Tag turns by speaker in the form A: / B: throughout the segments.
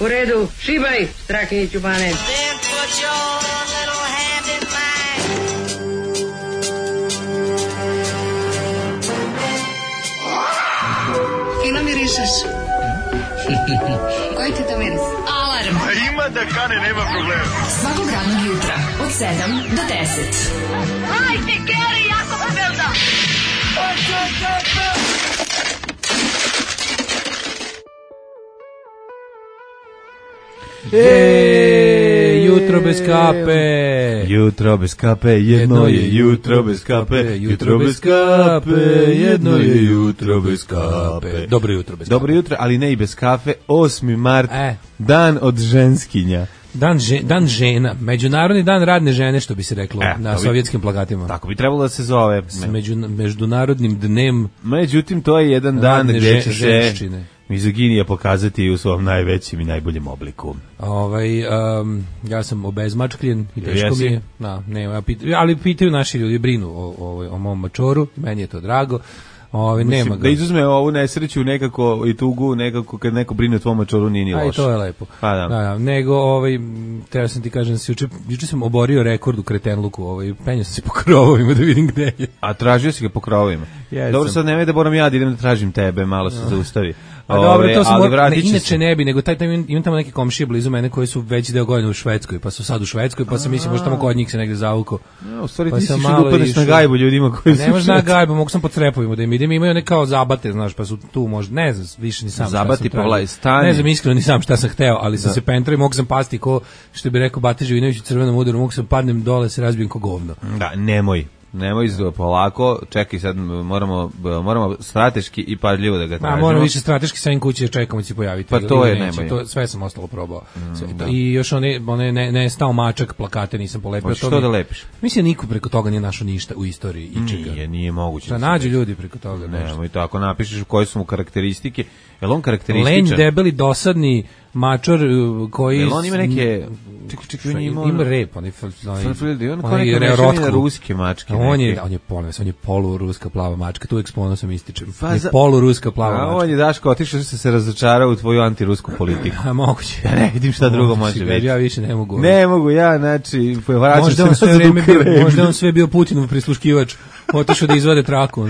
A: U redu, šibaj, Strakiniću Bane.
B: Fino mirišeš. Koji ti to miris? Alarm.
C: Ima da kane, nema problema.
B: Svakog radnog jutra, od 7 do 10.
D: Hajde, Geri, jako se velda.
E: Jutro bez kape.
F: Jutro bez kape, jedno je jutro bez kape. Jutro bez kape, jedno je jutro bez kape.
E: Dobro jutro bez kape.
F: Dobro jutro, ali ne i bez kafe. 8. mart, dan od ženskinja.
E: Dan žena, međunarodni dan radne žene, što bi se reklo na sovjetskim plakatima.
F: Tako bi trebalo da se zove.
E: S međunarodnim dnem.
F: Međutim, to je jedan dan gdje će
E: ženščine.
F: Mizoginija pokazati u svom najvećem i najboljem obliku.
E: Ja sam obezmačkljen i teško mi je. Ali pitaju naši ljudi, brinu o mom mačoru, meni je to drago. Nema ga.
F: Da izuzme ovu nesreću nekako i tugu, nekako kad neko brine o tvom mačoru nije ni loše.
E: Aj, to je lepo. Da. Nego, treba sam ti kažem, juče sam oborio rekord u kretenluku, penio sam se po krovovima da vidim gde je.
F: A tražio si ga po krovovima? Dobro, sad nemoj da moram ja da idem da tražim tebe, malo se zaustavi.
E: Dobro, to sam inače ne bi, nego imam tamo neke komšije blizu mene koji su veći deo godine u Švedskoj, pa su sad u Švedskoj, pa sam mislim možda tamo kod njih se negde zavuko.
F: U stvari ti si što upadneš na gajbu ljudima koji su.
E: Ne možda na gajbu, mogu sam po trepovima da im idem, imaju one kao zabate, znaš, pa su tu možda, ne znam, više ni sam.
F: Zabati pa stanje.
E: Ne znam iskreno ni sam šta sam hteo, ali sam se pentrao i mogu sam pasti ko što bi rekao Bate Živinović u Crvenom udaru, mogu sam padnem dole, se razbijem ko govno.
F: Da, nemoj polako, čekaj sad, moramo strateški i pažljivo da ga tražimo.
E: Moramo više strateški sa kuće da čekamo će se pojaviti.
F: Pa to je nemoj.
E: To sve sam ostalo probao. I još one ne stao mačak plakate nisam polepio.
F: Što da lepiš?
E: Mislim niko preko toga nije našao ništa u istoriji ičega.
F: Nije moguće.
E: Da nađu ljudi preko toga nešto.
F: Nemoj to, ako napišeš koje su mu karakteristike, jel on karakterističan?
E: Lenj, debeli, dosadni mačor koji...
F: Jel on ima neke...
E: Ima rep, on
F: je ruske mačke.
E: On je poluruska plava mačka, tu ekspono sam ističem. Poluruska plava mačka.
F: On je Daško otišao se razočarao u tvoju antirusku politiku.
E: Moguće.
F: Ja ne vidim šta drugo može biti.
E: Ja više ne mogu.
F: Ne mogu, znači,
E: možda on sve bio Putinov prisluškivač. Otišao da izvade traku.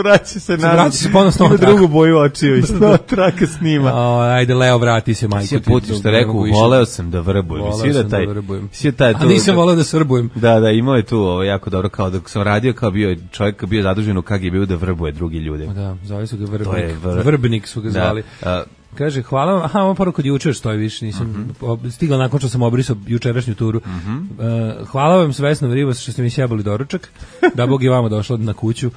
F: Vraća se nazad.
E: Vraća se ponosno na
F: drugu boju očiju i snova traka snima.
E: Ajde, Leo, vrati se, majko.
F: Si Putin što rekao, voleo sam da vrbujem.
E: A nisam voleo da srbujem.
F: Da, imao je tu jako dobro, kao dok sam radio, kao čovjek bio zadužen u KGB-u da vrbuje drugi ljude.
E: Da, zvali su ga Vrbnik. Vrbnik su ga zvali. Kaže, hvala vam, ovo poruku od jučer stoji više, nisam stigla nakon što sam obrisao jučerašnju turu. Hvala vam Vesna Rivas što ste mi sjebali doručak, da Bog je vama došla na kuću.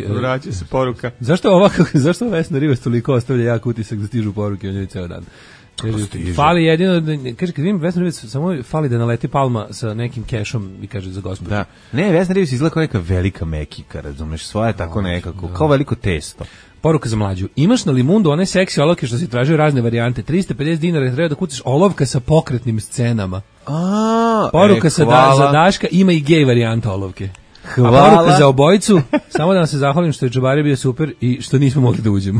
F: Vraća se poruka.
E: Zašto Vesna Rivas toliko ostavlja jak utisak da stižu poruke o njoj ceo dan? Kaže, fali jedino, kaže, kad vidim Vesna Rivas, samo fali da naleti Palma sa nekim kešom i kaže za gospođu.
F: Da. Ne, Vesna Rivas izgleda kao neka velika mekika, razumeš, svoje tako nekako, kao veliko testo.
E: Poruka za mlađu. Imaš na Limundu one seksi olovke što si tražio razne varijante. 350 dinara treba da kucaš olovka sa pokretnim scenama. Poruka za Daška, ima i gej varijanta olovke.
F: Hvala.
E: A poruka za obojicu, samo da vam se zahvalim što je Čubari bio super i što nismo mogli da uđemo.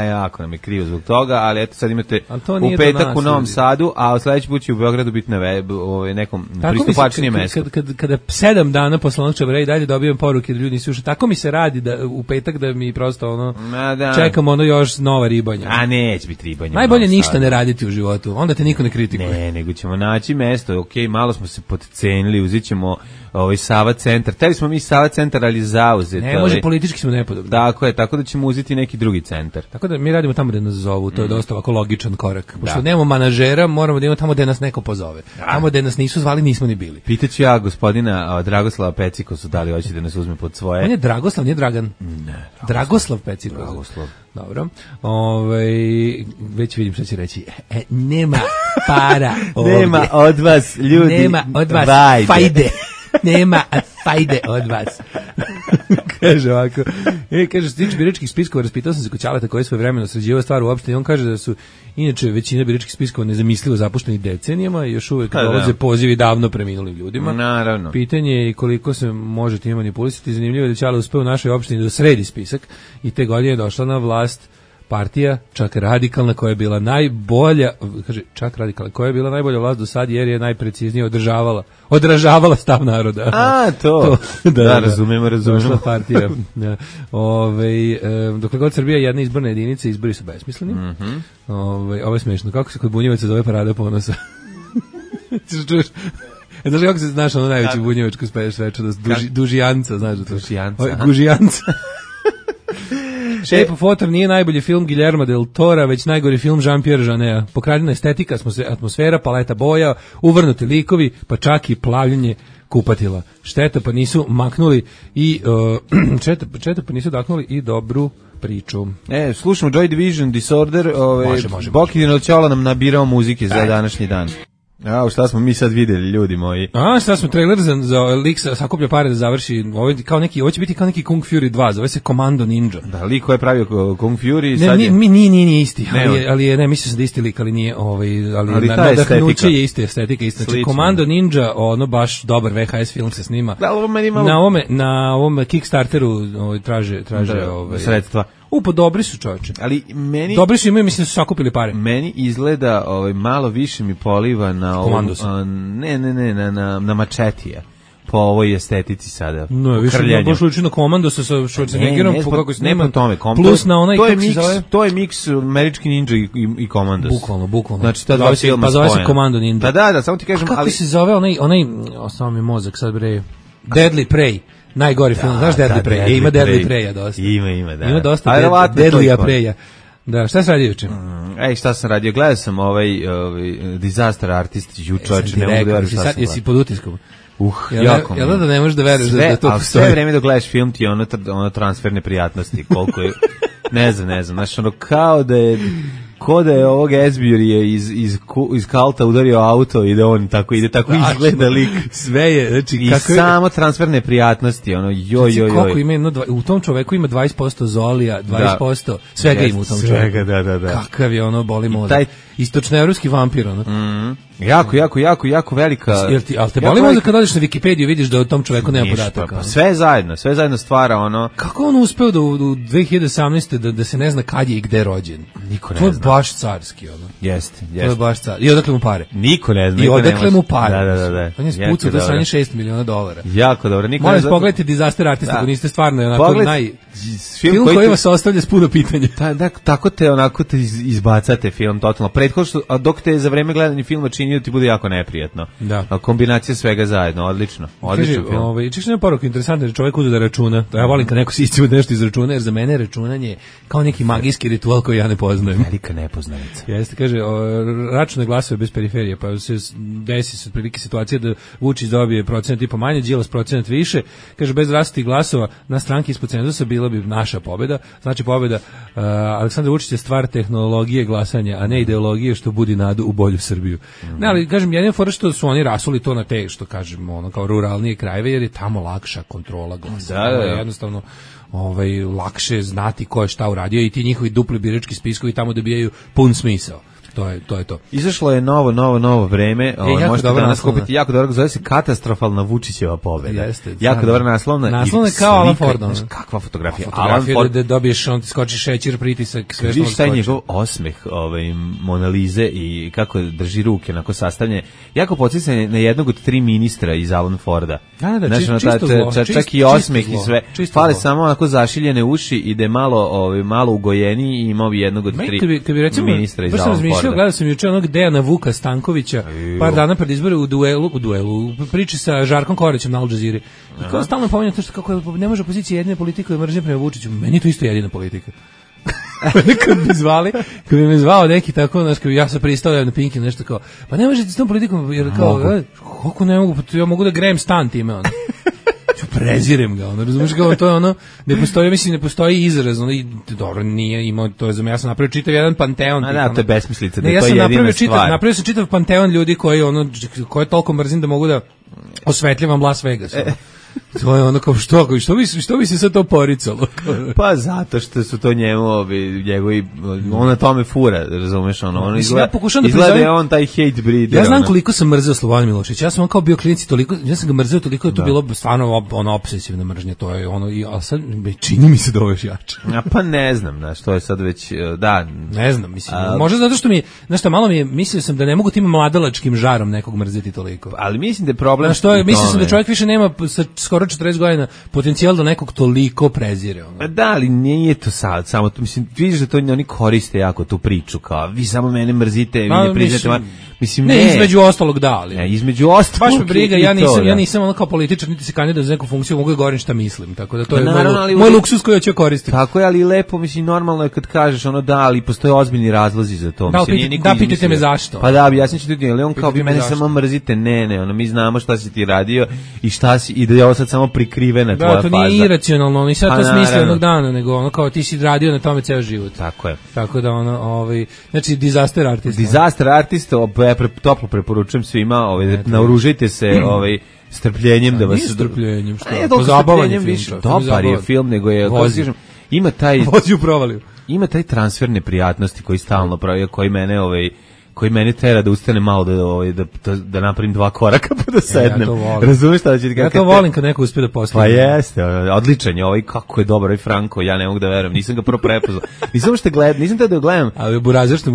F: Jako nam je krivo zbog toga, ali eto sad imate u petak u Novom Sadu, a sledeći put će u Beogradu biti na nekom pristupačnijem mestu.
E: Kada 7 dana posle onog Čubara i dalje dobijem poruke da ljudi nisu ušli, tako mi se radi da u petak da mi prosto čekam još nova ribanja.
F: A neće biti ribanja.
E: Najbolje ništa ne raditi u životu, onda te niko ne kritikuje.
F: Ne, nego ćemo naći mesto, okej, malo smo se podcenili, uzet ćemo Sava centar. Teli smo mi Sava centar, ali zauzet.
E: Ne, može, politički smo nepodobni.
F: Tako je, tako da ćemo uzeti neki drugi centar.
E: Tako da mi radimo tamo gde nas zovu, to je dosta ovako logičan korak. Pošto nemamo manažera, moramo da imamo tamo gde nas neko pozove. Tamo gde nas nisu zvali, nismo ni bili.
F: Pitaću ja gospodina Dragoslava Pecikosu da li hoće da nas uzme pod svoje.
E: On je Dragoslav, nije Dragan.
F: Ne.
E: Dragoslav Pecikos.
F: Dragoslav.
E: Dobro. Već vidim što će reći. Nema para ovdje.
F: Nema od vas, ljudi.
E: Nema od vas fajde. Nema fajde od vas. Kaže ovako. Kaže, što tiče biračkih spiskova, raspitao sam se kod Ćaleta koji je svoje vremeno sređivao stvar u opštini. On kaže da su inače većina biračkih spiskova nezamislivo zapušteni decenijama i još uvek dolaze pozivi davno preminulim ljudima.
F: Naravno.
E: Pitanje je koliko se može time manipulisati. Zanimljivo je da Ćale uspeo u našoj opštini da sredi spisak i te godine je došla na vlast partija, čak radikalna, koja je bila najbolja, kaže, čak radikalna, koja je bila najbolja vlast do sad, jer je najpreciznije odražavala stav naroda.
F: A, to. Da, razumemo.
E: Došla partija. Da. Dokle god Srbija jedna izborna jedinica, izbori su besmisleni. Ovo je smiješno. Kako se kod bunjevaca zove Parada ponosa? Čuješ? Znaš kako se znaš ono najveći bunjevačko svečanost? Dužijanca, znaš da to? Gužijanca. Shape of Water nije najbolji film Guillermo del Tora, već najgori film Jean-Pierre Jeaneta. Pokradena estetika, atmosfera, paleta boja, uvrnuti likovi, pa čak i plavljenje kupatila. Šteta pa nisu maknuli i šteta pa nisu daknuli i dobru priču.
F: Slušamo Joy Division, Disorder,
E: može.
F: Bokidin od Ćola nam nabirao muzike za današnji dan. Šta smo mi sad videli, ljudi moji?
E: Šta smo, trailer za lik sakuplja pare da završi, ovo će biti kao neki Kung Fury 2, zove se Commando Ninja.
F: Da, lik koji je pravio Kung Fury,
E: sad je... Nije isti, ali mislio sam da isti lik, ali nije, ali nadahnuće je ista estetika, ista. Znači, Commando Ninja, baš dobar VHS film se snima.
F: Da, ovo meni
E: malo... Na ovom Kickstarteru traže
F: sredstva.
E: Pa dobri su, čovječe.
F: Ali meni...
E: Dobri su, imaju, mislim da su sakupili pare.
F: Meni izgleda malo više mi poliva na... na Mačetija. Po ovoj estetici sada.
E: No, više baš uči na Komandosa sa Schwarzeneggerom, kako se snima.
F: Plus na onaj, to je miks Američki Ninja i Komandos.
E: Bukvalno.
F: Znači, ta dva filma spojena.
E: Pa zove se Komando Ninja.
F: Da, samo ti kažem...
E: Kako se zove onaj, ostao mi mozak sad bre, Deadly Prey. Najgori film, znaš Deadly Prey? Ima Deadly Preya dosta.
F: Ima, da.
E: Ima dosta Deadly Preya. Da, šta si radio juče?
F: Šta sam radio? Gledao sam Disaster Artist jučer, ne mogu da verujem šta sam.
E: Jesi pod utiskom?
F: Jako.
E: Jel da ne možeš da veruješ da to postoji?
F: Sve vreme dok gledaš film ti je ono transferne prijatnosti, koliko je, ne znam, znaš, kao da je ovog Esbjörija iz Kalta udario auto i da on tako izgleda lik.
E: Sve je, znači,
F: i samo transferne prijatnosti, joj.
E: Koliko ima, u tom čoveku ima 20% zolija, 20%, svega ima u tom čoveku.
F: Svega, da.
E: Kakav je boli mozak. Istočnoevropski vampir,
F: Jako velika.
E: Ali te boli mozak kad odeš na Wikipediju vidiš da u tom čoveku nema podataka.
F: Sve zajedno stvara ono.
E: Kako on uspeo da u 2018. da se ne zna kad je i gde rođen?
F: Niko ne zna.
E: To je baš carski, ono.
F: Jeste.
E: To je baš carski. I odakle mu pare?
F: Niko ne zna.
E: I odakle mu pare?
F: Da.
E: On je spucao do sanje $6 miliona.
F: Jako dobro.
E: Molim, pogledajte Disaster Artist, ako niste stvarno onako film koji vas ostavlja s puno pitanja.
F: Tako te izbacate film totalno. Prethodno, dok te za vreme gledanja filma čini da ti bude jako neprijatno.
E: Da.
F: Kombinacija svega zajedno, odlično film.
E: Češ nema poruku, interesantno, čovjek uđe da računa. To ja volim kad neko si iscima nešto iz računa, jer za mene je računanje kao neki magijski ritual koji ja ne poznajem.
F: Velika nepoznanica.
E: Jeste, kaže, račune glasove bez periferije, pa se desi se otprilike situacija da Vučić dobije procenat i po manje, Đilas procenat više, kaže, bez rastih glasova na stranki ispod cenzusa bila bi naša pobjeda. Znači pobjeda Aleksandar Vučić je stvar tehnologije glasanja, a ne ideologije što budi nadu u bolju Srbiju. Ne, ali kažem, jedino fora što su oni rasuli to na te, što kažemo, kao ruralnije krajeve, jer je tamo lakša kontrola glasa.
F: Da.
E: Jednostavno lakše znati ko je šta uradio i ti njihovi dupli birački spiskovi tamo dobijaju pun smisao. To je to.
F: Izašlo je novo vreme, možete danas kupiti jako dobro, zove se Katastrofalna Vučićeva pobjeda.
E: Jeste.
F: Jako dobra naslovna.
E: Naslovna kao Alan Ford.
F: Kakva fotografija.
E: Alan Ford da dobiješ, on ti skoči šećer, pritisak, sve što
F: skoči. Šta je njegov osmeh Mona Lise i kako drži ruke onako sastavljene. Jako podsjeća na jednog od 3 ministra iz Alan Forda.
E: Da,
F: čak i osmeh i sve. Fale samo onako zašiljene uši i da je malo ugojeniji i imao bi jednog od 3 ministra iz Alan Forda.
E: Gledao sam juče onog Dejana Vuka Stankovića par dana pred izbore u duelu, priči sa Žarkom Koraćem na Al Jazeera. I kao stalno pominja to što kako ne može opozicija jedine politike da mržnje prema Vučiću. Meni je to isto jedina politika. Kad bi me zvao neki tako, znaš, kad bi ja sam pristao na Pinky nešto kao, pa ne možete s tom politikom, jer kao, kako ne mogu, ja mogu da grejem stan time, ono. Prezirem ga, razumiješ kao, to je ono, ne postoji izraz, dobro, nije imao, to je za me, ja sam napravio čitav jedan panteon.
F: To je besmislica, da je to jedina stvar.
E: Napravio sam čitav panteon ljudi koje toliko mrzim da mogu da osvetljavam Las Vegas. To je ono kao što bi se sad to poricalo?
F: Pa zato što su to njegovi, on na tome fura, razumeš, ono izgleda je on taj hate breeder.
E: Ja znam koliko sam mrzeo Slobodana Miloševića, ja sam on kao bio klinici toliko, ja sam ga mrzeo toliko, je to bilo stvarno ono obsesivna mržnja, to je ono, a sad čini mi se da ovo još jače.
F: Pa ne znam, znaš, to je sad već, da.
E: Ne znam, mislim, možda zato što znaš šta, malo mi je, mislio sam da ne mogu tim mladalačkim žarom nekog mrzeti toliko.
F: Ali mislim da je problem.
E: Znaš, mislio sam da čovjek više nema sa skoro 40 godina potencijal da nekog toliko prezire. Ono.
F: Da, ali nije to sad, samo to, mislim, vidiš da to oni koriste jako tu priču, kao, vi samo mene mrzite, vi ne priznate, mislim,
E: ne, između ostalog da, ali.
F: Ne, između ostalog.
E: Baš me briga, ja nisam ono kao političar, niti se kandidat za neku funkciju, mogu da govorim šta mislim, tako da to je moj luksus koji ću koristiti.
F: Tako je, ali lepo, mislim, normalno je kad kažeš ono da, ali postoje ozbiljni razlozi za to.
E: Da, pitajte me zašto.
F: Pa da, ja sam ću ljudi, ali on kao vi mene samo mrzite, ne, ono, mi znamo šta si ti radio i šta si, i da je ovo sad samo prikrivena tvoja faza.
E: Da, to nije iracionalno, oni sad to smisle jednog dana, nego ono kao ti si radio na tome ceo život.
F: Tako je.
E: Tako da ono, znači disaster artist.
F: Disaster artist, toplo preporučujem svima, naoružajte se, strpljenjem da vas...
E: Nije strpljenjem, šta?
F: Ne, strpljenjem više, dobar je film, nego je... Ima taj...
E: Vozi u provaliju.
F: Ima taj transfer neprijatnosti koji stalno pravi, koji mene tera da ustane malo da napravim 2 koraka pa da sednem. Razumeš šta da će ti
E: ja to volim kad neko uspe da postigne.
F: Pa jeste, odličan je kako je dobar ovaj Franko, ja ne mogu da verujem, nisam ga prvo prepoznao. Nisam teo da gledam.
E: Ali Burazer što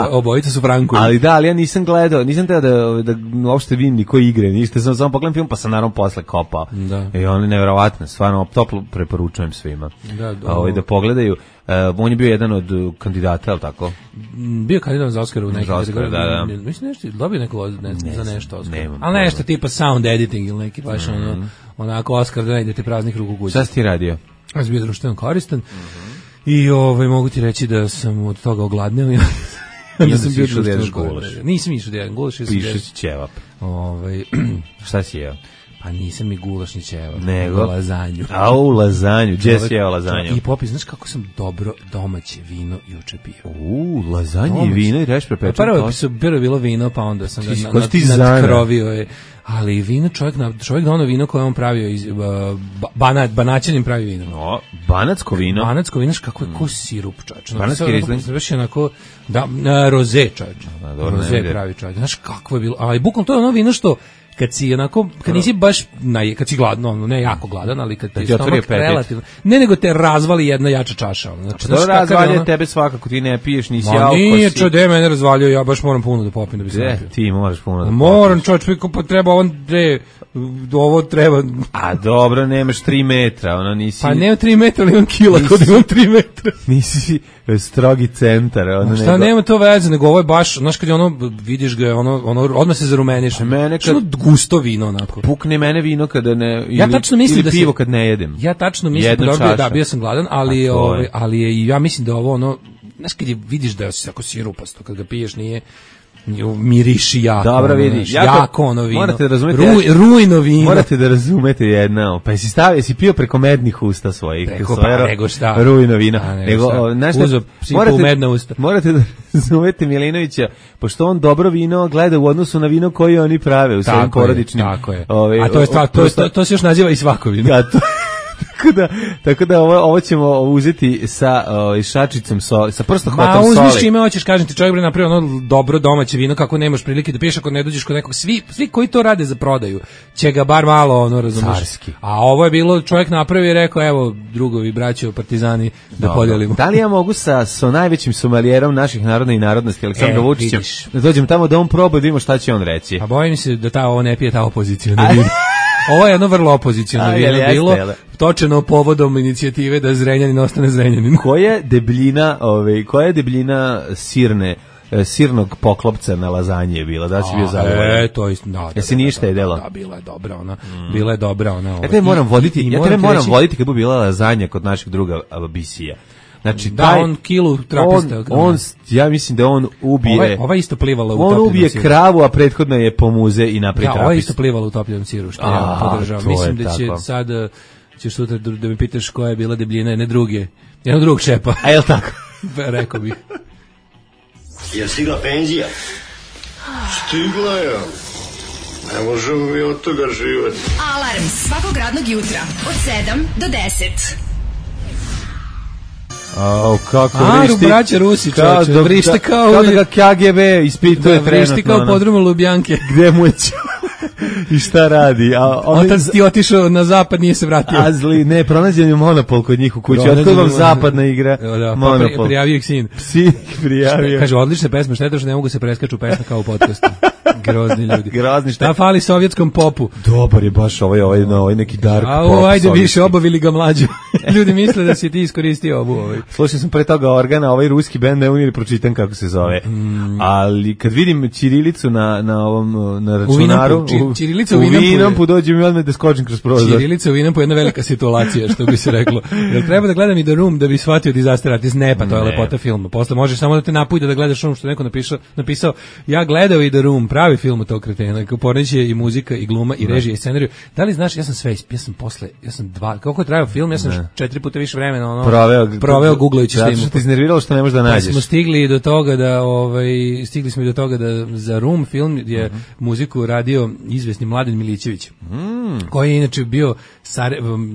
E: obojica su Franko.
F: Ali ja nisam gledao, nisam teo da uopšte vidim niko igre, ništa, sam samo pogledam film pa sam naravno posle kopao. I on je neverovatno, stvarno toplo preporučujem svima. Da pogledaju. On je bio jedan od kandidata, ali tako?
E: Bio kandidat za Oscar u nekih
F: kategoriji. Da.
E: Mislim nešto, dobio neko za nešto Oscar. Ali nešto tipa sound editing ili neki baš onako Oscar da idete praznih ruku kući.
F: Šta si ti radio?
E: Ja sam bio društveno koristan i mogu ti reći da sam od toga ogladneo.
F: Nisam bio društveno koristan.
E: Nisam išao da jedan gulaš.
F: Pišeš ćevap. Šta si jeo?
E: Pa nisam ni gulaš ni ćevap,
F: nego
E: lazanju.
F: U lazanju, gdje si jeo lazanju?
E: I Popi, znaš kako sam dobro domaće vino juče pio?
F: Lazanje i vino i reš prepečen tost?
E: Prvo je bilo vino, pa onda sam ga nadkrovio. Ali vino, čovjek ono vino koje on pravio iz Banaćanin pravi vino.
F: No, banatsko vino?
E: Banatsko vino, kako je ko sirup, čovječ.
F: Banatski rizling?
E: Znaš, onako, roze, čovječ. Roze pravi čovječ. Znaš, kako je bilo. Ali bukvalno to je ono vino što kad si onako, kad nisi baš kad si gladan, ne jako gladan, ali kad ti stomak relativno, ne nego te razvali jedna jača čaša.
F: Znači, to razvalje tebe svakako, ti ne piješ, nisi alko.
E: Nije čode, mene razvaljio, ja baš moram puno da popim da bi se napio.
F: Ti moraš puno da popiš.
E: Moram, čovječ, pa treba ovo treba.
F: A dobro, nemaš 3 metra, ono nisi...
E: Pa nema 3 metra, ali imam kila, kod imam 3 metra.
F: Nisi strogi centar.
E: Šta, nema to veze, nego ovo je baš, znaš kad je vidiš ga, odmah se zarumeniš.
F: Mene kad...
E: gusto vino onako.
F: Pukne mene vino kada ne
E: ja tačno mislim
F: da pivo kad ne jedem.
E: Ja tačno mislim da bio sam gladan, ali je ja mislim da ovo znaš kad je vidiš da je ako sirupasto kad ga piješ nije miriši jako.
F: Dobro vidi,
E: jako ono vino.
F: Morate da razumete.
E: Rujno vino.
F: Morate da razumete jedno. Pa si pio preko mednih usta svojih.
E: Nego šta?
F: Rujno vino. Morate da razumete Milinovića, pošto on dobro vino gleda u odnosu na vino koje oni prave u svojim porodičnim.
E: Tako je. A to se još naziva i svako vino.
F: Da, Tako da ovo ćemo uzeti sa šačicom sa prstohvatom soli.
E: Ma uzmiš čime hoćeš, kažem ti, čovjek bi napravio ono dobro domaće vino kako nemaš prilike da piješ ako ne dođeš kod nekog. Svi koji to rade za prodaju će ga bar malo razumiješ.
F: Carski.
E: A ovo je bilo, čovjek napravio i rekao evo drugovi, braćo, partizani da podijelimo.
F: Da li ja mogu sa najvećim somalijerom naših naroda i narodnosti Aleksandrom Vučićem da dođem tamo da on proba da vidimo šta će on reći?
E: A bojim se da ovo ne pije ta opozicija. Ovo je jedno vrlo opoziciono vino bilo, točeno povodom inicijative da Zrenjanin ostane Zrenjanin.
F: Koja je debljina sirnog poklopca na lazanje je bila? Da si bio zadovoljan?
E: To isto, da.
F: Jesi ništa jedela?
E: Da, bila je dobra ona. Bila je dobra ona.
F: Ja tebe moram voditi kad bi bila lazanja kod našeg druga Bisija. Znači,
E: on kilu trapista.
F: Ja mislim da on ubije...
E: Ova isto plivala u topljenom
F: siru. On ubije kravu, a prethodno je pomuze i napravi trapist.
E: Ova isto plivala u topljenom siru, što ja podržavam. Mislim da će sad, ćeš sutra da mi pitaš koja je bila debljina jednog drugog šepa.
F: A je li tako?
E: Rekao bih.
C: Je stigla penzija? Stigla je. Ne možemo mi od toga živjeti.
B: Alarm svakog radnog jutra od 7 do 10.
F: Kako
E: vrišti. Braća Rusi, čoče, vrište kao
F: da ga KGB ispituje trenutno.
E: Vrišti kao podrumu Lubjanke.
F: Gde mu je i šta radi?
E: Otac ti otišao na zapad, nije se vratio.
F: Ne, pronađen je Monopol kod njih u kući. Otkud vam zapadna igra? Monopol.
E: Prijavio ih sin.
F: Sin prijavio.
E: Kaže, odlične pesme, šteta što ne mogu se preskaču pesme kao u podcastu. Grozni ljudi.
F: Grozni
E: šta fali sovjetskom popu?
F: Dobar je baš ovaj neki dark pop.
E: Ajde više, obavili ga mlađu. Ljudi misle da si ti iskoristio ovu.
F: Slušao sam pre toga Organa, ovaj ruski bend, ne umiri pročitam kako se zove. Ali kad vidim ćirilicu na računaru,
E: ćirilica u
F: Vinampu dođe mi odmah da skočim kroz prozor.
E: Ćirilica u Vinampu je jedna velika situacija, što bi se reklo. Jel treba da gledam i The Room da bi shvatio Disaster Artist? Ne, pa to je lepota filma. Posle možeš samo da te napujde da gledaš ono što neko napisao. Ja gledao i The Room, pravi film od tog kretena, poređe i muzika i gluma i režija i scenariju. Da li znaš, ja sam kako je trajao film, ja sam 4 puta više vremena proveo googlajući
F: što što te iznerviralo što ne možeš da nađeš.
E: Smo stigli do toga da za Room film je muziku radio izvesni Mladen Milićević, koji je inače bio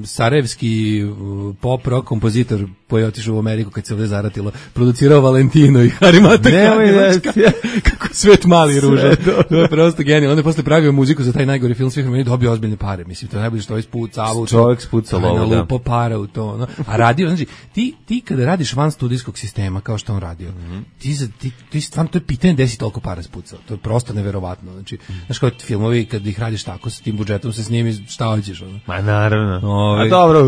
E: sarajevski pop rock kompozitor koji je otišao u Ameriku kad se ovdje zaratilo, producirao Valentino i Harimata. Kako svet mali i ružan. To je prosto genijalno. On je posle pravio muziku za taj najgori film svih vremena i dobio ozbiljne pare. Mislim, to je najbolje što je spucavao.
F: Čovjek spucao lovu,
E: lupo para u to. No. A radio, znači, ti kada radiš van studijskog sistema, kao što on radio, ti stvarno, to je pitanje gde si toliko para spucao. To je prosto neverovatno. Znači, znaš kao filmovi, kad ih radiš tako, sa tim budžetom se snimi, šta hoćeš?
F: Ma naravno. A dobro,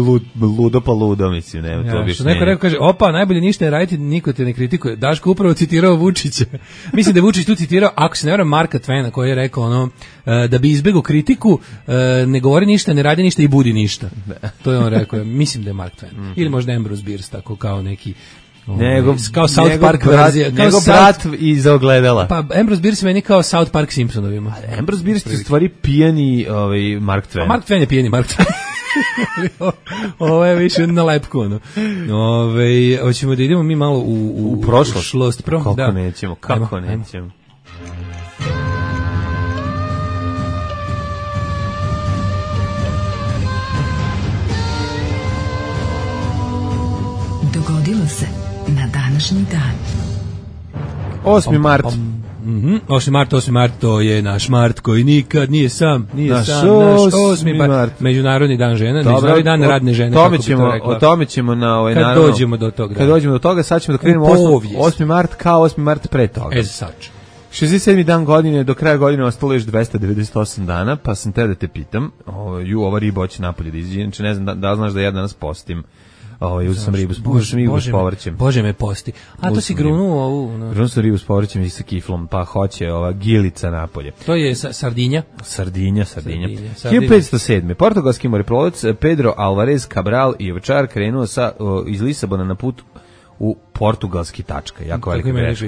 F: ludo pa ludo, mislim, nema to bi.
E: Neko kaže, najbolje ništa ne raditi, niko te ne kritikuje. Daško upravo citirao Vučića. Mislim da je Vučić tu citirao, ako se ne varam, Marka Tvena, koji je rekao da bi izbegao kritiku, ne govori ništa, ne radi ništa i budi ništa. To je on rekao. Mislim da je Mark Twain. Ili možda Ambrose Bierce, tako kao neki kao South Park verzija.
F: Nego brat iz ogledala.
E: Pa Ambrose Bierce meni kao South Park Simpsonovima.
F: Ambrose Bierce je stvari pijani Mark Twain.
E: Mark Twain je pijani Mark Twain. Ovo je više na lepku. Hoćemo da idemo mi malo u prošlost.
F: Kako nećemo.
B: Dogodilo se na današnji dan.
F: 8. mart.
E: 8. mart, to je naš Mart koji nikad nije sam, naš 8. mart. Međunarodni dan žena, Međunarodni dan radne žene.
F: O tome ćemo
E: kad dođemo do toga.
F: Kad dođemo do toga, sad ćemo da krenemo 8. mart kao 8. mart pre toga.
E: Sač.
F: 67. dan godine, do kraja godine ostalo još 298 dana, pa sam te da te pitam, ova riba hoće napolje da izađe, znači ne znam da znaš da ja danas postim. Uzeo sam ribu s povrćem.
E: Bože me posti. A to si grunuo ovu.
F: Grunuo sam ribu s povrćem i sa kiflom, pa hoće ova gilica napolje.
E: To je sardinja?
F: Sardinja. 1507. Portugalski moreplovac Pedro Alvarez Cabral i ovčar krenuo iz Lisabona na put u portugalski tačka, jako velika greška.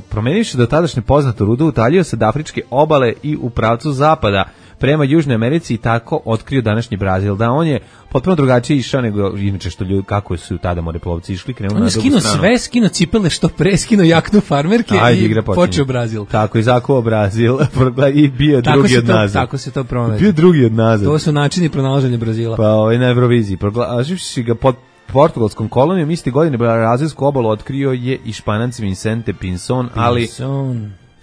F: Promenivši do tadašnje poznato rudu, utaljio se od afričke obale i u pravcu zapada prema Južnoj Americi i tako otkrio današnji Brazil. Da, on je potpuno drugačije išao nego inače što ljudi, kako su tada moreplovci išli, krenuo na drugu stranu.
E: On je skino cipele što pre, skino jaknu farmerke i počeo Brazil.
F: Tako, izakuo Brazil i bio drugi od nazad.
E: Tako se to pronađe.
F: Bio drugi od nazad.
E: To su načini pronalaženja Brazila.
F: Pa na Euroviziji. Proglašivši ga pod portugalskom kolonijom, iste godine brazilsku obalu otkrio je i Španac Vicente Pinson, ali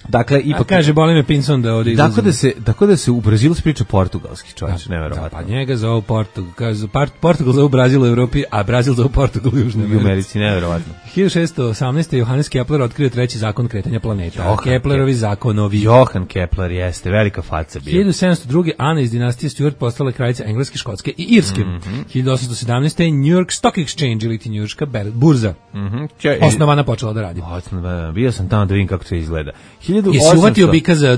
F: dakle ipak
E: kaže boli me Pinson da ovdje izlazi.
F: Tako da se u Brazilu priča portugalski, čovječe, neverovatno.
E: Pa njega zovu Portugal zovu Brazil u Evropi, a Brazil zovu Portugal u Južnoj
F: Americi, neverovatno.
E: 1618. Johannes Kepler otkrio treći zakon kretanja planeta. Keplerovi zakonovi.
F: Johann Kepler jeste velika faca bio.
E: 1702. Ana iz dinastije Stuart postala kraljica Engleske, Škotske i Irske. 1817. New York Stock Exchange ili njujorška burza. Osnovana počela da radi.
F: Bio sam tamo da vidim kako to izgleda.
E: Jesi uvatio bika za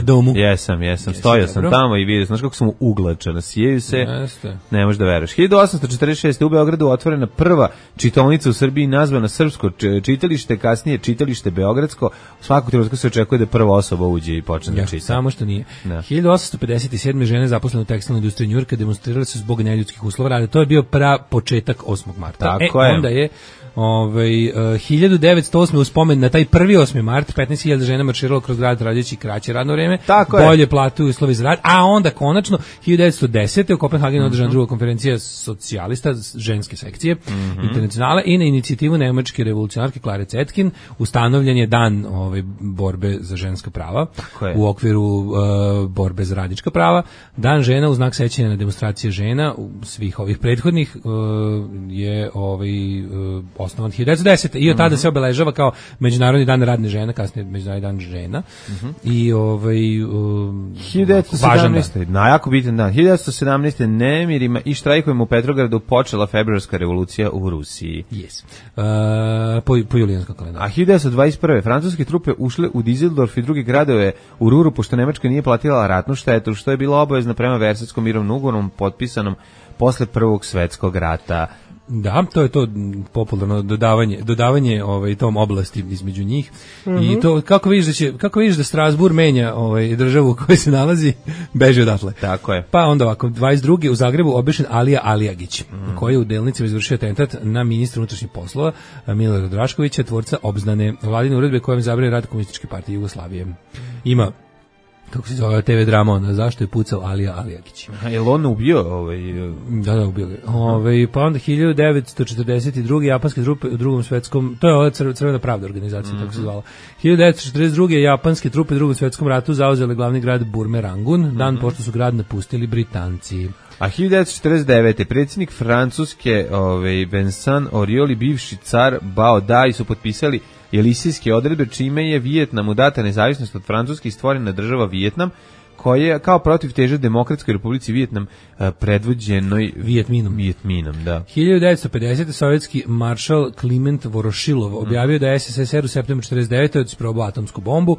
E: domu?
F: Jesam. Stojao sam tamo i vidio, znaš kako sam uglačan, sijeju se, ne možeš da veruješ. 1846. u Beogradu otvorena prva čitaonica u Srbiji nazvana Srpsko čitalište, kasnije čitalište Beogradsko. Svakog trenutka se očekuje da prva osoba uđe i počne da čita.
E: Samo što nije. 1857. žene zaposlene u tekstilnoj industriji Njujorka demonstrirale su zbog neljudskih uslova rada. To je bio početak 8. marta.
F: Tako je.
E: Onda je 1908. u spomen na taj prvi 8. mart 15.000 žena marširalo kroz grad tražeći kraće radno vreme, bolje plate u uslovi za rad, a onda konačno 1910. u Kopenhagenu održana druga konferencija socijalista ženske sekcije internacionale i na inicijativu nemačke revolucionarke Klare Zetkin ustanovljen je dan borbe za ženska prava u okviru borbe za radnička prava. Dan žena u znak sećanja na demonstracije žena svih ovih prethodnih je osnovan 1910. I od tada se obeležava kao Međunarodni dan radne žene, kasnije Međunarodni dan žena. I
F: 1917. Najako bitan dan. 1917. nemirima i štrajkovima u Petrogradu počela februarska revolucija u Rusiji.
E: Yes. Po julijanskom kalendaru.
F: A 1921. francuske trupe ušle u Dizeldorf i druge gradove u Ruru, pošto Nemačka nije platila ratnu štetu, što je bilo obavezno prema Versajskom mirovnom ugovoru potpisanom posle Prvog svetskog rata.
E: Da, to je to popularno dodavanje tom oblasti između njih. I to kako vidiš da Strasbourg menja državu u kojoj se nalazi, beži odatle.
F: Tako je.
E: Pa onda ovako 22. u Zagrebu obešen Alija Alijagić, koji je u Delnicama izvršio atentat na ministra unutrašnjih poslova Milorada Draškovića, tvorca obznane vladine uredbe kojom zabranjuje rad Komunističke partije Jugoslavije. Ima kako se zove TV drama, zašto je pucao Alija Alijagić.
F: Je li on ubio?
E: Da, ubio ga. Pa onda 1942. japanske trupe u drugom svetskom, to je ova Crvena pravda organizacija, tako se zvala. 1942. japanske trupe u drugom svetskom ratu zauzele glavni grad Burme Rangun, dan pošto su grad napustili Britanci.
F: A 1949. predsjednik Francuske Vincent Auriol i bivši car Bao Dai su potpisali Jelisijske odredbe, čime je Vijetnamu data nezavisnost od Francuske i stvorena država Vijetnam, koja je kao protiv teže Demokratskoj republici Vijetnam predvođenoj Vijetminom, da.
E: 1950. sovjetski maršal Kliment Vorošilov objavio da je SSSR u septembru 1949. isprobao atomsku bombu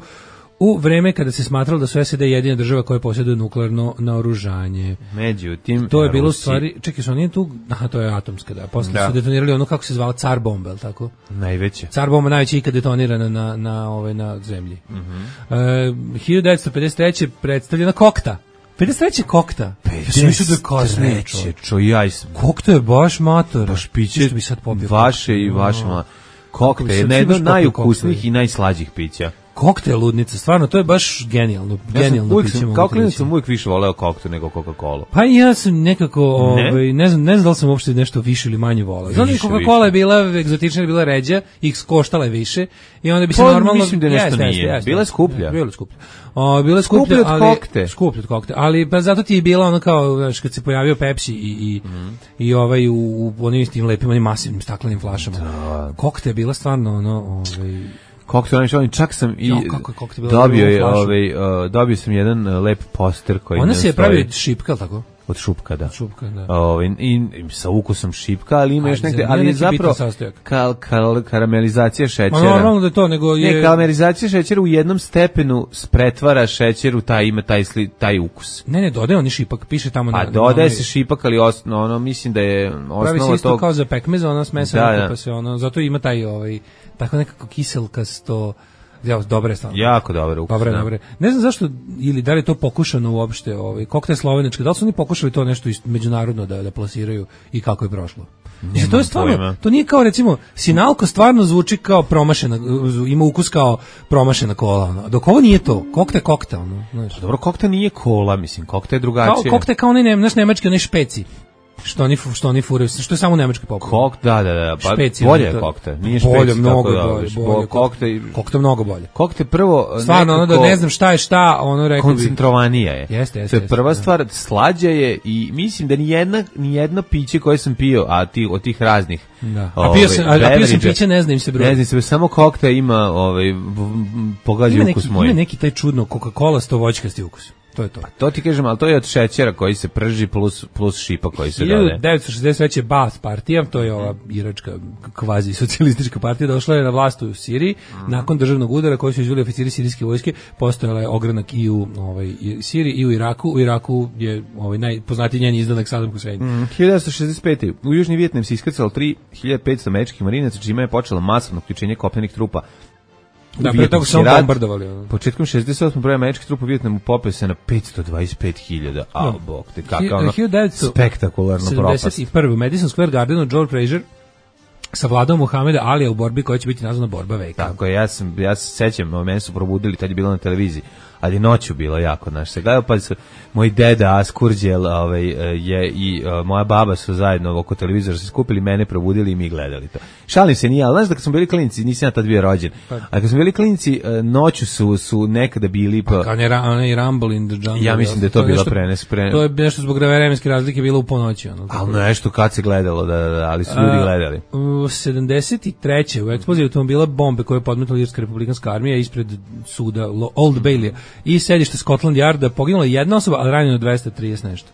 E: u vreme kada se smatralo da su SAD jedina država koja posjeduje nuklearno naoružanje.
F: Međutim,
E: to je bilo u stvari, čekaj, što nije tu, to je atomska, da, posle su detonirali ono kako se zvala Car bomba, je li tako?
F: Najveća.
E: Car bomba najveća ikad detonirana na zemlji. 1953. predstavljena Kokta. 53. Kokta.
F: 53.
E: Kokta je baš mator.
F: Baš piće vaše i vaše. Kokta je jedno od najukusnijih i najslađih pića.
E: Kokta je ludnica, stvarno, to je baš genijalno piće.
F: Kao klinac sam uvijek više voleo koktu nego Coca-Cola.
E: Pa ja sam nekako, ne znam da li sam uopšte nešto više ili manje voleo. Znači, Coca-Cola je bila egzotična, bila ređa, koštala je više i onda bi se normalno...
F: Mislim da nešto nije. Bila je skuplja.
E: Bila je skuplja, ali... Skuplja od kokte. Ali pa zato ti je bila ono kao, znaš, kad se pojavio Pepsi i u onim istim lepim, onim masivnim staklenim flašama. Kokta je bila stvarno ono...
F: Koktel, čak sam i dobio sam jedan lep poster koji
E: ona se je pravio šipka, tako?
F: Od šupka, da.
E: Da.
F: I sa ukusom šipka, ali ima još negde, ali je zapravo karamelizacija šećera.
E: Normalno da je to, nego je...
F: Ne, karamelizacija šećera u jednom stepenu pretvara šećer u taj ukus.
E: Ne, dodaje on i šipak, piše tamo
F: na... dodaje se šipak, ali mislim da je osnova
E: pravi
F: tog...
E: se isto kao za pekmez, ona smesa, pa se zato ima taj tako nekako kiselkasto... Dobre stvarno.
F: Jako dobre ukus.
E: Dobre. Ne znam zašto, ili da li je to pokušano uopšte, koktel slovenački, da li su oni pokušali to nešto međunarodno da plasiraju i kako je prošlo? To je stvarno, to nije kao recimo, Sinalko stvarno zvuči kao promašena, ima ukus kao promašena kola, dok ovo nije to, koktel.
F: Dobro, koktel nije kola, mislim, koktel je drugačije.
E: Koktel kao onaj nemački, onaj špeci. Što oni furaju, što je samo u Nemačkoj popularno.
F: Da, pa bolje je koktel. Nije špeci,
E: bolje, mnogo bolje. Koktel mnogo bolje.
F: Koktel prvo
E: stvarno, ono da ne znam šta je šta, ono rekao bi.
F: Koncentrovanija je.
E: Jeste.
F: To je prva stvar, slađa je i mislim da ni jedno piće koje sam pio, od tih raznih.
E: Da. A pio sam piće, ne znam im se broj.
F: Ne znam se, samo koktel ima pogađa ukus moj.
E: Ima neki taj čudno Coca-Cola stovoćkasti ukus. To je to.
F: To ti kažem, ali to je od šećera koji se prži plus šipa koji se dode.
E: 1963. Baath partija, to je ova iračka kvazi socijalistička partija, došla je na vlast u Siriji. Nakon državnog udara koji su izveli oficiri sirijske vojske, postojala je ogranak i u Siriji i u Iraku. U Iraku je najpoznatiji njen izdanak Saddam Hussein.
F: 1965. U Južni Vijetnam se iskrcalo 3500 američkih marinaca, čime je počelo masovno uključenje kopnenih trupa.
E: Da, pre toga su bombardovali.
F: Početkom 68. broj američkih trupa u Vijetnamu popeo se na 525.000. Bog te, kakav spektakularno propast.
E: 71. u Madison Square Gardenu George Fraser sa Vladom Muhameda Alija u borbi koja će biti nazvana borba veka.
F: Tako je, ja se sećam, mene su probudili, tad je bilo na televiziji, ali noću bilo jako, znaš, se gledao, pa su moj deda Askurđel je i moja baba su zajedno oko televizora se skupili, mene probudili i mi gledali to. Šalim se, nije, ali znaš da kad smo bili klinci, nisam ja tad bio rođen, a kad smo bili klinci, noću su nekada bili...
E: Pa kao onaj Rumble in the Jungle.
F: Ja mislim da je to bila
E: To je nešto zbog vremenske razlike bilo u ponoći.
F: Ali nešto kad se gledalo, da, ali su ljudi gledali.
E: U 73. u eksploziji automobila bombe koje je podmetala Irska republikanska armija ispred suda Old Bailey i sedište Scotland Yarda poginula jedna osoba, ali ranjeno 230 nešto.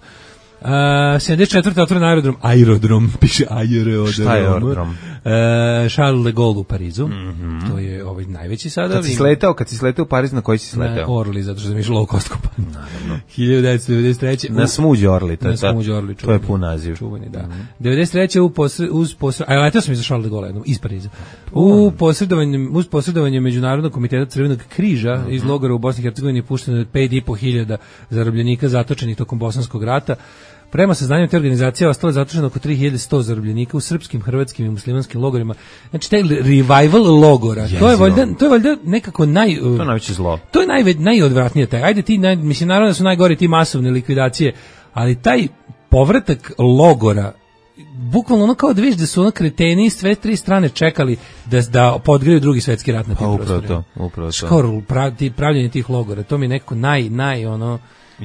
E: 74. otvoren aerodrom, piše aerodrom.
F: Šta je aerodrom?
E: Charles de Gaulle u Parizu. To je ovaj najveći sada.
F: Kad si sletao u Pariz, na koji si sletao?
E: Na Orly, zato što sam išao low cost kompaniju. Naravno. 1993.
F: Na Smuđi Orly.
E: Na Smuđi Orly.
F: To je pun naziv.
E: Čuvani, da. 93. letao sam iz Charles de Gaulle, iz Pariza. Uz posredovanje Međunarodnog komiteta Crvenog križa iz logora u Bosni i Hercegovini pušteno je 5.500 zarobljenika zatočenih tokom Bosanskog rata. Prema saznanju te organizacije ostalo je zatočeno oko 3100 zarobljenika u srpskim, hrvatskim i muslimanskim logorima. Znači taj revival logora, to je valjda nekako to je
F: najveće zlo.
E: To je najodvratnije taj. Ajde ti mislim naravno da su najgori ti masovne likvidacije, ali taj povratak logora bukvalno ono kao da vidiš da su ono kreteni sve tri strane čekali da podgreju drugi svetski rat na tim prostorima.
F: Upravo to.
E: Skoro pravljenje tih logora, to mi je nekako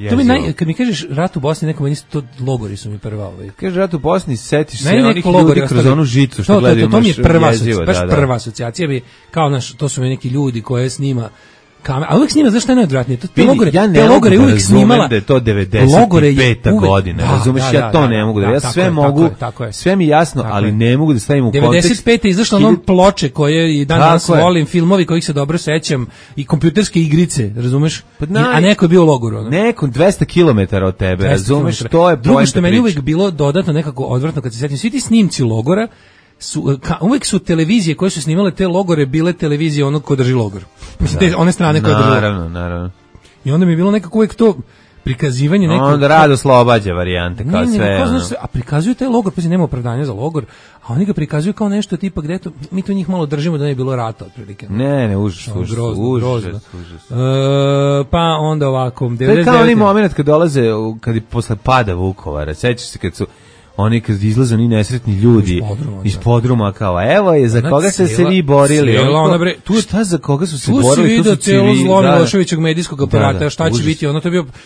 E: to mi kad mi kažeš rat u Bosni, neko meni to logori su mi prva.
F: Kažeš rat u Bosni, setiš se onih ljudi kroz onu žicu što gledaju.
E: To mi je prva asocijacija, bi kao to su mi neki ljudi koje snima a uvijek snima, znaš šta je najodvratnije? Te logore uvijek snimala.
F: Da je to 95. godina, razumeš, ja to ne mogu da, ja sve mogu, sve mi jasno, ali ne mogu da stavim u kontekst.
E: 95. je izašla onom ploče koje i danas volim, filmovi kojih se dobro sećam i kompjuterske igrice, razumeš? A neko je bio u logoru.
F: Neko 200 km od tebe, razumeš, to je
E: drugo što meni uvijek bilo dodatno nekako odvratno kad se sećam, svi ti snimci logora, uvijek su televizije koje su snimale te logore bile televizije onog ko drži logor. Mislim, one strane koje drži logor.
F: Naravno.
E: I onda mi je bilo nekako uvijek to prikazivanje nekako...
F: Onda rado slobađa varijante, kao sve.
E: A prikazuju taj logor, pa nema opravdanja za logor, a oni ga prikazuju kao nešto tipa gde to, mi to njih malo držimo da ne je bilo rata, otprilike.
F: Ne, užas.
E: Pa onda ovako...
F: To je kao onaj moment kad dolaze, kad je posle pada Vukovara, sećaš se kad su oni kad izlaze oni nesretni ljudi iz podruma kao evo je za koga ste se vi borili, šta za koga su se borili,
E: tu su civili, zlo Miloševićevog medijskog aparata, šta će biti, ono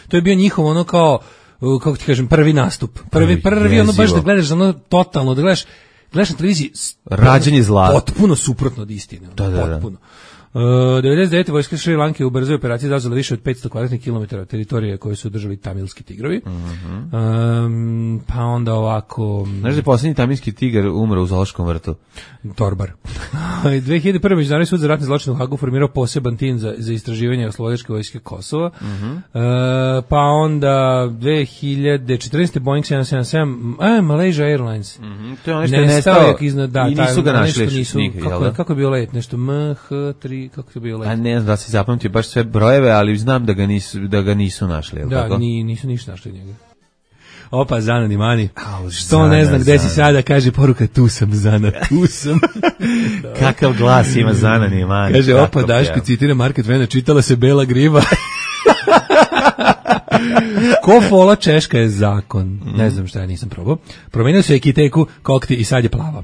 E: to je bio njihov ono kao, kako ti kažem, prvi nastup, prvi ono baš da gledaš ono totalno, da gledaš na televiziji
F: rađanje zla,
E: potpuno suprotno od istine, potpuno. 99. vojska Šri Lanke u brzoj operaciji zauzela više od 500 kvadratnih kilometara teritorije koje su držali tamilski tigrovi. Pa onda ovako...
F: Znaš da je posljednji tamilski tigar umro u zoološkom vrtu?
E: Torbar. 2001. Međunarodni sud za ratne zločine u Hagu formirao poseban tim za istraživanje oslobodilačke vojske Kosova. Pa onda 2014. Boeing 777 Malaysia Airlines.
F: To je ono što je nestao
E: i
F: nisu ga našli.
E: Kako je bio let? Nešto MH3, kako je bio let?
F: A ne znam da si zapamtio baš sve brojeve, ali znam da ga nisu našli.
E: Da, nisu ništa našli njega. Opa, Zana Nimani. Što ne znam gde si sada, kaže poruka, tu sam, Zana, tu sam.
F: Kakav glas ima Zana Nimani.
E: Kaže, opa, Daško, citira Market Vena, čitala se Bela griva. Ko fola Češka je zakon. Ne znam šta, ja nisam probao. Promenio se ekiteku, kokti i sad je plava.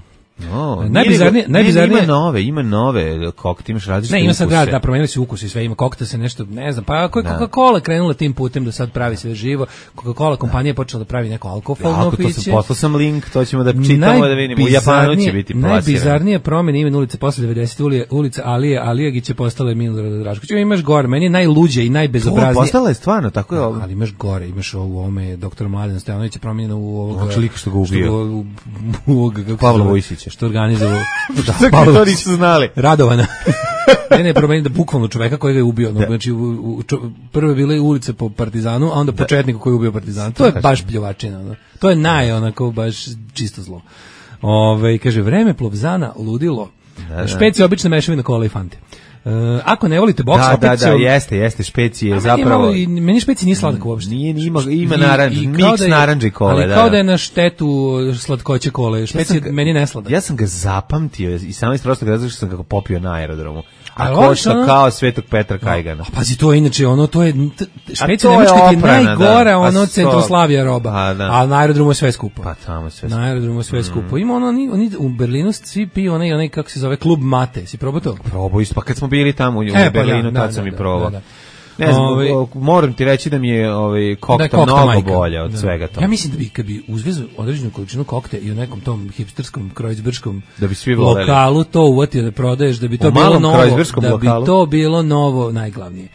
E: Najbizarnije
F: ima nove kokte, imaš različite ukuse.
E: Ne, ima sad da promenili se ukus i sve, ima kokta se nešto, ne znam, pa ako je Coca-Cola krenula tim putem da sad pravi sve živo, Coca-Cola kompanija počela da pravi neko alkoholno piće.
F: Poslao sam link, to ćemo da čitamo da vidimo, u Japanu će biti plasirano.
E: Najbizarnije promjene imen ulice posle 90. ulica Alijagić je postala Milorada Draškovića. Imaš gore, meni je najluđe i najbezobraznije.
F: Postala je stvarno, tako je ovo.
E: Ali imaš gore, imaš u ovome doktor Mladen Stojanović je promijenjeno u ovog
F: lika što ga ubio.
E: Pavla Vojsića. Što organizovao
F: to nisu znali.
E: Radovana. ne promenio da bukvalno čoveka koji ga je ubio. Znači, prve bile ulice po Partizanu, a onda po četniku koji je ubio Partizan. To je baš pljovačina. To je onako baš čisto zlo. Kaže, vreme Plovzana ludilo. Špeci obične mešavine kola i fante. Ako ne volite boks, opet
F: da, jeste, špeci je zapravo...
E: Meni špeci nije sladak uopšte.
F: Nije, ima naranđ, miks naranđe i kole.
E: Ali kao da je na štetu slatkoće kole, špeci je meni nesladak.
F: Ja sam ga zapamtio i samo iz prostog razloga što sam ga popio na aerodromu. A košta kao Svetog Petra Kajgana.
E: A pazi, to je inače, to je, špeci Nemačka ti je najgora, Centroslavija roba. A na aerodromu je sve skupo.
F: Pa tamo sve skupo.
E: Na aerodromu je sve skupo. Ima oni u Berlinu svi piju onaj, kako se zove, klub mate. Si probao to?
F: Probao isto, pa kad smo bili tamo u Berlinu, tad sam i probao. Ne znam, moram ti reći da mi je kokta mnogo bolja od svega toga.
E: Ja mislim da bi, kad bi uzvezu određenu količinu kokte i u nekom tom hipsterskom, krojcberškom lokalu to uvatio da prodaješ, da bi to bilo novo, najglavnije.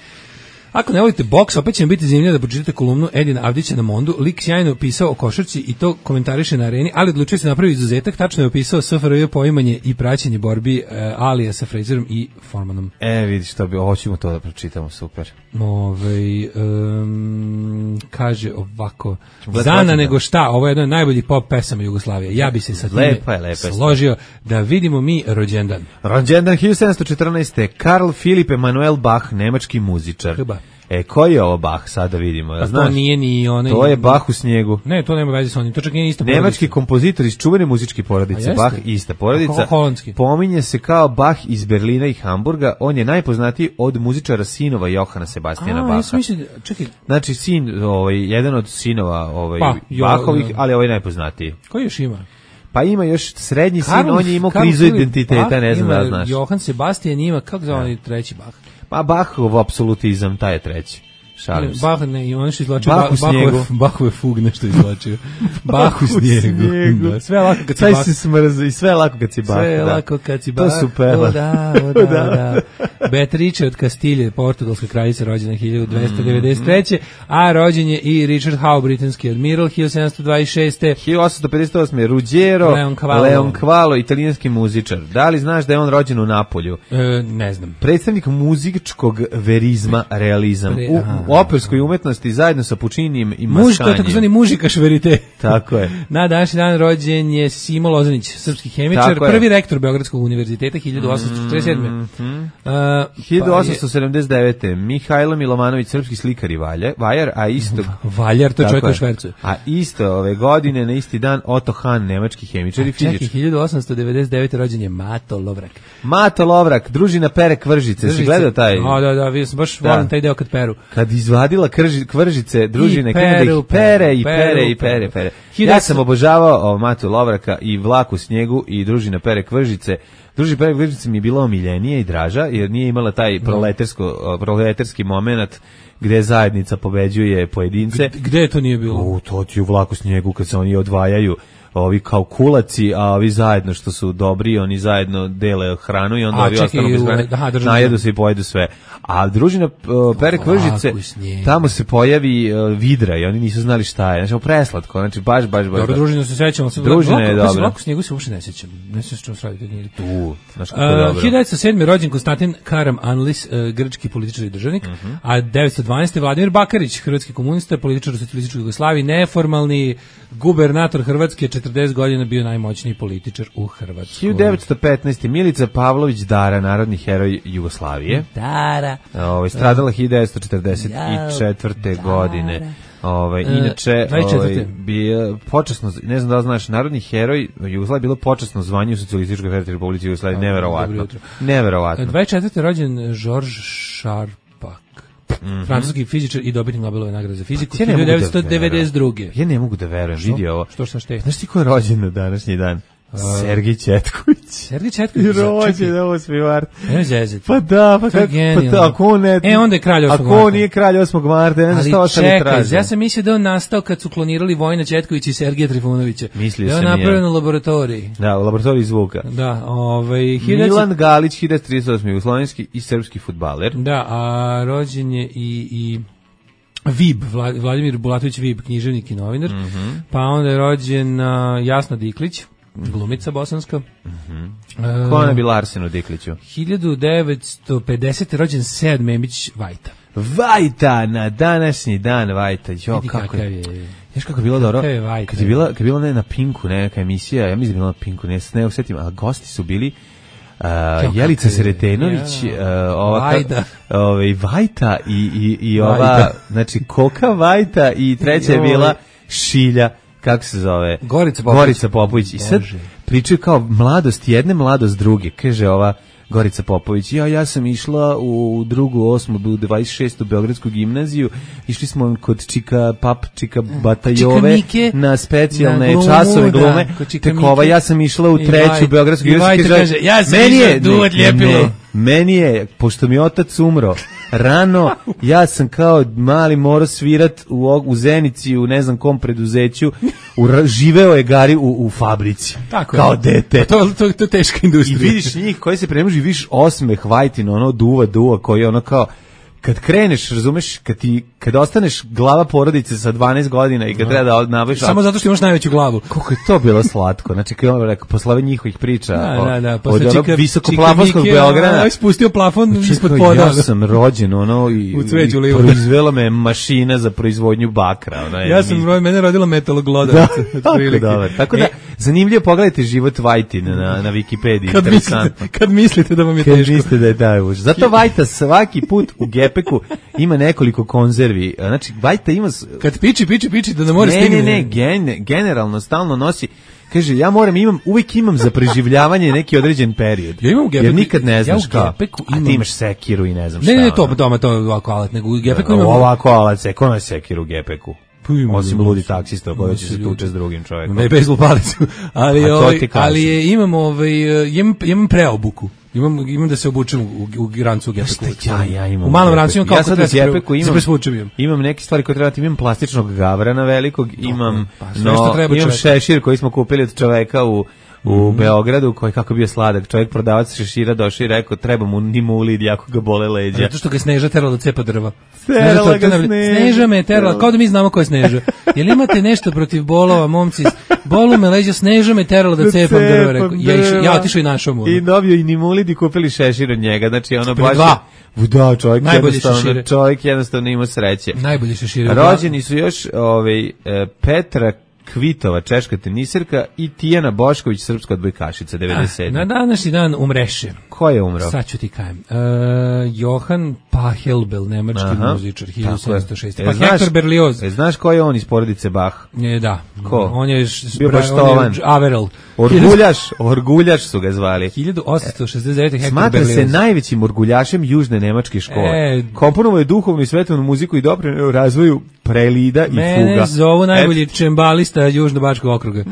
E: Ako ne volite boks, opet će vam biti zanimljivo da pročitate kolumnu Edina Avdića na Mondu. Lik sjajno opisao o košarci i to komentariše na Areni, ali odlučio se napravi izuzetak, tačno je opisao SFRJ poimanje i praćenje borbi Alija sa Frazerom i Formanom.
F: Vidiš, hoćemo to da pročitamo, super.
E: Kaže ovako, Zana nego šta, ovo je jedna od najboljih pop pesama Jugoslavije. Ja bi se sa time složio da vidimo mi rođendan.
F: Rođendan 1714. Karl Philipp Emanuel Bach, nemački muzičar. Koji je ovo Bach, sada vidimo.
E: To nije ni onaj...
F: To je Bach u snijegu.
E: Ne, to nema veze s onim, to čak nije ista porodica.
F: Nemački kompozitor iz čuvene muzičke porodice, Bach, ista porodica. Pominje se kao Bach iz Berlina i Hamburga, on je najpoznatiji od muzičara sinova Johana Sebastijana Bacha. Znači, sin, jedan od sinova Bachovih, ali ovaj najpoznatiji.
E: Koji još ima?
F: Pa ima još srednji sin, on je imao krizu identiteta, ne znam da znaš.
E: Johan Sebastian ima, kako zove onaj treći Bach?
F: Pa Bachov apsolutizam, taj je treći. Šalim se.
E: Bach ne, i on što izvlačio Bachove fug nešto izvlačio. Bach u snijegu. Da, sve lako kad si Bach.
F: Taj se smrza i sve lako kad si Bach.
E: Sve lako kad si Bach.
F: To su peva.
E: Da. Beatrice od Kastilje, portugalska kraljica, rođena 1293. A rođen je i Richard Howe, britanski admiral, 1726.
F: 1858. Ruggiero Leoncavallo, italijanski muzičar. Da li znaš da je on rođen u Napolju?
E: Ne znam.
F: Predstavnik muzičkog verizma, realizam. U operskoj umetnosti zajedno sa Pučinijem i Maskanjem.
E: To je takozvani mužikaš verite.
F: Tako je.
E: Na današnji dan rođen je Simo Lozanić, srpski hemičar, prvi rektor Beogradskog univerziteta 1847.
F: 1879. Mihajlo Milovanović, srpski slikar i vajar, a isto...
E: Valjar, to je čovjek u švercu.
F: A isto ove godine, na isti dan, Otto Hahn, nemački hemičar i fizičar.
E: Čekaj, 1899. rođen je Mato Lovrak.
F: Mato Lovrak, družina pere Kvržice. Si gledao taj?
E: Da, vidio sam, baš volim taj deo kad peru.
F: Kad izvadila Kvržice, družine, krenu da ih pere. Ja sam obožavao Matu Lovraka i Vlak u snijegu i družina pere Kvržice. Družina pere Kvržice mi je bila omiljenija i draža, jer nije imala taj proletarski moment gde zajednica pobeđuje pojedince.
E: Gde to nije bilo?
F: To ti u Vlaku snijegu kad se oni odvajaju, ovi kao kulaci, a ovi zajedno što su dobri, oni zajedno dele hranu i onda ovi ostanu bez hrane, najedu se i pojedu sve. A družina pere Kvržice, tamo se pojavi vidra i oni nisu znali šta je. Znači, preslatko, znači baš.
E: Dobro, družina se sećamo.
F: Družina je dobra.
E: Vlaku snijegu se uopšte ne sećam. Ne sećam što se radi.
F: Znaš kako je dobro.
E: 1907. rođen Konstantin Karam Anlis, grčki političar i državnik, a 1912. Vladimir Bakarić, hrvatski komunista, političar u socijalističkoj Jugoslaviji, neformalni gubernator Hrvatske, 40 godina bio najmoćniji političar u Hrvatskoj.
F: 1915. Milica Pavlović Dara, narodni heroj Jugoslavije.
E: Dara.
F: Stradala 1944. godine. Inače, bio počasno, ne znam da li znaš, narodni heroj Jugoslavije bilo počasno zvanje u Socijalističkoj Federativnoj Republici Jugoslavije, neverovatno.
E: 24. rođen Georges Charpak, francuski fizičar i dobitnik Nobelove nagrade za fiziku, 1992.
F: Ja ne mogu da verujem, vidi ovo.
E: Što je?
F: Znaš ti ko je rođen na današnji dan? Sergij Četković.
E: Sergij Četković.
F: Rođen 8. mart.
E: Ne zezit.
F: Pa da, pa ako on ne...
E: onda je kralj 8. marta.
F: Ako on nije kralj 8. marta, ne znam što ostali traže.
E: Ja sam mislio da on nastao kad su klonirali Vojina Četkovića i Sergija Trifunovića.
F: Mislio sam
E: je. Da je napravljeno u laboratoriji.
F: Da, u laboratoriji zvuka.
E: Da,
F: Milan Galić, 1938. jugoslovenski i srpski fudbaler.
E: Da, a rođen je i Vib, Vladimir Bulatović Vib, književnik i novinar. Pa onda je rođen Jasna Diklić, glumica bosanska.
F: Ko je bila Arsenu Dikliću?
E: 1950. rođen Sead Memić Vajta.
F: Vajta, na današnji dan Vajta. Kako je. Znaš kako je bilo dobro? Kad je bila na Pinku neka emisija, ja mislim da je bila na Pinku, ne osjetim, ali gosti su bili Jelica Sretenović,
E: Vajda.
F: Vajta i ova, znači Koka Vajta i treća je bila Šilja, kako se zove? Gorica Popović. I sad pričaju kao mladost jedne, mladost druge. Kaže ova Gorica Popović, ja sam išla u drugu, 8. 26. Beogradsku gimnaziju, išli smo kod Čika Batajove na specijalne časove glume, tekova, ja sam išla u treću Beogradsku gimnaziju,
E: ja sam išla duvat ljepilo.
F: Meni je, pošto mi otac umro rano, ja sam kao mali morao svirat u Zenici, u ne znam kom preduzeću, živeo je Gari u fabrici, tako kao dete.
E: To je teška industrija.
F: I vidiš njih koji se premuži, vidiš osmeh Vajtin, ono duva, koji je ono kao, kad kreneš, razumeš, kad ostaneš glava porodice sa 12 godina i kad treba da nabaviš...
E: Samo zato što imaš najveću glavu.
F: Koliko je to bilo slatko. Znači, kad on rekao, posle ove njihovih priča
E: od
F: onog visokoplafonskog Beograda...
E: Spustio plafon ispod poda.
F: Ja sam rođen, i proizvela me mašina za proizvodnju bakra.
E: Mene rodila metalogloda.
F: Tako da, zanimljivo, pogledajte život Vajtin na Wikipediji.
E: Kad mislite da vam je teško.
F: Kad mislite da je taj užas. Zato Vajta svaki put u Gepeku ima nekoliko konzervi. Znači, Vajta ima...
E: Kad piči, da ne mora stigne.
F: Ne, generalno, stalno nosi... Kaže, uvijek imam za preživljavanje neki određen period.
E: Ja imam u Gepeku.
F: Jer nikad ne znaš
E: kao.
F: A ti imaš sekiru i ne znam šta.
E: Ne, to je ovako alat, nego u Gepeku imam...
F: Ovako alat, ko je sekiru u Gepeku? Osim ludi taksista koji će se tuče s drugim čovjekom.
E: Ne, bez lupalicu. Ali imam preobuku. Imam da se obučem u rancu u Gepeku.
F: Ja imam.
E: U malom rancu imam
F: kako treba
E: se Gepeku
F: imam neke stvari koje treba, imam plastičnog gavrana velikog, imam šešir koji smo kupili od čoveka u Beogradu, koji kako bio sladak. Čovjek prodavac šešira došao i rekao, treba mu nimulid, jako ga bole leđa.
E: Zato što ga Sneža terala da cepa drva.
F: Sneža
E: me je terala, kao da mi znamo ko je Sneža. Jel imate nešto protiv bolova, momci? Bolu me leđa, Sneža me terala da cepam drva. Ja otišao i našao mu.
F: I dobio i nimulid i kupili šešir od njega. Znači, ono baš... Da, čovjek jednostavno ima sreće.
E: Najbolji šešir.
F: Rođeni su još Petra Kvitova, češka teniserka, i Tijana Bošković, srpska odbojkašica, 97.
E: Na današnji dan umreše.
F: Ko je umro?
E: Sad ću ti kajem. Johan Pachelbel, nemački muzičar, 1706. Pa Hector Berlioz.
F: Znaš ko je on iz porodice Bach?
E: Da.
F: Ko?
E: On je
F: bio baštovan.
E: Averell.
F: Orguljaš su ga zvali.
E: 1869. Hector Berlioz.
F: Smatra se najvećim orguljašem južne nemačke škole. Komponovao je duhovnu i svetovnu muziku i doprineo razvoju prelida i fuga.
E: Mene zovu najbolji čembalista Južno-Bačkog okruga.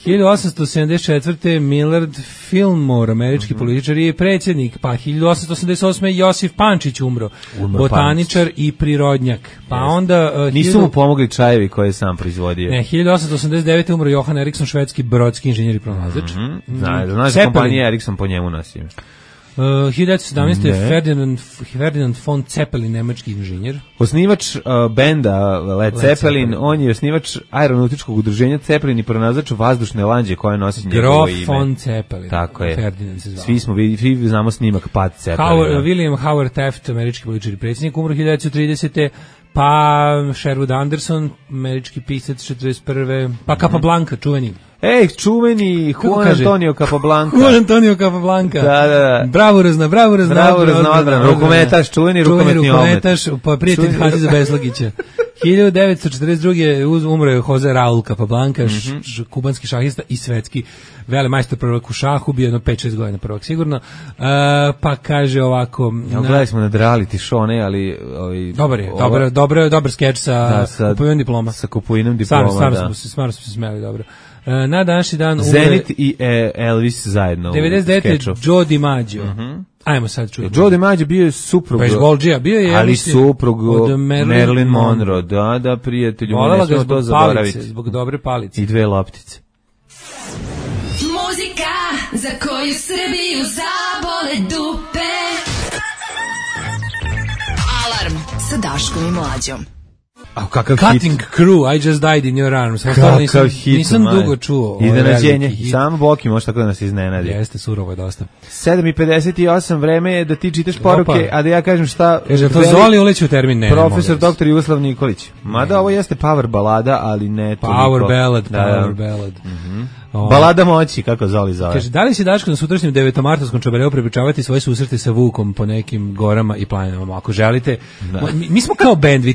E: 1874. Millard Fillmore, američki političar i predsjednik. Pa 1888. Josif Pančić umro botaničar i prirodnjak. Pa onda...
F: Nisu mu pomogli čajevi koje je sam proizvodio.
E: Ne, 1889. umro Johan Eriksson, švedski brodski inženjer i pronalazač.
F: Znaš da kompanija Eriksson po njemu nosi.
E: 1917. Ferdinand von Zeppelin, nemački inženjer.
F: Osnivač benda Led Zeppelin, on je osnivač aeronautičkog udruženja Zeppelin i pronalazač vazdušne lanđe koja nosi njegovo ime.
E: Grof von Zeppelin.
F: Tako je.
E: Ferdinand se zvao.
F: Svi znamo snimak Pad Zeppelina.
E: William Howard Taft, američki političar i predsjednik, umro 1930. Pa Sherwood Anderson, američki pisac, 41. Pa Capablanca, čuveni.
F: Čuveni Juan Antonio Capablanca.
E: Juan Antonio Capablanca.
F: Da.
E: Bravurozna odbrana.
F: Rukometaš, čuveni rukometni
E: rukometaš, pa prijatelj Hadžiza Beslagića. 1942. umro je Jose Raul Capablanca, kubanski šahista i svetski velemajstor prvak u šahu, bio jedno 5-6 godina prvak sigurno. Pa kaže ovako...
F: Gledali smo na reality show, ne, ali...
E: Dobar skeč sa kupovinom diploma.
F: Sa kupovinom diploma,
E: Stvarno smo se smeli dobro. Na današnji dan umre...
F: Zenit i Elvis zajedno
E: 99. Joe DiMaggio. Ajmo sad čuti.
F: Joe DiMaggio bio je suprug...
E: bio je...
F: Ali suprug od Marilyn Monroe. Da, prijatelju.
E: Volela ga zbog palice, zbog dobre palice.
F: I 2 loptice.
B: Muzika za koju Srbiju zabole dupe. Alarm sa Daškom i Mlađom.
F: kakav
E: Cutting
F: hit.
E: Crew, I Just Died in Your Arms.
F: Kakav hit,
E: nisam
F: maj.
E: dugo čuo.
F: Iznenađenje. Samo Boki može tako da nas iznenadi.
E: Jeste, surovo je dosta.
F: 7:58, vreme je da ti čitaš poruke, a da ja kažem šta...
E: Kaže, to Zoli uleći u termin? Ne,
F: Profesor dr. Jugoslav Nikolić. Mada ovo jeste power balada, ali ne toliko.
E: Power ballad.
F: Balada moći, kako Zoli zove.
E: Kaže, da li si Daško na sutrašnjem 9. Čobareu prepričavati svoje susrete sa Vukom po nekim gorama i planinama? Ako želite, mi smo kao band, vi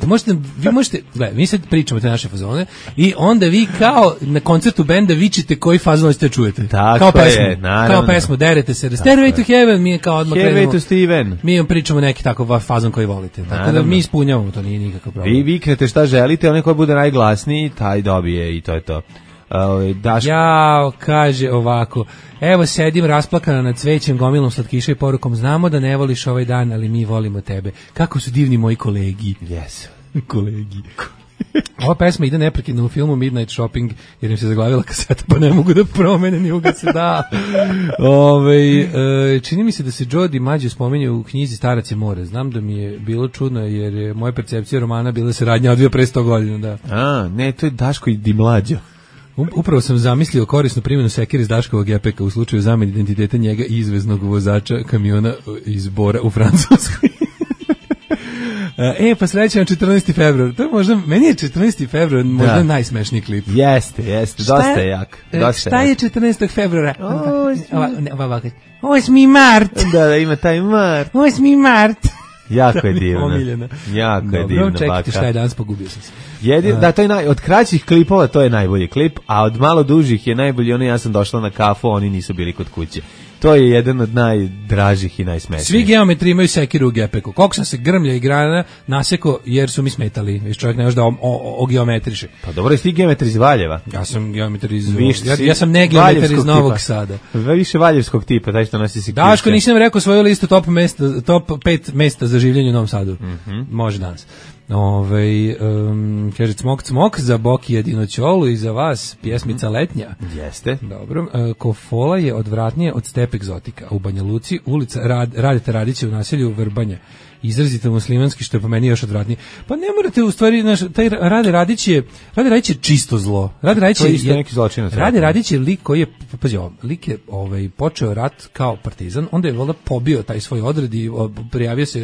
E: možete, gledaj, mi sad pričamo te naše fazone i onda vi kao na koncertu benda vičite koji fazon hoćete čujete.
F: Tako
E: kao pesmu,
F: je, naravno.
E: Kao pesmu, derete se, Stairway to Heaven, mi je kao odmah
F: Stairway to Steven.
E: Mi vam pričamo neki takav fazon koji volite. Tako da mi ispunjavamo, to nije nikakav problem.
F: Vi viknete šta želite, onaj koji bude najglasniji, taj dobije i to je to.
E: Jao, kaže ovako, evo sedim rasplakana nad cvećem, gomilom slatkiša i porukom, znamo da ne voliš ovaj dan, ali mi volimo tebe. Kako su divni moji kolegi.
F: Yes.
E: Kolegi. Ova pesma ide neprekidno u filmu Midnight Shopping, jer im se zaglavila kaseta, pa ne mogu da promene, ni uga se da. Čini mi se da se Jody Mađo spominje u knjizi Starac je more. Znam da mi je bilo čudno, jer je moja percepcija romana bila se radnja odvija pre 100 godina. Da.
F: Ne, to je Daško i Di Mlađo.
E: Upravo sam zamislio korisnu primjenu sekire iz Daškovog epeka u slučaju zamene identiteta njega i izveznog vozača kamiona iz Bora u Francuskoj. Pa srećan 14. februar. To je možda, meni je 14. februar možda najsmešniji klip.
F: Jeste, dosta je jak.
E: Šta je 14. februara? 8. mart.
F: Da, ima taj mart.
E: 8. mart.
F: Jako je divno.
E: Omiljena.
F: Jako je divno, baka.
E: Čekajte šta je danas, pogubio sam se.
F: Da, to je od kraćih klipova to je najbolji klip, a od malo dužih je najbolji ja sam došla na kafu, oni nisu bili kod kuće. To je jedan od najdražih i najsmešnijih.
E: Svi geometri imaju sekiru u gepeku. Koliko sam se grmlja i grana naseko jer su mi smetali. Viš čovjek ne može da ogeometriše.
F: Pa dobro, jesi ti geometri iz Valjeva?
E: Ja sam geometri iz... Ja sam ne geometri iz Novog Sada.
F: Više valjevskog tipa, taj što nosi sekirke.
E: Daško, nisam rekao svoju listu top 5 mesta za življenje u Novom Sadu. Može danas. Kaže cmok za Boki jedinoćolu i za vas pjesmica letnja.
F: Jeste.
E: Dobro. Kofola je odvratnije od Step egzotika. U Banja Luci ulica Radeta Radića u naselju Vrbanja. Izrazito muslimanski, što je po meni još odvratnije. Pa ne morate u stvari, taj Rade Radić je čisto zlo. Rade Radić je lik koji je, pazi ovo, lik je počeo rat kao partizan, onda je valjda pobio taj svoj odred i prijavio se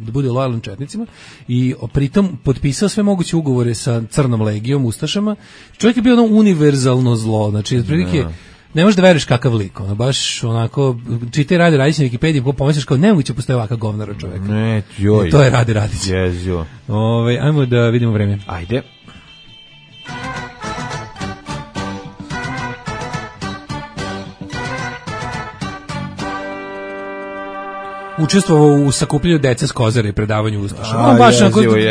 E: da bude lojalan četnicima i pritom potpisao sve moguće ugovore sa Crnom legijom, ustašama. Čovjek je bio univerzalno zlo, znači otprilike ne možeš da veruješ kakav lik, baš onako, čitaj Rade Radić na Wikipediji, pomisliš kao nemoguće postoje ovakav govnar od čoveka.
F: Ne, joj.
E: To je Rade Radić.
F: Jezio.
E: Ajmo da vidimo vreme.
F: Ajde.
E: Učestvovao u sakupljanju dece s Kozare i predavanju ustaša. On baš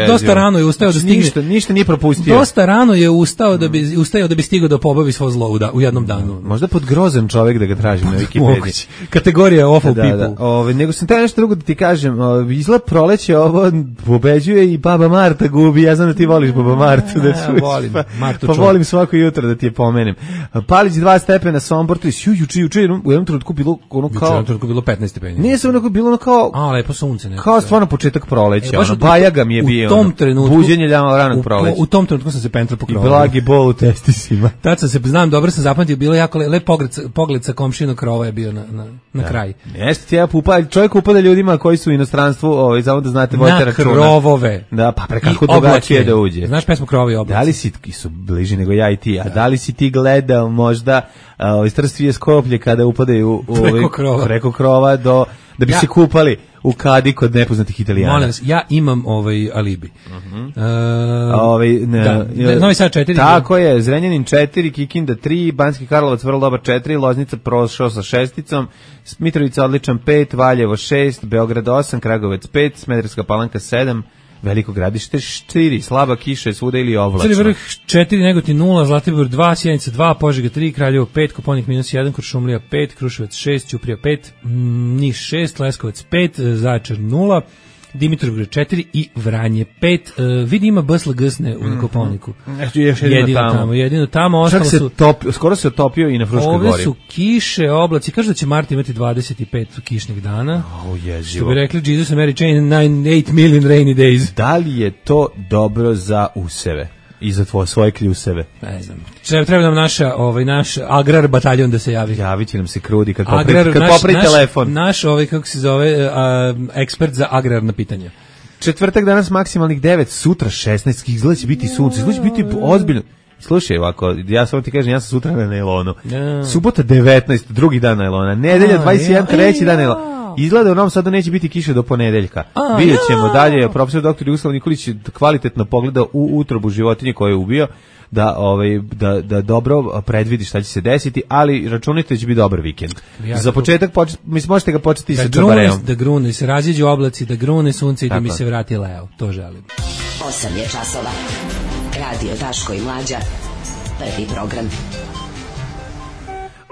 E: dosta rano je ustao da stigne.
F: Ništa nije propustio.
E: Dosta rano je ustao da bi stigao da pobavi svo zlo u jednom danu.
F: Možda pod grozan čovjek da ga tražim na Wikipediji.
E: Kategorija awful people.
F: Nego sam taj nešto drugo da ti kažem. Izgled proleće ovo pobeđuje i Baba Marta gubi. Ja znam da ti voliš Baba Martu.
E: Volim Martu.
F: Pa volim svako jutro da ti je pomenem. Palić 2 stepena, Sombor 3. Juče u jednom trenutku bilo ono kao... U jednom trenutku
E: bilo 15 stepeni.
F: Nije se onako bilo kao
E: lepo sunce neko.
F: Kao stvarno početak proleća, bajaga mi je bio.
E: U tom trenutku
F: buđenje ranog proleća.
E: U tom trenutku sam se pentra po krovu.
F: I blagi bol u testisima.
E: Tad sam se dobro sam zapamtio, bilo jako lep pogled sa komšinog krova je bio na kraj.
F: Jeste ti čovjek upada ljudima koji su u inostranstvu, samo da znate vodite računa.
E: Na krovove.
F: Da, pa prekako drugačije da uđe.
E: Znaš pesmu Krovovi i oblaci?
F: Da li si su bliži nego ja i ti? A da li si ti gledao možda Strstvije Skoplje kada upadaju preko krova da bi se kupali u kadi kod nepoznatih Italijana?
E: Molim vas, ja imam alibi. Novi Sad 4.
F: Tako je, Zrenjanin 4, Kikinda 3, Banski Karlovac vrlo dobar 4, Loznica prošao sa 6, Mitrovica odličan 5, Valjevo 6, Beograd 8, Kragovec 5, Smederevska Palanka 7, Veliko Gradište 4, slaba kiša je svuda ili oblačno.
E: Crni Vrh 4, Negotin 0, Zlatibor 2, Sjenica 2, Požega 3, Kraljevo 5, Koponik -1, Kuršumlija 5, Kruševac 6, Ćuprija 5, Niš 6, Leskovac 5, Zaječar 0, Dimitrovgrad 4 i Vranje 5. Vidi ima BSLGsne u Kopaoniku. Jedino tamo. Ostalo
F: Čak se
E: su,
F: skoro se otopio i na Fruškoj gori.
E: Ove su kiše, oblaci. Kaže da će Mart imati 25 kišnih dana. Što bi rekli Jesus and Mary Chain, 8 million rainy days.
F: Da li je to dobro za useve? I za svoje kljuseve.
E: Ne znam. Treba nam naš agrar bataljon da se javi.
F: Javit će nam se Krudi kad popri telefon.
E: Naš kako se zove, ekspert za agrarna pitanja.
F: Četvrtak danas maksimalnih 9, sutra 16, izgleda će biti sunce, izgleda će biti ozbiljno. Slušaj, ovako, ja samo ti kažem, ja sam sutra na nailonu. Subota 19, drugi dan nailona. Nedelja 21, treći dan nailona. Izgleda u Novom Sadu neće biti kiše do ponedeljka. Vidjet ćemo dalje. Profesor dr. Jugoslav Nikolić kvalitetno pogleda u utrobu životinje koje je ubio, da dobro predvidi šta će se desiti, ali računajte da će biti dobar vikend. Za početak, možete ga početi sa čabareom.
E: Da grune, se raziđu oblaci, da grune sunce i da mi se vrati leo. To želim.
B: 8 je časova. Radio Daško i Mlađa. Prvi program.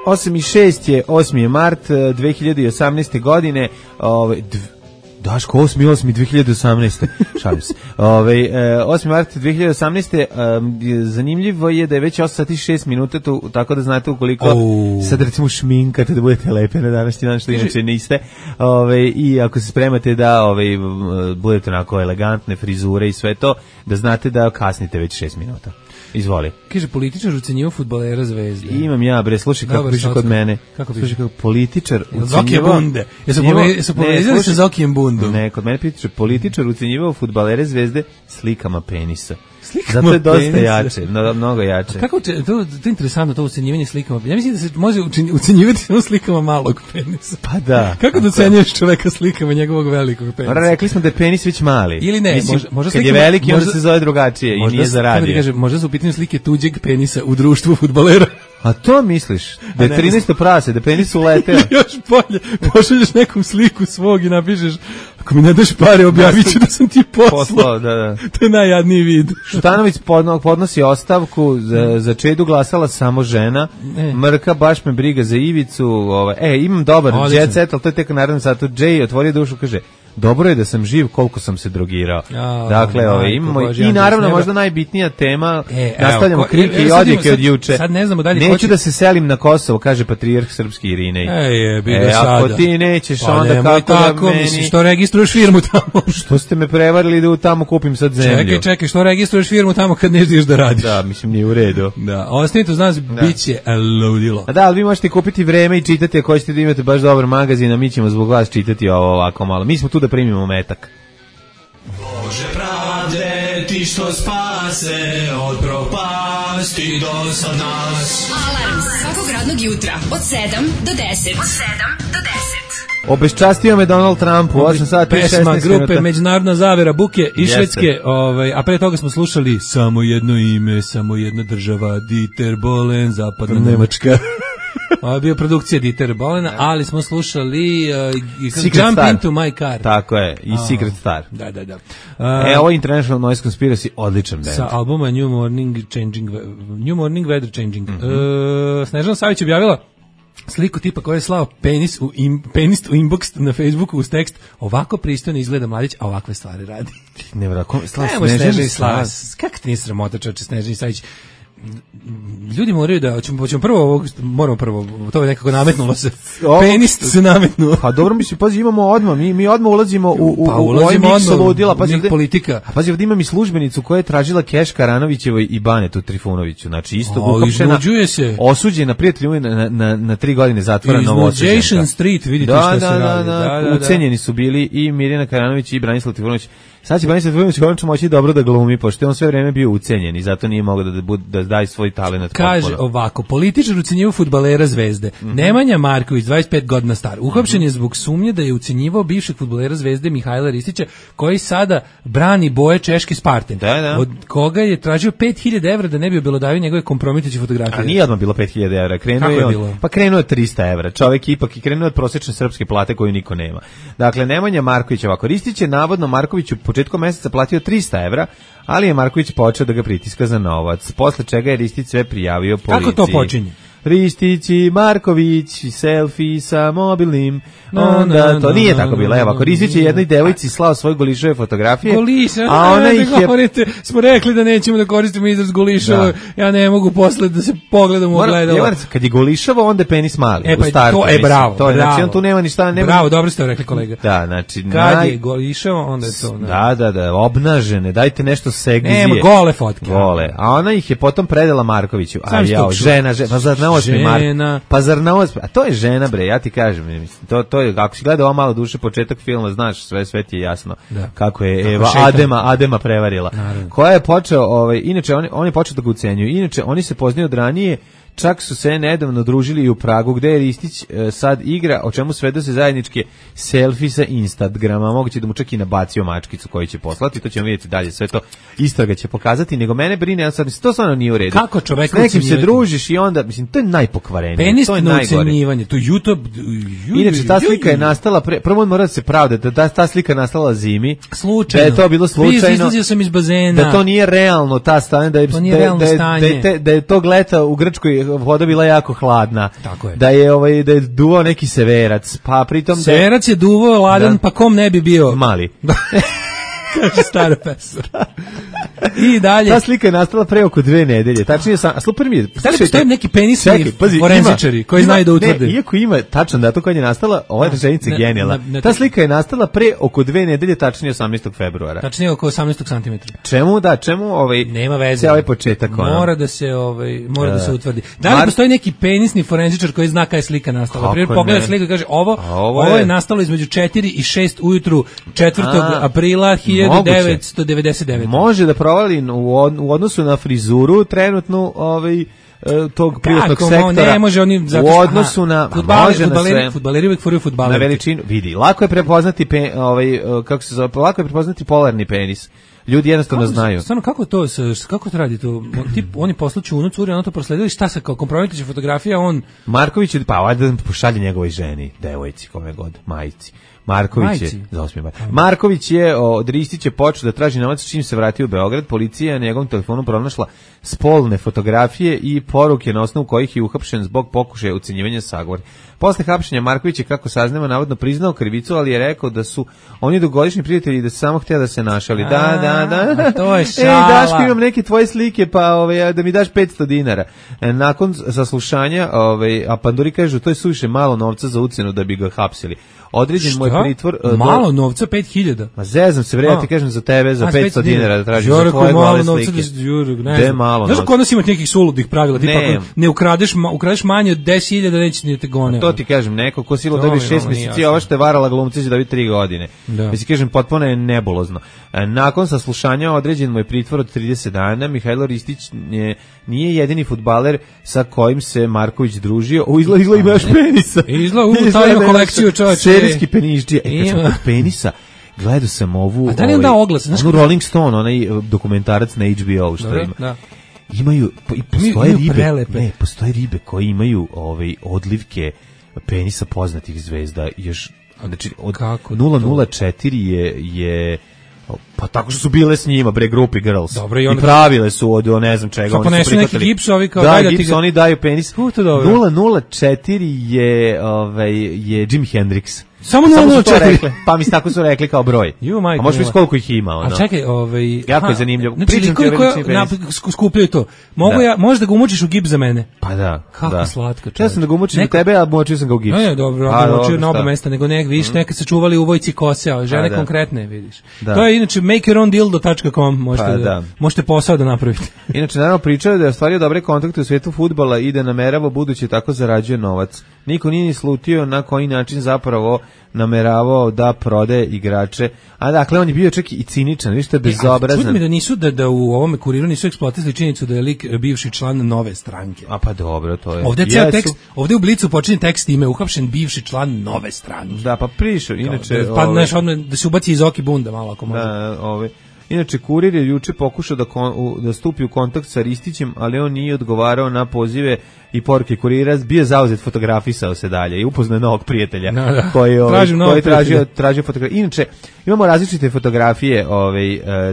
F: 8.06 je, 8. je mart 2018. godine, Daško, 8.2018. Šalim se. 8. mart 2018. Zanimljivo je da je već 8 sati 6 minuta, tako da znate ukoliko sad recimo šminkate da budete lepe na današnji dan, što inače niste, i ako se spremate da budete onako elegantne frizure i sve to, da znate da kasnite već 6 minuta. Izvoli.
E: Kaže, političar ucenjivao fudbalera Zvezde.
F: Imam ja, bre, slušaj kako piše kod mene. Slušaj kako političar
E: ucenjivao... Bunde. Jesu povezali sa Zokijem Bundom?
F: Ne, kod mene piše, političar ucenjivao fudbalere Zvezde slikama penisa. Zato je dosta jače, mnogo jače.
E: Kako to je interesantno, to ucenjivanje slikama. Ja mislim da se može ucenjivati samo slikama malog penisa.
F: Pa da.
E: Kako da ocenjuješ čoveka slikama njegovog velikog penisa?
F: Rekli smo da je penis već mali.
E: Ili ne, možda
F: kad je veliki, onda se zove drugačije i nije za radio.
E: Možda su u pitanju slike tuđeg penisa u društvu fudbalera.
F: A to misliš? Da je 13. prase, da penis uleteo.
E: Još bolje, pošalješ nekom sliku svog i napišeš, ako mi ne daš pare, objavit ću da sam ti poslao.
F: Da.
E: To je najjadniji vid.
F: Šutanović podnosi ostavku, za Čedu glasala samo žena, Mrka, baš me briga za Ivicu, imam dobar jet set, ali to je tek naravno satu. Jay otvorio dušu, kaže, dobro je da sam živ koliko sam se drogirao. Dakle, imamo i naravno možda najbitnija tema, nastavljamo krike i odjeke od juče.
E: Sad ne znamo dalje.
F: Neću da se selim na Kosovo, kaže patrijarh srpski Irinej. Ako ti nećeš, onda kako da meni...
E: Što registruješ firmu tamo?
F: Što ste me prevarili da tamo kupim sad zemlju?
E: Čekaj, što registruješ firmu tamo kad ne želiš da radiš?
F: Da, mislim, nije u redu.
E: Da, ostanite uz nas, bit će ludilo.
F: Da, ali vi možete kupiti vreme i čitati ako hoćete da imate baš dobar magazin, a mi ćemo zbog vas čitati ovo ovako malo. Mi smo tu da primimo metak.
G: Bože pravde, ti što spase od propasti do sad nas.
B: Alarm svakog radnog jutra od 7 do 10.
F: Obeščastio me Donald Trump u 8 sati i 16 minuta.
E: Pesma grupe Međunarodna zavera Buke iz Švedske, a pre toga smo slušali Samo jedno ime, samo jedna država, Dieter Bohlen, zapadna Nemačka. Ovo je bio produkcija Dieter Bohlena, ali smo slušali Jump Into My Car.
F: Tako je, i Secret Star.
E: Da.
F: Ovo je International Noise Conspiracy, odličan band.
E: Sa albuma New Morning Weather Changing. Snežana Savić objavila sliku tipa koja je slao penis u inbox na Facebooku uz tekst, ovako pristojno izgleda mladić, a ovakve stvari radi.
F: Snežani Savić.
E: Kako ti nije sramota, čoče, Snežani Savić? Ljudi moraju da, moramo prvo, to je nekako nametnulo se. Penis se nametnuo.
F: Pa dobro, mislim, pazi, imamo odmah, mi odmah ulazimo u ovaj miks ludila.
E: Politika.
F: Pazi, ovdje imam i službenicu koja je tražila keš Karanovićevoj i Banetu Trifunoviću. Znači, isto uhapšena, osuđena prijatelju na 3 godine zatvora Novosađenka.
E: Iznuđation Street, vidite šta se radi.
F: Ucenjeni su bili i Mirjana Karanović i Branislav Trifunović. Sad će Branislav Trifunović konačno moći dobro da glumi, pošto je on sve vreme bio ucenjen i zato nije mogao da daje svoj talenat.
E: Kaže ovako, političar ucenjivao fudbalera Zvezde. Nemanja Marković, 25 godina star, uhapšen je zbog sumnje da je ucenjivao bivšeg fudbalera Zvezde Mihajla Ristića, koji sada brani boje češke Spartan. Od koga je tražio 5.000 evra da ne bi obelodavio njegove kompromitujuće fotografije.
F: A nije odmah bilo 5.000 evra, krenuo je 300 evra. Čovek ipak i krenuo od prosječne srpske plate koju niko nema. Dakle, Nemanja Marković ovako, Ristić je navodno Markoviću početkom meseca platio 300 evra, ali je Marković počeo da ga pritiska za novac, posle čega je Ristić sve prijavio policiji.
E: Kako to počinje?
F: Ristić i Marković, selfie sa mobilnim, onda to nije tako bilo. Evo, ako Ristić je jednoj devojci slao svoje Golišove fotografije, a ona ih je...
E: Govorite, smo rekli da nećemo da koristimo izraz Golišova, ja ne mogu posle da se pogledam u ogledalo.
F: Kad je Golišova, onda je penis mali.
E: Pa to je bravo.
F: To je, znači, on tu nema ništa...
E: Bravo, dobro ste rekli, kolega.
F: Da, znači...
E: Kad je Golišova, onda je to...
F: Da, obnažene, dajte nešto segzije.
E: Nema, gole fotke.
F: Gole. A ona ih je potom predala Markoviću. A ja, žena, pa zar na osmi
E: Pa
F: zar na osmi? A to je žena, bre, ja ti kažem, mislim, to je, ako si gledao ovo Malo duše, početak filma, znaš, sve ti je jasno kako je Eva Adema prevarila. Naravno. Koja je počeo, inače, on je počeo da ga ucenjuju. Inače, oni se poznaju od ranije, čak su se nedavno družili i u Pragu, gde je Ristić sad igra, o čemu svedoče zajedničke selfie sa Instagrama, moguće da mu čak i nabacio mačkicu koju će poslati, to ćemo vidjeti dalje, sve to istraga će pokazati, nego mene brine, sad, to stvarno nije u redu.
E: Kako čovek
F: s nekim se družiš i onda, mislim, to je najpokvarenije, to je najgore.
E: Ucenjivanje, to YouTube...
F: Inače, ta slika je nastala, prvo on mora da se pravda, da ta slika nastala zimi,
E: slučajno.
F: Da je to bilo slučajno,
E: izlazio sam iz bazena,
F: da to nije realno, ta stanje, da je tog leta u Grčkoj voda bila jako hladna.
E: Tako je.
F: Da je duvao neki severac, pa pritom
E: severac je duvao ladan, pa kom ne bi bio
F: mali.
E: Kaže stara pesma. I dalje.
F: Ta slika je nastala pre oko 2 nedelje. Tačnije sam, super mi je.
E: Da li postoji neki penisni forenzičari koji znaju da utvrde?
F: Ne, iako ima tačan datum kad je nastala, ova rečenica je genijalna. Ta slika je nastala pre oko 2 nedelje, tačnije 18. februara.
E: Tačnije oko 18 cm.
F: Čemu
E: nema veze.
F: Ovaj početak
E: mora da se da se utvrdi. Da li postoji neki penisni forenzičar koji zna kada je slika nastala? Primjer, pogleda sliku i kaže ovo je nastalo između 4 i 6 ujutru 4. aprila 1999.
F: Može da provali u odnosu na frizuru trenutnu tog privatnog sektora.
E: Ne može oni zato
F: u odnosu na
E: fudbaleri uvek furaju fudbaleri.
F: Na veličinu vidi. Lako je prepoznati kako se zove, lako je prepoznati polarni penis. Ljudi jednostavno znaju.
E: Stvarno, kako to radi to? Oni poslaću unu curi, ono to prosledili, šta se kao kompromitiće fotografija, on...
F: Marković, ajde da pošalje njegovoj ženi, devojci, kome god, majici. Marković je od Ristića počeo da traži novac čim se vratio u Beograd. Policija je na njegovom telefonu pronašla spolne fotografije i poruke na osnovu kojih je uhapšen zbog pokušaja ucenjivanja sagovor. Posle hapšenja Marković je, kako saznamo, navodno priznao krivicu, ali je rekao da su oni dugogodišnji prijatelji i da se samo htio da se našali. Da.
E: To je šala.
F: Daško, imam neke tvoje slike, pa da mi daš 500 dinara. Nakon saslušanja, a Panduri kažu, to je suviše malo novca za ucenu da bi ga hapsili. Određen moj pritvor...
E: Malo novca, 5.000?
F: Ma zezam se, ja ti kažem za tebe, za 500 dinara da tražiš za tvoje gole slike.
E: Gde malo novca? Znaš kod nas ima nekih suludih pravila, tipa ako ne ukradeš manje od 10.000, da neće ni te gone.
F: To ti kažem, neko ko silo dobi 6 mjeseci, ova što je varala glumci će dobiti 3 godine. Mislim, kažem, potpuno je nebulozno. Nakon saslušanja određen moj pritvor od 30 dana, Mihajlo Ristić nije jedini fudbaler sa kojim se Marković družio. Izgleda ima još penisa.
E: Izgleda ima kolekciju, čovječe.
F: Serijski penišđija. Kad sam kod penisa, gledao sam ovu...
E: A da li je onda oglas?
F: Onu Rolling Stone, onaj dokumentarac na HBO što ima.
E: Da.
F: Imaju, postoje ribe koje imaju odlivke penisa poznatih zvezda. Još, znači, od 004 je pa tako što su bile s njima, grupi girls.
E: Dobro,
F: i pravile su od ne znam čega.
E: Oni su neki gipsovi kao
F: gips, oni daju penis. 004 je Jimi Hendrix.
E: Samo 004.
F: Pa mi tako su rekli kao broj. A možeš vidjeti koliko ih ima.
E: A čekaj,
F: jako je zanimljivo.
E: Pričam ti skupljaju to. Možeš da ga umučiš u gips za mene?
F: Pa da.
E: Kako slatko.
F: Ja sam da ga umučim u tebe, a močio sam ga u gips.
E: Ne, dobro, močio na oba mesta, nego vidiš, nekad se čuvali u vojci kose, a žene konkretne, vidiš. To je inače makeyourowndeal.com, možete posao da napravite.
F: Inače, naravno pričao da je ostvario dobre kontakte u svijetu fudbala i da namerava budući tako zarađuje novac. Niko nije ni slutio na koji način zapravo nameravao da prodaje igrače. A dakle, on je bio čak i ciničan, vidiš što je bezobrazan.
E: Čudno mi da nisu, da u ovome Kuriru nisu eksploatisali činjenicu da je lik bivši član Nove stranke.
F: A pa dobro, to je.
E: Ovdje je ceo tekst, ovdje u Blicu počinje tekst ime uhapšen bivši član Nove stranke.
F: Da, pa prišao, inače...
E: Pa znaš, odmah da se ubaci iz oki bunda malo ako može.
F: Da, Inače, Kurir je juče pokušao da stupi u kontakt sa Ristićem, ali on nije odgovarao na pozive i poruke Kurira, bio zauzet, fotografisao se dalje i upoznao novog prijatelja koji tražio fotografije. Inače, imamo različite fotografije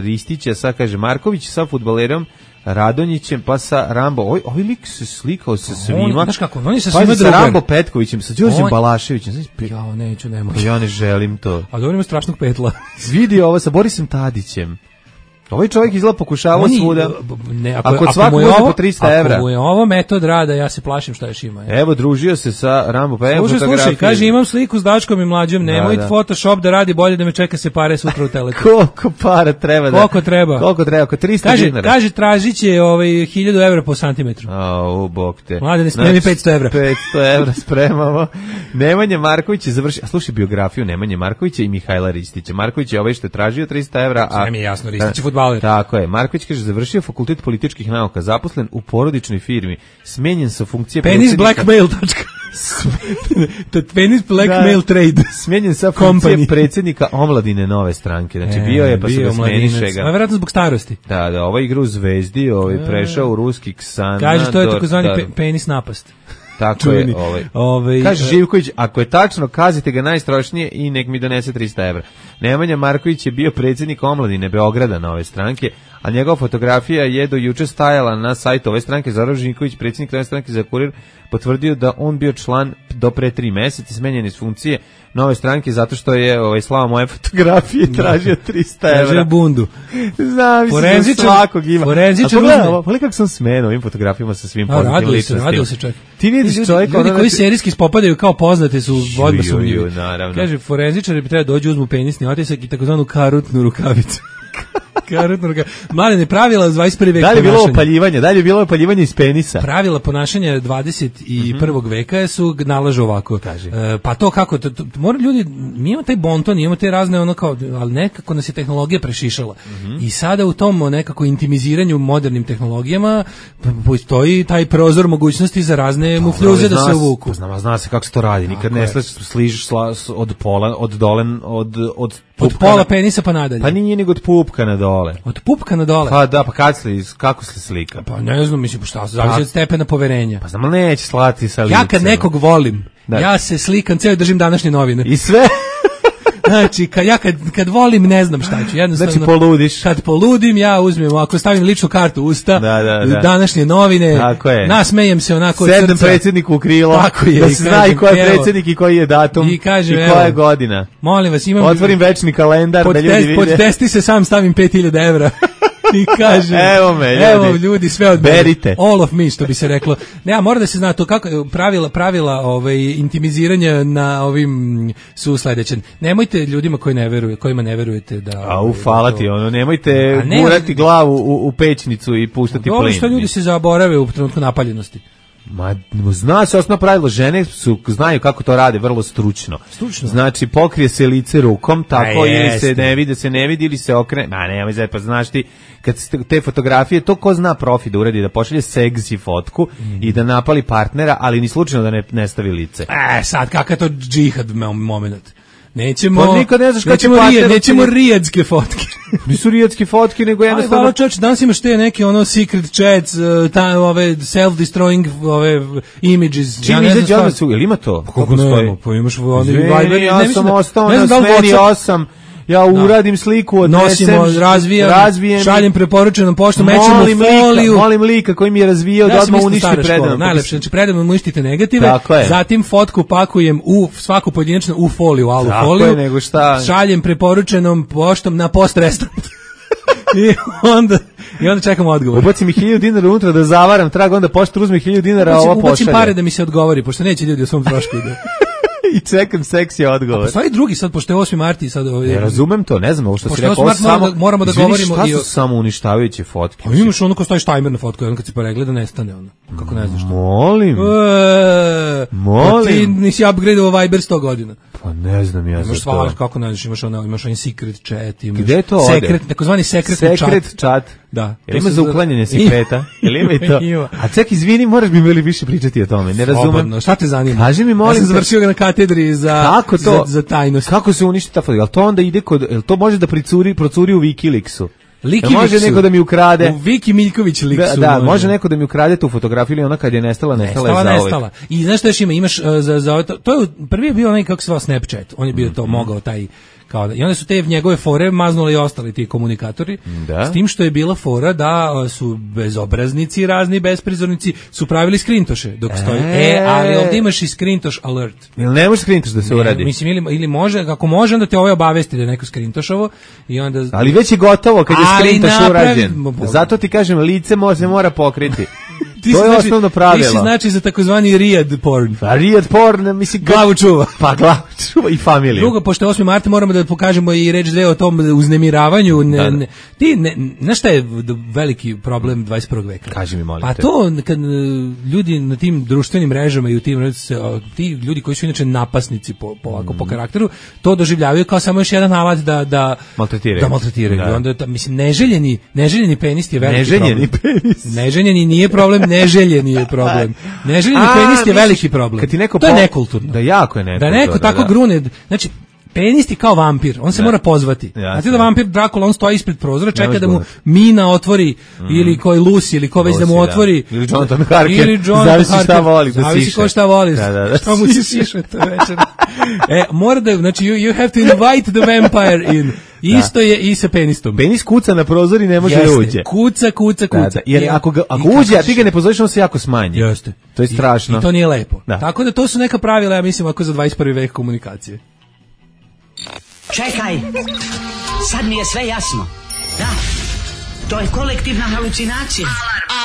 F: Ristića, sad kaže Marković sa fudbalerom Radonjićem, pa sa Rambo. Ovaj lik se slikao sa svima.
E: Znaš kako, on je sa
F: pa
E: svima
F: sa
E: drugar.
F: Rambo Petkovićem, sa Đorđem Balaševićem.
E: Ja neću, ne mogu.
F: Ja ne želim to.
E: A dobro ima strašnog petla.
F: Vidi ovo sa Borisom Tadićem. Ovaj čovjek izgleda pokušavao svuda. Ako svako može po 300 evra.
E: Ako mu je ovo metod rada, ja se plašim šta još ima.
F: Evo, družio se sa Rambo, pa evo fotografije.
E: Slušaj, kaže, imam sliku s Daškom i Mlađom, nemoj Photoshop da radi bolje da me čeka se pare sutra u Telekom.
F: Koliko para treba da?
E: Koliko treba?
F: Koliko treba? Oko 300 dinara.
E: Kaže, tražit će 1000 evra po santimetru.
F: Bog te.
E: Mlade, ne spremi 500 evra.
F: 500 evra spremamo. Nemanja Marković je završio, a slušaj biografiju Nemanje Markovića i Mihajla Ristića. Marković je ovaj što je tražio 300 evra.
E: Sve mi je jasno, Ristić je fudbaler.
F: Tako je. Marković kaže, završio fakultet političkih nauka, zaposlen u porodičnoj firmi, smenjen sa funkcije
E: Penis blackmail. Penis blackmail trade.
F: Smenjen sa funkcije predsjednika omladine Nove stranke. Znači bio je, pa su ga smeniše ga.
E: Vjerojatno zbog starosti.
F: Da, ovaj igra u Zvezdi, prešao u ruski Ksana.
E: Kaže, to je takozvani penis napast.
F: Tako je, kaže Živković, ako je tačno, kazite ga najstrošnije i nek mi donese 300 evra. Nemanja Marković je bio predsjednik omladine Beograda Nove stranke, a njegova fotografija je do juče stajala na sajtu ove stranke. Zoran Živković, predsjednik Nove stranke za Kurir, potvrdio da on bio član do pre 3 meseca, smenjen iz funkcije Nove stranke zato što je slao moje fotografije tražio 300 evra.
E: Tražio bundu.
F: Znam, mislim da svakog ima. Forenzičar uzme. Kako sam smenio ovim fotografijama sa svim poznatim ličnostima.
E: Radio se čovjek.
F: Ti vidiš čovjeka.
E: Ljudi koji serijski spopadaju kao poznate su odmah sumnjivi.
F: Naravno.
E: Kaže, forenzičari bi trebali dođu, uzmu penisni otisak i takozvanu karutnu rukavicu. Mladene, pravila 21. veka.
F: Da li je bilo opaljivanje iz penisa?
E: Pravila ponašanja 21. veka su nalažu ovako. Pa to kako, mora ljudi, mi imamo taj bonton, imamo te razne ali nekako nas je tehnologija prešišala. I sada u tom nekako intimiziranju modernim tehnologijama postoji taj prozor mogućnosti za razne mufljuze da se uvuku.
F: Zna se kako se to radi, nikad ne sližiš od pola, od dole,
E: od pola penisa pa nadalje.
F: Pa nije nego od pupka na dole.
E: Od pupka na dole?
F: Pa da, pa kako se slika?
E: Pa ne znam, mislim, šta se zavisi od stepena poverenja.
F: Pa znam, neće slati sa licem.
E: Ja kad nekog volim, ja se slikam, ceo držim današnje novine.
F: I sve?
E: Znači, kad volim, ne znam šta ću. Jednostavno,
F: znači, poludiš.
E: Kad poludim, ja uzmem, ako stavim ličnu kartu u usta, današnje novine, nasmejem se onako od srca.
F: Sedem predsjedniku u krilo,
E: tako je,
F: da se zna i ko je predsjednik i koji je datum i koja je godina.
E: Molim vas,
F: otvorim večni kalendar da ljudi vide.
E: Pod testi se sam stavim 5000 evra. I kaže, evo ljudi, sve od
F: berite.
E: All of me, što bi se reklo. Ne, mora da se zna to kako pravila intimiziranja na ovim su sledeće. Nemojte ljudima kojima ne verujete da
F: hvala ti, nemojte gurati glavu u pećnicu i puštati plin.
E: Dobro što ljudi se zaborave u trenutku napaljenosti.
F: Ma, zna se osnovno pravilo, žene znaju kako to rade vrlo stručno. Znači, pokrije se lice rukom, tako ili se ne vidi ili se okrene. Ma, nemoj zaj, pa znaš ti, kad te fotografije, to ko zna profi da uradi, da pošalje seksi fotku i da napali partnera, ali ni slučajno da ne stavi lice.
E: Sad, kakav je to džihad moment? Nećemo,
F: pa nikad ne znaš
E: nećemo rijadske fotke.
F: Nisu rijadske fotke, nego jednostavno...
E: Hvala čovječ, danas imaš te neke secret chats, ove self-destroying images.
F: Čim izađe odmah su, ili ima to?
E: Kako nema, pa imaš...
F: Ja sam ostao na smeni 8... Ja uradim sliku, odnesem, razvijem,
E: šaljem preporučenom poštom, mećemo foliju.
F: Molim lika koji mi je razvijao da odmah uništi predano.
E: Najlepše, znači predano uništite negative, zatim fotku pakujem svaku pojedinačno u foliju, alu foliju, šaljem preporučenom poštom na post restaurant. I onda čekam odgovor.
F: Ubacim mi 1000 dinara unutra da zavaram trag, onda pošta uzme 1000 dinara, a ova pošalje.
E: Ubacim pare da mi se odgovori, pošto neće ljudi o svom trošku ide.
F: I čekam seksi odgovor.
E: Postoji drugi sad, pošto je 8. marti sad...
F: Ne razumem to, ne znam ovo što si rekao.
E: Moramo da govorimo...
F: Šta su samo uništavajuće fotke?
E: Pa imaš ono ko stoji tajmer na fotku, ono kad se poregleda nestane ono. Kako ne znaš to?
F: Molim.
E: Ti nisi upgradeovao Viber 100 godina.
F: Pa ne znam ja za to.
E: Imaš svaš, kako ne znaš, imaš onaj secret chat, imaš...
F: Gde to ode?
E: Takozvani sekretni chat.
F: Secret chat.
E: Da.
F: Jel ima za uklanjanje sekreta? Jel ima i to? A ček, izvini, moraš mi bili više pričati o tome, ne razumem.
E: Slobodno, šta te zanima?
F: Kaži mi, molim.
E: Ja sam završio ga na katedri za tajnost.
F: Kako se uništi ta fotografija? Jel to onda ide jel to može da procuri u Wikileaksu? Može neko da mi ukrade.
E: U Viki Miljković liksu.
F: Da, može neko da mi ukrade tu fotografiju ili ona kad je nestala je zauvek.
E: I znaš što još imaš, imaš to je prvi je bio onaj kako se zvao Snapchat. On je bio to mogao taj I onda su te njegove fore maznuli i ostali ti komunikatori, s tim što je bila fora da su bezobraznici razni besprizornici su pravili skrintoše dok stoji. Ali ovdje imaš i skrintoš alert.
F: Ili ne može skrintoš da se uradi?
E: Mislim, ili može, ako može, onda te ovaj obavesti da je neko skrintošovo i onda...
F: Ali već je gotovo kad je skrintoš urađen. Zato ti kažem, lice se mora pokriti. To je osnovno pravilo.
E: Ti si znači za takozvani Riyadh porn.
F: Pa Riyadh porn, mislim...
E: Glavu čuva.
F: Pa glavu čuva i familiju.
E: Drugo, pošto je 8. marta, moramo da pokažemo i reč dve o tom uznemiravanju. Znaš šta je veliki problem 21. veka?
F: Kaži mi, molim
E: te. Pa to, kad ljudi na tim društvenim mrežama i u tim, ti ljudi koji su inače napasnici po karakteru, to doživljavaju kao samo još jedan alat da maltretiraju. Da. Onda, mislim, neželjeni penis je veliki problem. Neželjeni nije problem, neželjeni je problem. Neželjeni penis je veliki problem. To je nekulturno.
F: Da, jako je nekulturno.
E: Da neko tako grune, znači penis je kao vampir, on se mora pozvati. Znate da vampir Dracula, on stoji ispred prozora, čeka da mu Mina otvori, ili koji Lucy, ili ko već da mu otvori.
F: Ili Jonathan Harker, zavisi šta voli da siše.
E: Zavisi ko šta voli, šta mu se siše to večer. Mora da, znači you have to invite the vampire in. Isto je i sa penistom.
F: Penis kuca na prozor i ne može da uđe.
E: Kuca.
F: Da. Jer ako uđe, a ti ga ne pozoriš, on se jako smanji.
E: Jeste.
F: To je strašno.
E: I to nije lepo. Da. Tako da to su neka pravila, ja mislim, ako za 21. vek komunikacije.
H: Čekaj, sad mi je sve jasno. Da, to je kolektivna halucinacija.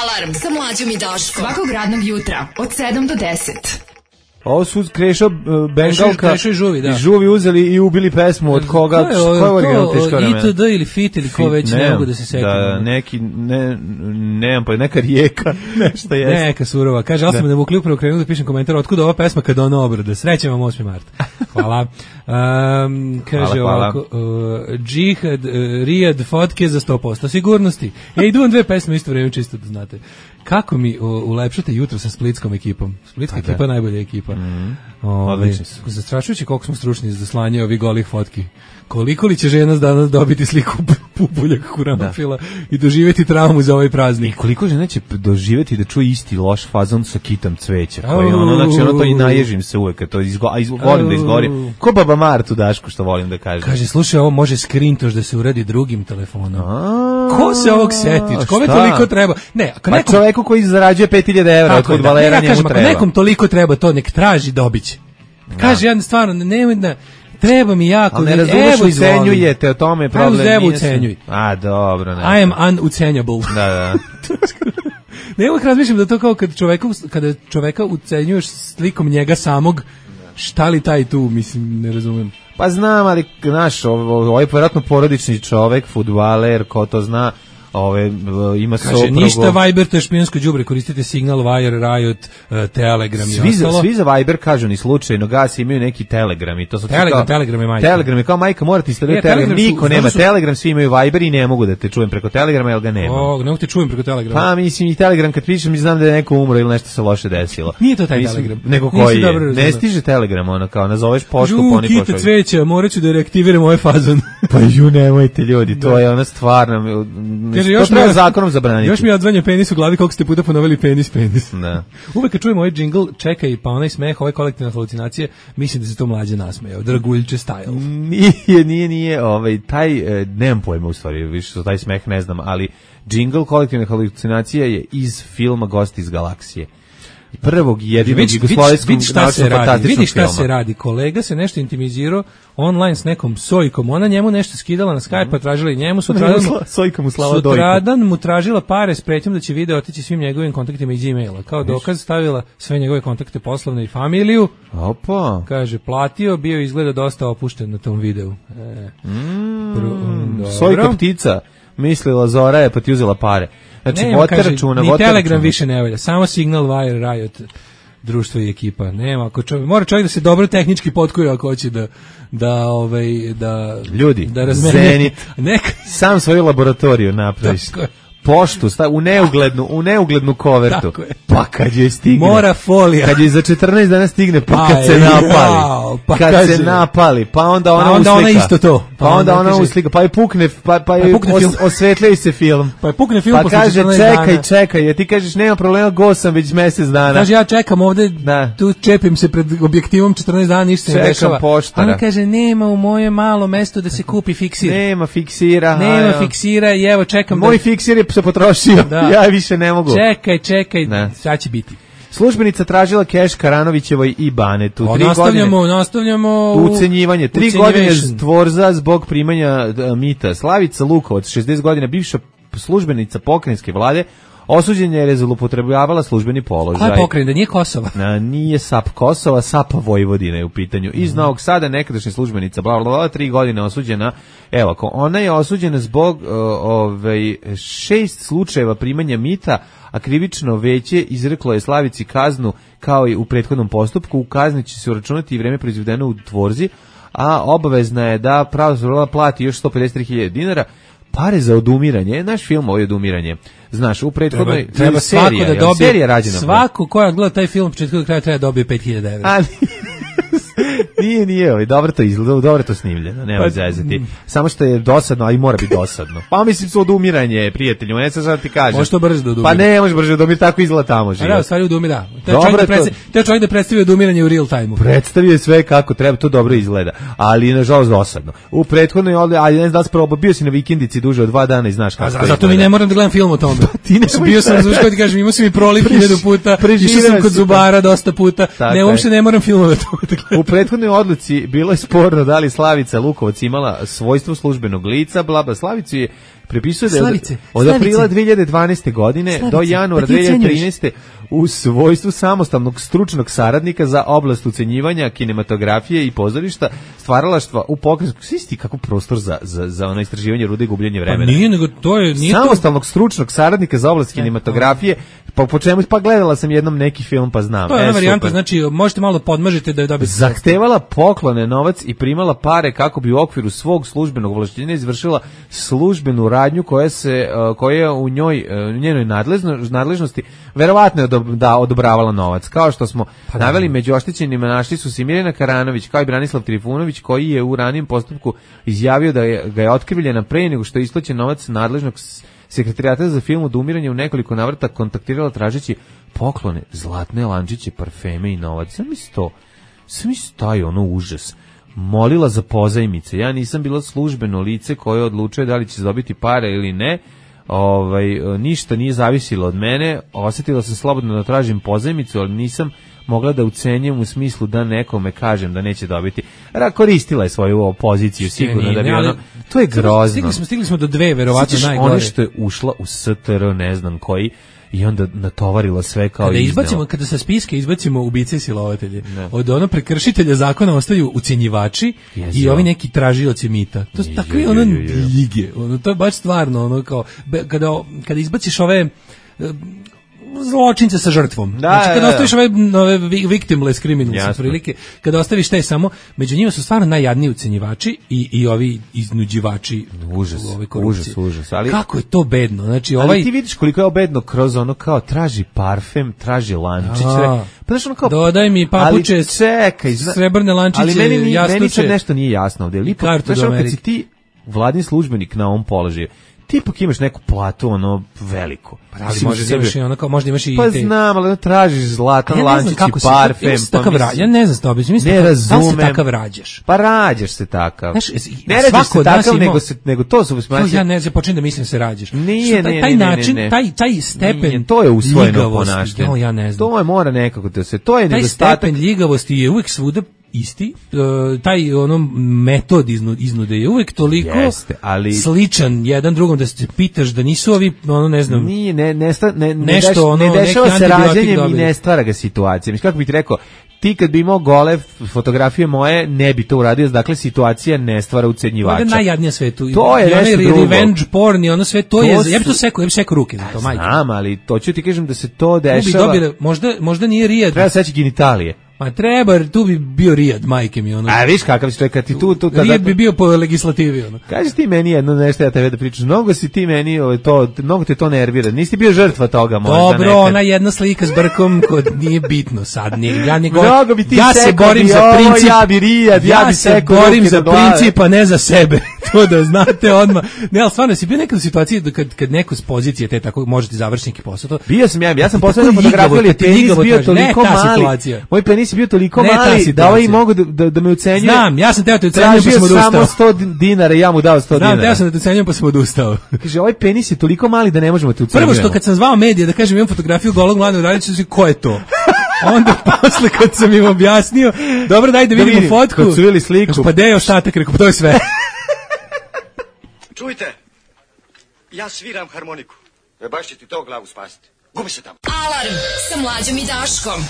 I: Alarm sa Mlađom i Daškom. Svakog radnog jutra od 7 do 10.
F: Ovo su Krešo Bengalka
E: i Žuvi, da.
F: I Žuvi uzeli i ubili pesmu od koga?
E: Ko je original teško vremena? ITD ili Fit ili ko već, ne mogu da se setim.
F: Da, nemam pa neka rijeka, nešto jeste.
E: Neka surova. Kaže, ali sam da mu klip upravo krenuo da pišem komentar, otkud ova pesma kada ona obrada. Srećem vam 8. marta. Hvala. Kaže ovako, džihad, Riyadh, fotke za 100% sigurnosti. Idem 2 pesme isto vreme, čisto da znate. Kako mi ulepšate jutro sa splitskom ekipom? Splitska ekipa je najbolja ekipa.
F: Odlični su.
E: Zastrašujući koliko smo stručni za slanje ovih golih fotki. Koliko li će žena danas dobiti sliku pupuljak huramafila i doživjeti traumu za ovaj praznik?
F: I koliko žena će doživjeti da čuje isti loš fazon sa kitom cveća? Koji znači to i naježim se uvek, to volim da izgori. Ko baba Martu Dašku, što volim da kažem.
E: Kaže, slušaj, ovo može skrintoš da se uradi drugim telefonom. Ko se ovog setiš? Kome toliko treba? Ne, ako
F: nekom... čoveku koji zarađuje 5000 evra od fudbalera, njemu treba.
E: Ako nekom toliko treba to, nek traži, dobiće. Kaže, ja stvarno, nemoj da... Treba mi jako,
F: ali ne razumeš, ucenjujete, o tome problem.
E: Evo ucenjuj.
F: A, dobro.
E: I am unucenjable.
F: Da.
E: Ne uvijek razmišljam da to kao kada čoveka ucenjuješ slikom njega samog, šta li taj tu, mislim, ne razumem.
F: Pa znam, ali, znaš, ovo je vjerojatno porodični čovek, fudbaler, ko to zna, ima
E: kaže, soprugu. Ništa Viber, to je špijonsko đubre, koristite Signal, Wire, Riot, Telegram i ostalo.
F: Svi za Viber kažu ni slučajno, gasi imaju neki Telegram i to su
E: Telegram je majka.
F: Telegram je kao majka, morate instalirati Telegram, niko nema Telegram, svi imaju Viber i ne mogu da te čujem preko Telegrama, jer ga nema.
E: Ne mogu te čujem preko Telegrama.
F: Pa mislim i Telegram kad pišem mi znam da je neko umro ili nešto se loše desilo.
E: Nije to taj Telegram.
F: Nego koji je. Ne stiže Telegram, ono kao nazoveš poštu, poni pošalju.
E: Kite cveća, morat ću da reaktiviram ovaj fazon.
F: Pa nemojte ljudi, to je ona stvarna.
E: Još
F: treba zakonom zabraniti.
E: Još mi odzvanja penis u glavi koliko ste puta ponovili penis.
F: Da.
E: Uvek kad čujemo ovaj džingl, čekaj, pa onaj smeh, ove kolektivne halucinacije, mislim da se to mlađe nasmejao. Draguljče style.
F: Nije, taj, nemam pojma u stvari, više što taj smeh ne znam, ali džingl kolektivne halucinacije je iz filma Gosti iz galaksije. Prvog jedinog jugoslovenskog naučno-fantastičnog
E: vidi šta se radi. Kolega se nešto intimizirao online s nekom Sojkom. Ona njemu nešto skidala na Skype, pa tražila i njemu. Sutradan mu tražila pare s pretnjom da će video otići svim njegovim kontaktima iz Gmaila. Kao dokaz stavila sve njegove kontakte poslovne i familiju.
F: Opa.
E: Kaže, platio, bio izgleda dosta opušten na tom videu.
F: Sojka ptica. Mislila Zora je, pa ti uzela pare. Znači,
E: ni Telegram više ne valja, samo Signal, Wire, Riot, društvo i ekipa. Nema, mora čovjek da se dobro tehnički potkuje ako hoće da
F: ljudi,
E: da
F: Zenit, sam svoju laboratoriju napraviš. Poštu, u neuglednu kovertu. Pa kad joj stigne.
E: Mora folija.
F: Kad joj za 14 dana stigne, pa kad se napali. Kad se napali, pa onda ona uslika.
E: Ona isto to.
F: Pa onda ona uslika, pa je pukne, pa je osvetljaju se film.
E: Pa je pukne film
F: posle 14 dana. Pa kaže, čekaj, jer ti kažeš, nema problema, go sam već mjesec dana.
E: Kaže, ja čekam ovde, tu čepim se pred objektivom 14 dana, ništa se ne dešava.
F: Poštara.
E: Ona kaže, nema u moje malo mesto da se kupi fiksir.
F: Nema fiksira.
E: Nema fiksira i evo čekam.
F: Moj fiksir je se potrošio, ja više ne mogu.
E: Čekaj, šta će biti?
F: Službenica tražila keš Karanovićevoj i Banetu.
E: Nastavljamo
F: ucenjivanje. 3 godine tvorza zbog primanja mita. Slavica Lukovac, 60 godina, bivša službenica pokrajinske vlade, osuđenja je zloupotrebljavala službeni položaj.
E: Koja je pokrajina? Nije Kosova?
F: Nije SAP Kosova, SAP Vojvodine je u pitanju. Iz Novog Sada nekadašnja službenica, 3 godine osuđena. Evo, ona je osuđena zbog 6 slučajeva primanja mita, a krivično veće izreklo je Slavici kaznu kao i u prethodnom postupku. U kazni će se uračunati i vreme proizvedeno u tvorzi, a obavezna je da pravosudna plati još 153.000 dinara. Pare za odumiranje, naš film ovo je odumiranje. Znaš, u prethodnoj
E: treba svako da dobije,
F: serija rađena.
E: Svako ko gleda taj film početku do kraja treba dobije 5.000 evra.
F: Ali nije, dobro to izgleda, dobro to snimljeno, nema zezati. Samo što je dosadno, ali mora biti dosadno. Pa mislim su odumiranje, prijatelju, ne sad ti kažem.
E: Može to brže da odumira.
F: Pa ne, može brže da odumira, tako izgleda tamo život.
E: A da, stvari odumira. Te čovjek da predstavi odumiranje u real time-u.
F: Predstavio sve kako treba, to dobro izgleda, ali nažalost dosadno. U prethodnoj, ali ne znam da si probao, bio si na vikendici duže od 2 dana i znaš kako to izgleda.
E: Zato mi ne moram da gledam film o tome. Bio sam razvuškao ti kažem, imao sam i proliv 1000 puta, išao sam kod zubara dosta puta, ne, uopšte ne moram filmove o tome.
F: U prethodnoj odluci bilo je sporno da li Slavica Lukovac imala svojstvo službenog lica, Slavicu je prepisuje da je od aprila 2012. godine do januara 2013. u svojstvu samostalnog stručnog saradnika za oblast ucenjivanja, kinematografije i pozorišta, stvaralaštva u pokrajinskom. Svi kako prostor za ono istraživanje rude i gubljenje vremena.
E: Pa nije, nego to je...
F: Samostalnog stručnog saradnika za oblast kinematografije, po čemu, pa gledala sam jednom neki film, pa znam.
E: To je varijanta, znači možete malo podmažiti da je dobiti.
F: Zahtevala poklone, novac i primala pare kako bi u okviru svog službenog ovlašćenja izvršila službenu radnju koja je u njenoj nadležnosti verovatno je da odobravala novac. Kao što smo naveli, među oštećenima našli su se Mirjana Karanović kao i Branislav Trifunović, koji je u ranijem postupku izjavio da ga je otkrivljena pre nego što je isplaćen novac nadležnog sekretarijata za film odumiranje u nekoliko navrata kontaktirala tražeći poklone, zlatne lančiće, parfeme i novac. Sam taj užas. Molila za pozajmice. Ja nisam bila službeno lice koje odlučuje da li će dobiti pare ili ne. Ništa nije zavisilo od mene. Osjetila sam slobodno da tražim pozajmicu, ali nisam mogla da ucenjem u smislu da nekome kažem da neće dobiti. Koristila je svoju poziciju sigurno da bi to je grozno.
E: Stigli smo do dve, verovatno najgore.
F: Ono što je ušla u STR, ne znam koji, i onda natovarila sve kao
E: kada sa spiske izbacimo ubice i silovatelje, od ono prekršitelja zakona ostaju ucenjivači i ovi neki tražioci mita. To su takve lige. To je baš stvarno kao kada izbaciš ove zločince sa žrtvom. Znači kada ostaviš ove victimless criminals, prilike, kada ostaviš te samo, među njima su stvarno najjadniji ucenjivači i ovi iznuđivači.
F: Užas. Ali
E: kako je to bedno? Znači
F: ali ti vidiš koliko je bedno kroz ono kao traži parfem, traži lančić.
E: Dodaj mi papuče, srebrne lančiće,
F: ali meni sad nešto nije jasno ovdje. Kad si ti vladin službenik na ovom položaju, ti ipak imaš neku platu, veliko.
E: Ali možda imaš i
F: pa znam, ali tražiš zlatan lančić i parfem.
E: Ja ne znam što objasnim.
F: Ne razumem.
E: Da se takav rađaš?
F: Pa rađaš se takav. Ne rađaš se takav, nego to su...
E: Ja ne znam, počnem da mislim da se rađaš.
F: Nije.
E: Taj stepen
F: to je usvojeno ponašanje.
E: Ja ne znam.
F: To je mora nekako da se... To je nedostatak.
E: Taj stepen ljigavosti je uvijek svuda isti, taj metod iznude je uvijek toliko sličan jedan drugom da se pitaš da nisu ovi, ne znam,
F: ne dešava se rađenjem i ne stvara ga situacija. Mislim, kako bih ti rekao, ti kad bi imao gole fotografije moje, ne bi to uradio, dakle situacija ne stvara ucenjivača.
E: To je najjadnije svetu.
F: To je nešto drugo.
E: Revenge porn i ono sve, to je, ja bi to sekao ruke za to, majke.
F: Znam, ali to ću ti kažem da se to dešava.
E: Možda nije rijad.
F: Treba seći genitalije.
E: Ma treba, tu bi bio Rijad, majke mi, ono.
F: A viš kakav si čovjek, ti tu
E: Rijad bi bio po legislativi, ono.
F: Kaži ti meni jedno nešto, ja tebe da pričaš, mnogo si ti meni, mnogo te to nervira, nisi ti bio žrtva toga možda
E: dobro,
F: nekad.
E: ona jedna slika s brkom, kod nije bitno sad,
F: mnogo bi ti
E: ja se borim za princip,
F: ja bi Rijad, ja bi
E: se borim za princip, a ne za sebe, to da znate odmah. Ne, ali stvarno, si bio nekad u situaciji da kad neko s pozicije te tako možete završiti neki posao, to...
F: Bio sam ja sam posljedno fotografiju, ali penis bio toliko mali, moj penis je bio toliko mali da ovaj mogu da me ucenjuje.
E: Znam, ja sam teo te ucenjujem pa sam odustao.
F: Tražio samo 100 dinara i ja mu dao 100 dinara.
E: Znam, teo sam da te ucenjujem pa sam odustao.
F: Kaže, ovaj penis je toliko mali da ne možemo te ucenjujemo.
E: Prvo što kad sam zvao medije da kažem imam fotografiju golog Mladena Uranića, ko je to? Onda posle kad sam im objasnio, dobro daj da vidimo fotku.
F: Kad su vidjeli sliku.
E: Pa gde je ostatak, rekao, pa to je sve.
J: Čujte, ja sviram harmoniku. Baš će ti to glavu spasiti. Gubi se tamo.
I: Alarm sa Mlađom i Daškom.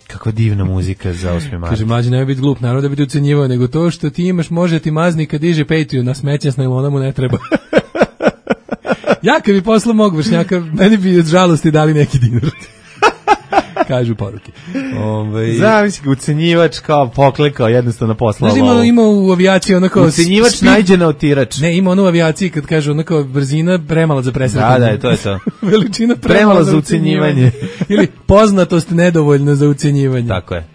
F: Kako divna muzika za 8. mart.
E: Kaže, Mlađe, nemoj biti glup, naravno da bi te ucenjivao, nego to što ti imaš, može ti mazni kad diže Patreon, na smeća s najlona mu ne treba. Ja kad bi poslao mog vršnjaka, meni bi od žalosti dali neki dinar. Kažu poruke.
F: Zamisli, ucenjivač kao poklekao, jednostavno poslao.
E: Znaš, ima u avijaciji onako...
F: Ucenjivač najđe na otirač.
E: Ne, ima ono u avijaciji kad kažu onako brzina premala za presretanje.
F: Da, to je to.
E: Veličina
F: premala za ucenjivanje.
E: Ili poznatost nedovoljna za ucenjivanje.
F: Tako je.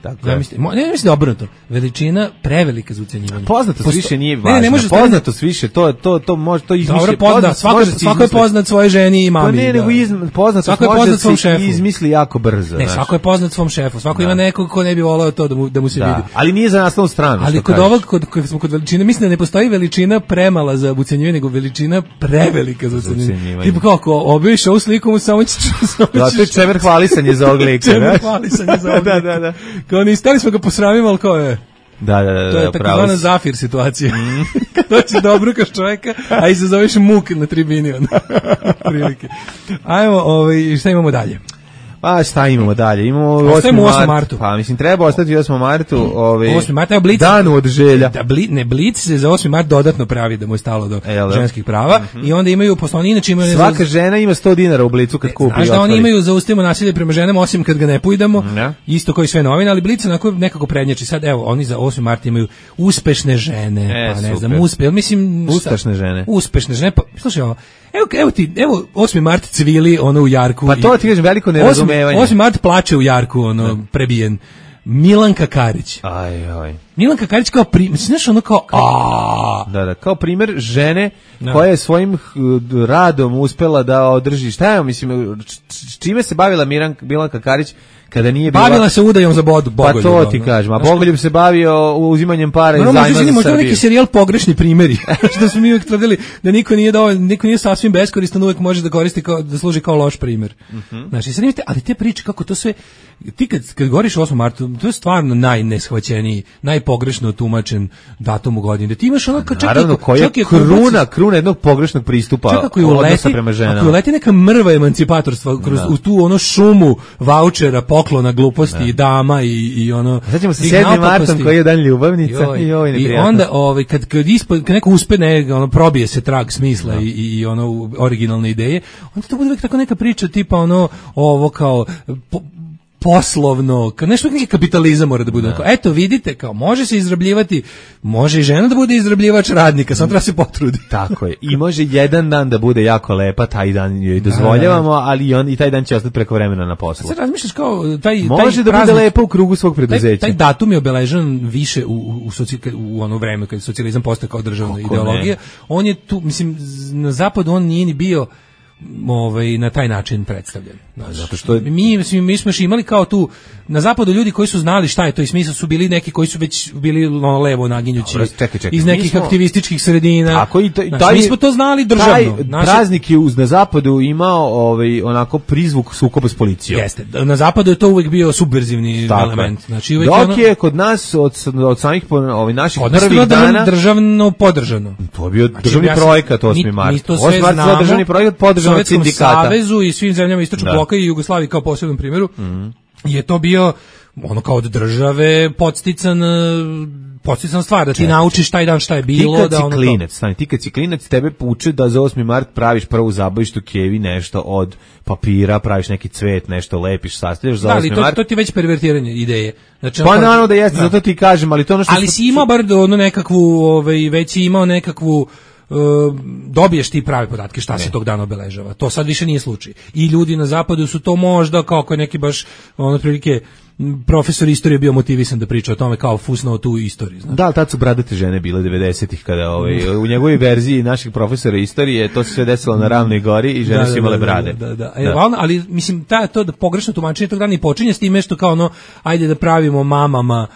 E: Ne mislim obrnuto. Veličina prevelika za ucenjivanje.
F: Poznatost više nije važna.
E: Ne može
F: poznatost više, to može to izmišljati.
E: Dobro, svako je poznat svojoj ženi i mami.
F: Pa ne, nego poznatost može se izmisli jako brzo.
E: Svako je poznat svom šefu, svako ima nekog ko ne bi volao to da mu se vidi.
F: Ali nije za naslovnu stranu.
E: Ali kod ovog, kad smo kod veličine, mislim da ne postoji veličina premala za ucenjivanje, nego veličina prevelika za ucenjivanje. Tipa kako, objaviš ovu sliku, mu samo ćeš...
F: Da, to je čemer hvalisanje za ovog lika.
E: Čemer hvalisanje za ovog lika.
F: Da.
E: Kao ni stali smo ga posramimo, ali kao je...
F: Da,
E: to je takozvana Zafir situacija. Kad doći da obrukaš čovjeka, a izazoveš muk na tribini. Prilike. Ajmo, šta imamo dalje?
F: Pa šta imamo dalje? Imamo 8. martu. Pa mislim treba ostati 8. martu,
E: 8. marta je Blic.
F: Dan od želja.
E: Ne, Blic se za 8. mart dodatno pravi da mu je stalo do ženskih prava i onda imaju poslovni, inače imaju...
F: Svaka žena ima 100 dinara u Blicu kad kupi.
E: Znaš da oni imaju zaustavimo nasilje prema ženama osim kad ga ne pojdemo, isto kao i sve novine, ali Blic nekako prednjači. Sad evo, oni za 8. marta imaju uspešne žene, pa ne znam,
F: uspešne žene.
E: Uspešne žene, pa slušaj ovo. Evo 8. mart cvili ono u jarku.
F: Pa to ti kažem, veliko nerazumevanje.
E: 8. mart plače u jarku, ono, prebijen. Milanka Karić.
F: Aj.
E: Milanka Karić kao znaš ono kao
F: Da, kao primjer žene koja je svojim radom uspela da održi, šta je, mislim, čime se bavila Milanka Karić kada nije bila...
E: Bavila se udajom za Bogoljub.
F: Pa to ti kažem, a Bogoljub se bavio uzimanjem para iz zajma za Srbiju.
E: Možda neki serijal Pogrešni primjeri, što smo mi uvijek tvrdili da niko nije sasvim beskoristan, uvijek može da koristi da služi kao loš primjer. Znači, sad imate, ali te priče kako to sve, ti kad govoriš 8. martu, to je stvarno najneshvaćeniji, najpogrešno tumačen datum u godini. Da ti imaš ono kao
F: naravno, koja je kruna jednog pogrešnog pristupa odnosa prema ženama.
E: Ako uleti neka mrva emancipatorstva u tu ono šumu vaučera, poklona gluposti i dama i ono...
F: Sad ćemo se 7. martom koji je dan ljubavnica
E: i onda kad neko uspe probije se trag smisla i ono originalne ideje, onda to bude uvijek tako neka priča tipa ono ovo kao poslovno, nešto neki kapitalizam mora da bude. Eto vidite, kao može se izrabljivati, može i žena da bude izrabljivač radnika, samo treba se potrudi.
F: Tako je. I može jedan dan da bude jako lepa, taj dan joj dozvoljavamo, ali i taj dan će ostati preko vremena na poslu.
E: Sad razmišljaš kao taj
F: može da bude lepa u krugu svog preduzeća.
E: Taj datum je obeležen više u ono vreme kad socijalizam postao kao državna ideologija. On je tu, mislim, na zapadu on nije ni bio na taj način predstavljen.
F: Zato što
E: mi smo imali kao tu na zapadu ljudi koji su znali šta je to i smisao su bili neki koji su već bili levo naginjući iz nekih aktivističkih sredina.
F: Tako i
E: mi smo to znali državno.
F: Praznik je na zapadu imao onako prizvuk sukoba s policijom.
E: Jeste. Na zapadu je to uvijek bio subverzivni element. Znači
F: dok je kod nas od samih naših prvih dana
E: državno podržano.
F: To je bio državni projekat 8. mart. 8. mart je državni projekat podržan od sindikata.
E: Savezu i svim zemljama istočnog bloka i Jugoslaviji kao posebnom primjeru je to bio ono kao od države podstican podsjetna stvar da ti naučiš taj dan šta je bilo.
F: Ti kad si klinac, tebe uče da za 8. mart praviš prvu zabavištu kevi, nešto od papira, praviš neki cvet, nešto lepiš, sastavljaš za 8. mart.
E: To ti već pervertiranje ideje. Znači,
F: pa naravno da jeste, zato ti kažem, ali to ono što...
E: Ali si imao bar ono nekakvu, već si imao nekakvu, dobiješ ti prave podatke šta se tog dana obeležava. To sad više nije slučaj. I ljudi na zapadu su to možda, kao neki baš, ono, prilike, profesor istorije bio motivisan da priča o tome kao fusnao tu istoriju. Znači.
F: Da, ali tad su bradate žene bile 90-ih kada u njegovoj verziji naših profesora istorije to se sve desilo na Ravnoj gori i žene su imale brade.
E: Da. Ali mislim to da pogrešno tumačenje tog dana i počinje s time što kao ono ajde da pravimo mamama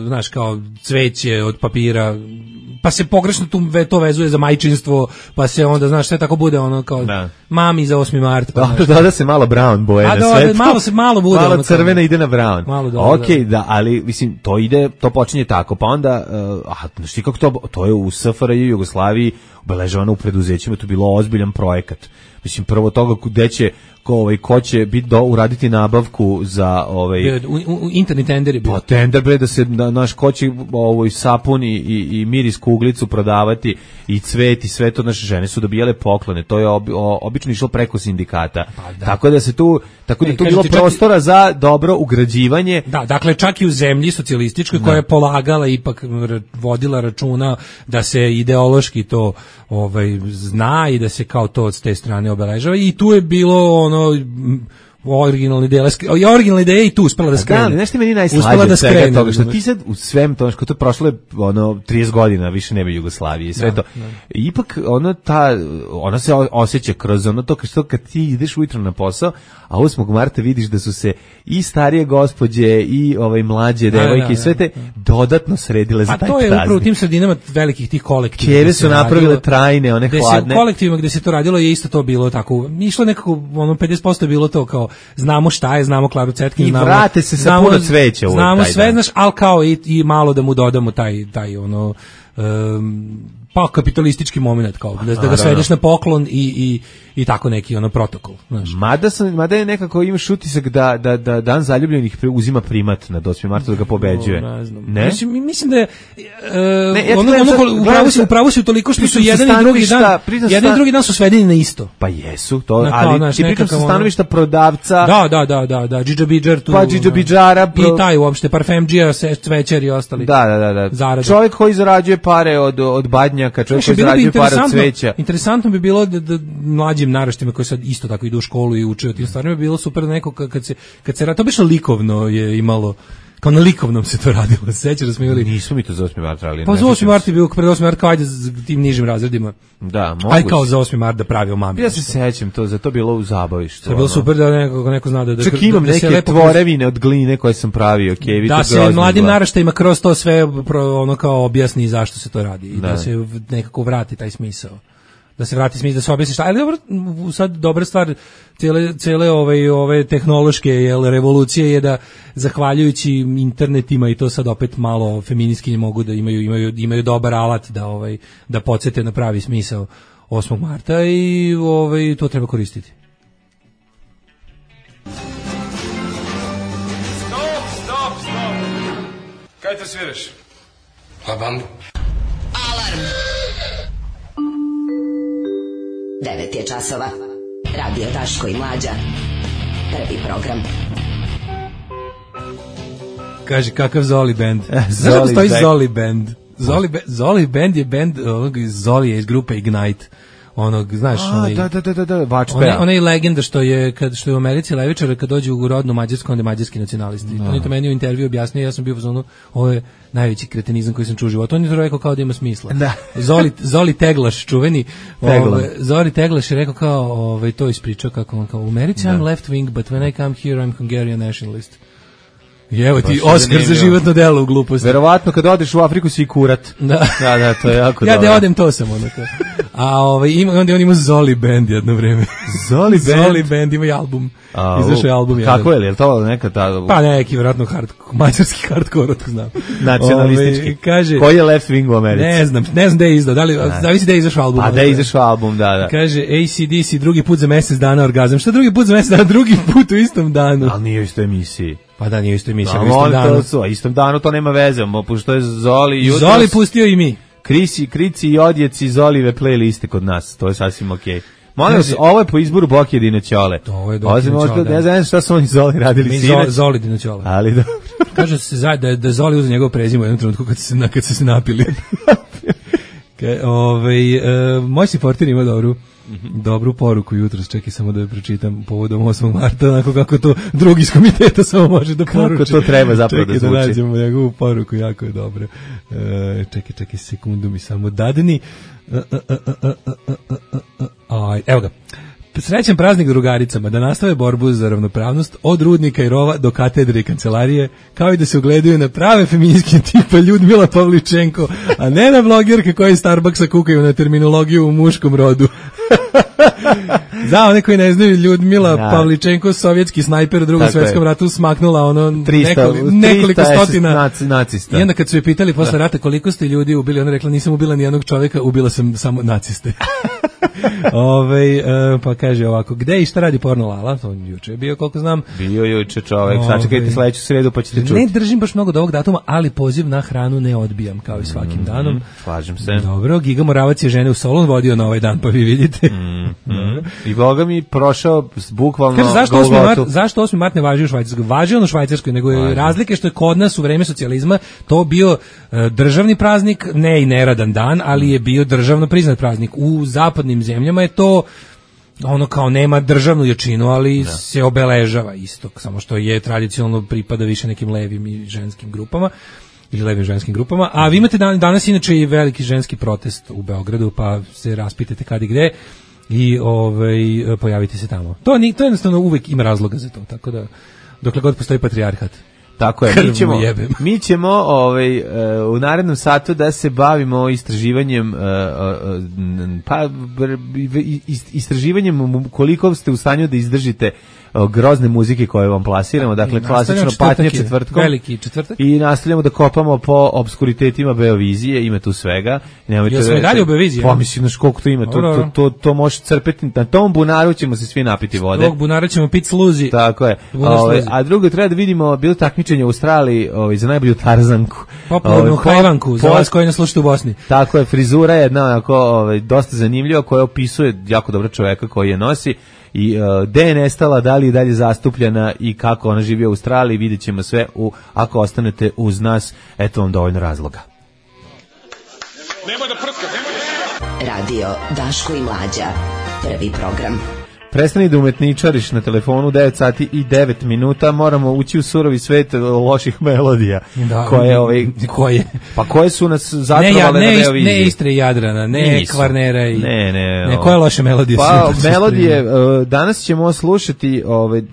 E: znaš kao cveće od papira, pa se pogrešno to vezuje za majčinstvo, pa se onda znaš sve tako bude ono kao mami za 8. mart.
F: Pa da se malo brown boje na sve.
E: Malo bude
F: malo crvena ide na brown.
E: Okej,
F: da, ali mislim to počinje tako, pa onda znaš ti kako to je u SFRJ i Jugoslaviji obeležavano u preduzećima, to je bilo ozbiljan projekat. Mislim prvo toga gde će ko će biti uraditi nabavku za
E: interni tenderi.
F: Pa tender bre da se naš ko će sapun i miris kuglicu prodavati i cvet i sve to, naše žene su dobijale poklone. To je obično išlo preko sindikata. Tako da tu bilo prostora za dobro ugrađivanje.
E: Da, dakle čak i u zemlji socijalističkoj koja je polagala ipak vodila računa da se ideološki to zna i da se kao to od te strane obeležava i tu je bilo ono originalne ideje i tu uspela da skrene.
F: Da, nešto meni najslađe od svega toga, što ti sad u svem to, što to prošlo je 30 godina, više ne bi Jugoslavije i sve to. Ipak ona se osjeća kroz ono to kad ti ideš ujutro na posao, a 8. marta vidiš da su se i starije gospođe i mlađe devojke i sve te dodatno sredile za taj praznik.
E: A to je upravo u tim sredinama velikih tih kolektiva.
F: Kjeve su napravile trajne, one hladne.
E: U kolektivima gde se to radilo je isto to bilo tako. Išlo nekako, 50% je bilo to kao znamo šta je, znamo Klaru Cetkin,
F: i vrate se sa puno cveća.
E: Znamo sve, znaš, ali kao i malo da mu dodamo taj pa kapitalistički moment kao da ga svedeš na poklon i tako neki protokol, znaš.
F: Mada je nekako imaš utisak da dan zaljubljenih uzima primat na 8. marta da ga pobeđuje.
E: Ne znam. Ne? Mislim da je upravo si toliko što su jedan i drugi dan su svedeni na isto.
F: Pa jesu, to, ali ti pričam sa stanovišta prodavca.
E: Da, džidžabidžar tu.
F: Pa džidžabidžara.
E: I taj uopšte parfemdžija, cvećar i ostali.
F: Da. Čovjek koji zarađuje pare od badnjaka, čovjek koji zarađuje pare od cveća.
E: Interesantno bi bilo da mlađim naraštima koji sad isto tako idu u školu i uče o tim stvarima bi bilo super da neko kad se to biše likovno je imalo, kao na likovnom se to radilo. Sećaš da smo imali?
F: Nismo mi to za 8. mart radili.
E: Pa za 8. mart je bilo pred 8. mart kao ajde za tim nižim razredima.
F: Da, moguće.
E: Aj kao za 8. mart da pravi o mami.
F: Ja se sećam to, za to bilo u zabavištu.
E: To je bilo super da neko zna da
F: čak imam neke tvorevine od gline koje sam pravio,
E: da se mladim naraštajima kroz to sve kao objasni zašto se to radi i da se nekako vrati taj smisao. Da se vrati smisao, da se objasni šta. Ali dobro, sad dobra stvar cele ove tehnološke revolucije je da zahvaljujući internetima i to sad opet malo feministkinje mogu da imaju dobar alat da podsjete na pravi smisao 8. marta i to treba koristiti.
K: Stop. Kaj te sviraš? Pa bandu.
B: Alarm. 9 je časova. Radio Daško i Mlađa. Prvi program.
E: Kaže, kakav Zoli band? Znaš kako stoji Zoli band? Zoli band je band Zolije iz grupe Ignite. Znaš, onaj legenda što je u Americi levičara kad dođe u rodnu Mađarsku, onda je mađarski nacionalisti. On je to meni u intervju objasnio, ja sam bio u ovo je najveći kretenizam koji sam čuo u životu. On je to rekao kao da ima smisla. Zoli Teglaš, čuveni. Zoli Teglaš je rekao kao, to ispričao kako on kao, u Americi I'm left wing, but when I come here I'm Hungarian nationalist. I evo ti Oskar za životno delo u gluposti.
F: Verovatno kad odeš u Afriku si i kurat. Da, to je jako dobro.
E: Ja da odem to sam onako. A onda on ima Zoli band jedno vreme.
F: Zoli
E: band ima i album. Izašao je album.
F: Kako je to neka ta?
E: Pa neki vjerojatno mađarski hardcore, to znam.
F: Nacionalistički.
E: Kaže,
F: koji je left wing u Americi?
E: Ne znam da je izdao. Zavisi da je izašao album.
F: A da je izašao album, da.
E: Kaže AC/DC drugi put za mjesec dana orgazam. Šta drugi put za mjesec dana? Drugi put u istom danu.
F: Ali nije u istoj emisiji.
E: Pa da, nije isto emisija, u istom danu.
F: Istom danu to nema veze, pošto je Zoli jutros.
E: Zoli pustio i mi.
F: Krici i odjeci Zolive playliste kod nas, to je sasvim okej. Molim vas, ovo je po izboru Boki Dinoćole.
E: To je Dinoćole.
F: Ja znam šta su oni Zoli radili sinoć.
E: Zoli Dinoćole.
F: Ali dobro.
E: Kaže se da Zoli uzeo njegov prezime u jednom trenutku kad su se napili. Moj si portir ima dobru poruku jutros, čekaj samo da je pročitam povodom 8. marta, onako kako to drugi iz komiteta samo može da poruči.
F: Kako to treba zapravo da zvuči.
E: Čekaj da nađemo njegovu poruku, jako je dobro. Čekaj, sekundu mi samo dadni. Evo ga. Srećan praznik drugaricama, da nastave borbu za ravnopravnost od rudnika i rova do katedre i kancelarije, kao i da se ugledaju na prave feministke tipa Ljudmila Pavličenko, a ne na blogerke koje iz Starbucksa kukaju na terminologiju u muškom rodu. Za one koji ne znaju, Ljudmila Pavličenko, sovjetski snajper u Drugom svjetskom ratu, smaknula nekoliko stotina nacista. I onda kad su je pitali posle rata koliko ste ljudi ubili, ona rekla nisam ubila ni jednog čovjeka, ubila sam samo naciste. Pa kaže ovako, gde i šta radi porno Lala? To juče je bio, koliko znam.
F: Bio juče čovjek, sačekajte sledeću sredu pa ćete čuti.
E: Ne držim baš mnogo do ovog datuma, ali poziv na hranu ne odbijam, kao i svakim danom.
F: Slažem se.
E: Dobro, Giga Moravac je žene u Solon vodio na ovaj dan, pa vi vidite.
F: I Boga mi prošao bukvalno
E: zašto 8. mart ne važi u Švajcarskoj? Važi ono u Švajcarskoj, nego je razlike što je kod nas u vreme socijalizma to bio državni praznik, ne i neradan dan, ali je bio državno priznat praznik. U zapadnim zemljama je to ono kao nema državnu jačinu, ali se obeležava isto, samo što je tradicionalno pripada više nekim levim i ženskim grupama ili levim ženskim grupama, a vi imate danas inače i veliki ženski protest u Beogradu, pa se raspitajte kad i gde i pojavite se tamo. To jednostavno uvek ima razloga za to, tako da dokle god postoji patrijarhat.
F: Tako je, mi ćemo u narednom satu da se bavimo istraživanjem istraživanjem koliko ste u stanju da izdržite grozne muzike koje vam plasiramo, dakle klasično patnje četvrtkom,
E: veliki četvrtak,
F: i nastavljamo da kopamo po obskuritetima Beovizije, ima tu svega.
E: Jel smo i dalje u Beoviziji?
F: Pa mislim, koliko to ima, to može crpeti, na tom bunaru ćemo se svi napiti vode.
E: Tog bunara ćemo piti sluzi.
F: Tako je. A drugo, treba da vidimo, bilo takmičenje u Australiji za najbolju tarzanku.
E: Popularnu hajvanku, za vas koji nas slušate u Bosni.
F: Tako je, frizura je jedna onako dosta zanimljiva, koja opisuje jako dobro čoveka koji je nosi. I gde je nestala, da li je dalje zastupljena i kako ona živi u Australiji, vidjet ćemo sve ako ostanete uz nas, eto vam dovoljno razloga.
B: Radio Daško i Mlađa, prvi program.
F: Prestani da umetničariš na telefonu, 9 sati i 9 minuta, moramo ući u surovi svet loših melodija.
E: Koje?
F: Pa koje su nas zatrovale na Beoviziji?
E: Ne Istre i Jadrana, ne Kvarnera i... Ne, koje loše melodije?
F: Pa melodije, danas ćemo slušati,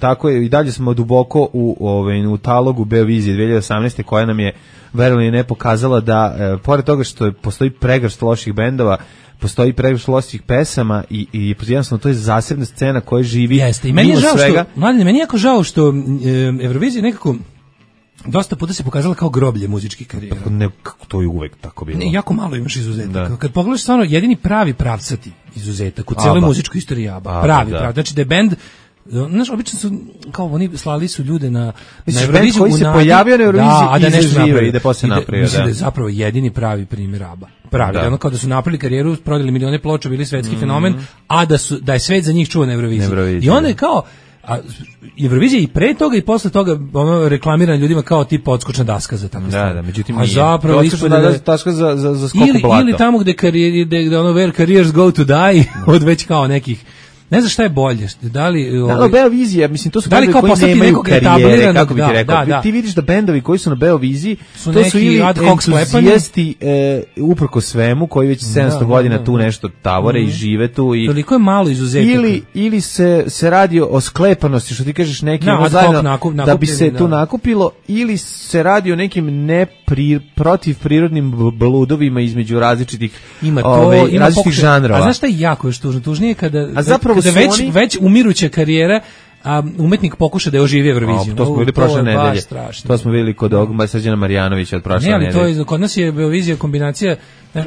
F: tako je, i dalje smo duboko u talogu Beovizije 2018. koja nam je, verovno ne, pokazala da, pored toga što postoji pregršt loših bendova, postoji previše loših pesama i jednostavno to je zasebna scena koja živi.
E: Jeste, i meni je žao što, mladine, meni je jako žao što Eurovizija nekako dosta puta se pokazala kao groblje muzičkih karijera.
F: Ne, to je uvek tako bilo.
E: Ne, jako malo imaš izuzetaka. Kad pogledaš stvarno, jedini pravi pravcati izuzetak u cijeloj muzičkoj istoriji ABBA. Pravi. Znači da je bend, znaš, obično su, kao oni slali su ljude na Euroviziju
F: koji se pojavio na Euroviziji i zaživio i da posle napravio.
E: Mislim da je zapravo jedini pravi primjer ABBA. Pravi, ono kao da su napravili karijeru, prodali milione ploča, bili svetski fenomen, a da je svet za njih čuo na Euroviziji. I onda je kao, Eurovizija i pre toga i posle toga reklamirana ljudima kao tipa odskočna daska za tako stvari.
F: Da, međutim
E: nije. A zapravo
F: odskočna daska za skok u blato.
E: Ili tamo gde where careers go to die, od već kao nekih. Ne znam šta je bolje, da li...
F: Beovizija, mislim, to su bendovi koji nemaju karijere, kako bi ti rekao. Ti vidiš da bendovi koji su na Beoviziji, to su ili entuzijasti uprko svemu, koji već 700 godina tu nešto tavore i žive tu.
E: Toliko je malo izuzetaka.
F: Ili se radi o sklepanosti, što ti kažeš, neki da bi se tu nakupilo, ili se radi o nekim protiv prirodnim bludovima između različitih žanrova.
E: A znaš šta je jako još tužnije kada već umiruća karijera umetnik pokuša da oživi Euroviziju.
F: To smo bili prošle nedelje.
E: Strašno.
F: To smo bili kod Srđana Marjanovića od prošle nedelje.
E: Ne, ali kod nas je Eurovizija kombinacija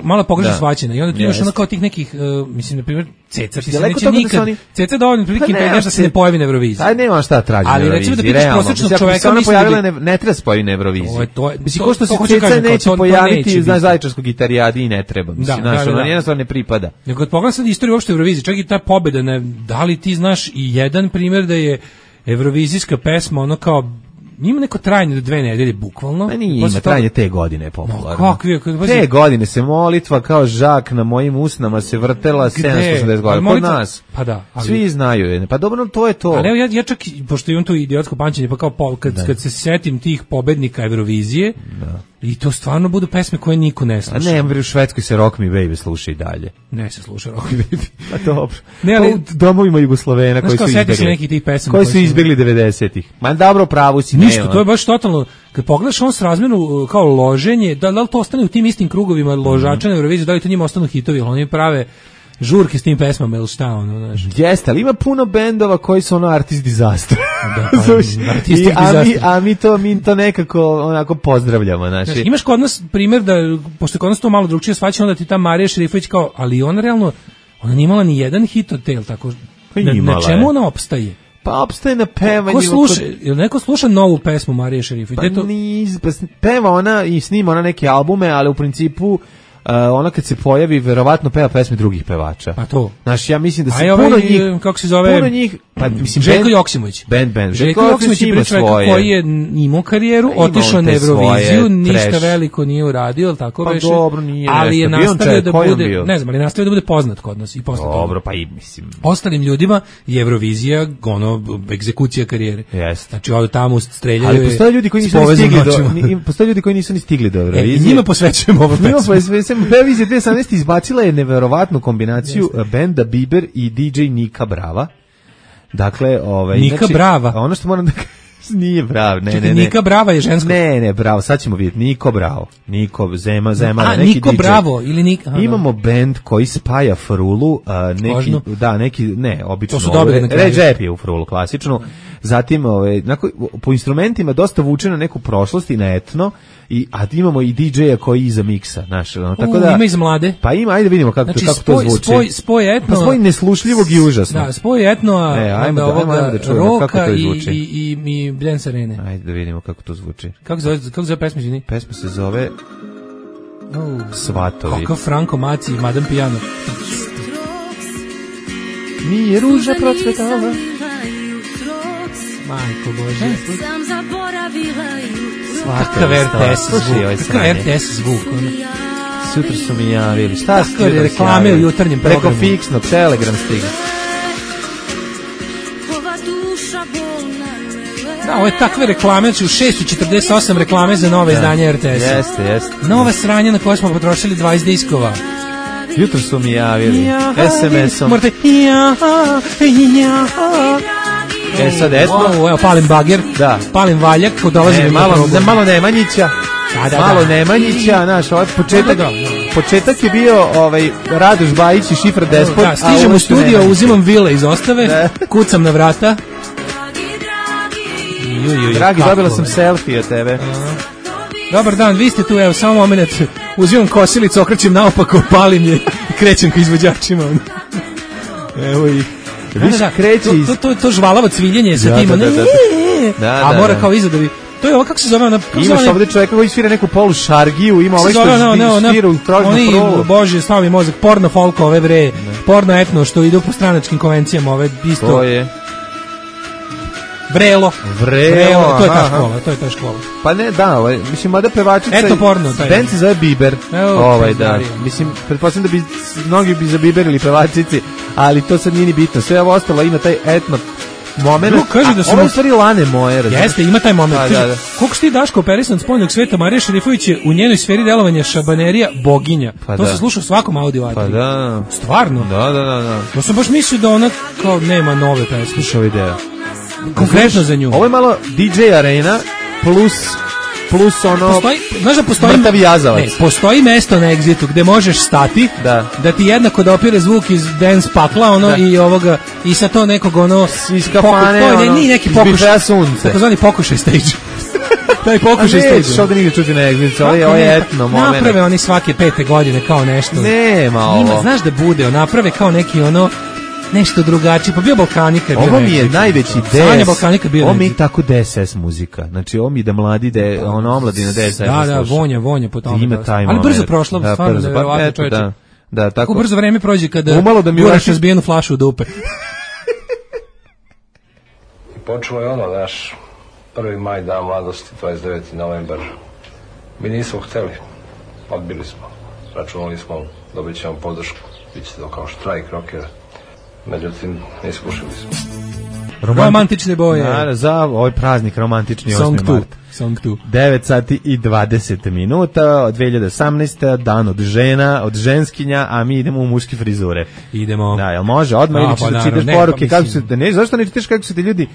E: malo pogrešno shvaćena i onda tu imaš ono kao tih nekih, mislim, na primjer, Ceca, ti se neće nikad, Ceca dovoljno prilike da se ne pojavi na Euroviziji.
F: Aj, nema šta traži na Euroviziji,
E: ali recimo da pitaš prosječnog čoveka,
F: mislim da ne treba se pojavi na Euroviziji. Mislim, ko što se Ceca neće pojaviti na Zaječarskog gitarijadi i ne treba, mislim, znaš, ono jednostavno ne pripada.
E: Nego kad pogledam sad istoriju uopšte Eurovizije, čak i ta pobeda, da li ti znaš i jedan primjer da je evrovizijska pesma ono kao ima neko trajanje do 2 nedelje bukvalno.
F: Ima trajanje te godine je popularno. Te godine se molitva kao žak na mojim usnama se vrtela 780 godina kod nas.
E: Pa da,
F: svi znaju. Pa dobro, to je to.
E: Ali evo ja čak pošto imam tu idiotsko pamćenje, pa kao kad se setim tih pobednika Eurovizije, i to stvarno budu pesme koje niko ne sluša.
F: A ne, u Švedskoj se Rock Me Baby sluša i dalje.
E: Ne se sluša Rock Me Baby.
F: Pa dobro. Ne, ali u domovima Jugoslovena koji su izbjegli. Koji su izbjegli 90-ih. Ma dobro, pravu si.
E: Ništa, to je baš totalno, kad pogledaš on s razmenu kao loženje, da li to ostane u tim istim krugovima ložača na Euroviziju, da li to njima ostanu hitovi, oni prave žurke s tim pesmama ili šta ono, znaš.
F: Jeste, ali ima puno bendova koji su ono artist disaster. A mi to nekako onako pozdravljamo, znači.
E: Imaš kod nas primjer da pošto kod nas to malo drugčije shvaća, onda ti ta Marija Šerifović kao, ali ona realno ona nije imala ni jedan hit od tel, tako na čemu ona opstaje?
F: Pa opstaje na pevanju.
E: Neko sluša novu pesmu Marije Šerifović?
F: Pa peva ona i snima ona neke albume, ali u principu ona kad se pojavi verovatno peva pesme drugih pevača.
E: Pa to.
F: Znaš, ja mislim da se puno njih,
E: kako se zove?
F: Puno njih, pa mislim
E: Željko Joksimović.
F: Željko Joksimović je
E: čovjek koji je imao karijeru, otišao na Euroviziju, ništa veliko nije uradio, al tako
F: pa
E: beše.
F: Dobro, nije.
E: Ali je nastavio da bude, ne znam, ali nastavio da bude poznat kod nas i posle toga.
F: Dobro, pa i mislim.
E: Ostalim ljudima je Eurovizija ono egzekucija karijere.
F: Jeste.
E: Znači odu tamo streljaju.
F: Ali postoje ljudi koji nisu ni stigli do Eurovizije.
E: Njima posvećujemo ovu pesmu.
F: Eurovizija 2018 izbacila je neverovatnu kombinaciju benda Bieber i DJ Nika Brava. Dakle,
E: Nika
F: znači,
E: Brava.
F: Ono što moram da nije Brav, ne.
E: Nika Brava je žensko.
F: Ne, Bravo, sad ćemo vidjeti. Niko Bravo. Niko Zema, neki
E: Niko
F: DJ.
E: Bravo ili Nika.
F: Imamo bend koji spaja frulu, obično.
E: To su dobri na kraju.
F: Rap je u frulu klasičnu. Zatim, po instrumentima dosta vuče na neku prošlost i na etno. A imamo i DJ-a koji iza miksa, znaš, tako da
E: ima iz mlade.
F: Pa ima, ajde vidimo kako to zvuči.
E: Spoj etno.
F: Pa spoj neslušljivog i užasno.
E: Da, spoj etno,
F: ajmo da čujemo kako to zvuči.
E: I Dance Arene.
F: Ajde da vidimo kako to zvuči.
E: Kako zove pesma, izvini?
F: Pesma se zove Svatovi.
E: Kakav Franko Maci i Madame Piano.
F: Nije ruža procvetala.
E: Majko Bože.
D: Sam zaboravila
E: Kakav RTS zvuk.
F: Sutra su mi javili. Šta su
E: ti reklame u jutarnjem programu?
F: Preko fiksnog, Telegram stiga.
E: Da, ovo je takve reklame, znači u 6:48 reklame za nove izdanje RTS-a.
F: Jeste.
E: Nova sranja na koje smo potrošili 20 diskova.
F: Jutro su mi javili SMS-om.
E: Morate
F: sad esmo.
E: Evo, palim bager, palim valjak, dolazim
F: malo Nemanjića. Malo Nemanjića, znaš, ovaj početak je bio Radoš Bajić i Šifra Despot.
E: Da, stižem u studio, uzimam vile iz ostave, kucam na vrata.
F: Dragi, dobila sam selfie od tebe.
E: Dobar dan, vi ste tu, evo, samo moment, uzimam kosilicu, okrećem naopako, palim je i krećem ka izvođačima. Evo ih. To žvalavo cviljenje sa tim, a mora kao iza da bi... To je ovo, kako se zove ona...
F: Imaš ovdje čovjeka koji svira neku polu šargiju, ima ovaj što svira u prožnu prolu.
E: Bože, stavi mi mozak, porno folk ove bre, porno etno što ide po stranačkim konvencijama, ove isto...
F: To je...
E: Vrelo, to je ta škola.
F: Pa ne, da, mislim, mada pevačica...
E: Eto porno, taj.
F: Band se zove Bieber, da. Mislim, pretpostavljam da bi mnogi bi zabiberili pevačici, ali to sad nije ni bitno. Sve ovo ostalo ima taj etno moment. Ovo je u stvari Lane moje.
E: Jeste, ima taj moment. Koliko si ti, Daško, operisan spoljnog sveta, Marija Šerifović je u njenoj sferi delovanja šabanerija boginja. To se sluša u svakom audio.
F: Pa da.
E: Stvarno?
F: Da.
E: Ja sam baš mislio da ona kao nema nove pesme.
F: Slušao video.
E: Konkretno za nju.
F: Ovo je malo DJ arena plus ono mrtavi jazavac.
E: Ne, postoji mesto na Exitu gde možeš stati, da ti jednako dopire zvuk iz dance pakla i sa to nekog ono
F: iz kafane,
E: nije neki pokušaj sunce. Takozvani pokušaj stage. Taj pokušaj stage.
F: Što da nigde čuti na egzibicu, ovo je etno moment.
E: Naprave oni svake 5. godine kao nešto.
F: Nema ovo.
E: Ima, znaš da bude, naprave kao neki ono nešto drugačije, pa bio Balkanika.
F: Ovo mi je najveći DS. Ovo mi je tako DSS muzika. Znači, ovo mi da mladi, omladina DSS.
E: Da, vonja po tome.
F: Ima taj
E: ali brzo prošlo, stvarno, nevjerovatno čovječe.
F: Da, tako.
E: Brzo vreme prođe kada guraš razbijenu flašu u dupe.
L: I počelo je ono, naš 1. maj, dan mladosti, 29. novembar. Mi nismo hteli, odbili smo. Računali smo, dobit ćemo podršku, bit će to kao štrajk rokera. Međutim, ne iskušili smo.
E: Romantične boje.
F: Za ovaj praznik romantični 8. mart.
E: Song 2.
F: 9 sati i 20 minuta od 2018. Dan od žena, od ženskinja, a mi idemo u muške frizure.
E: Idemo.
F: Da, jel može? Odmah ili ćeš da čitaš poruke? Kako se, ne, zašto ne čitaš kako su te ljudi,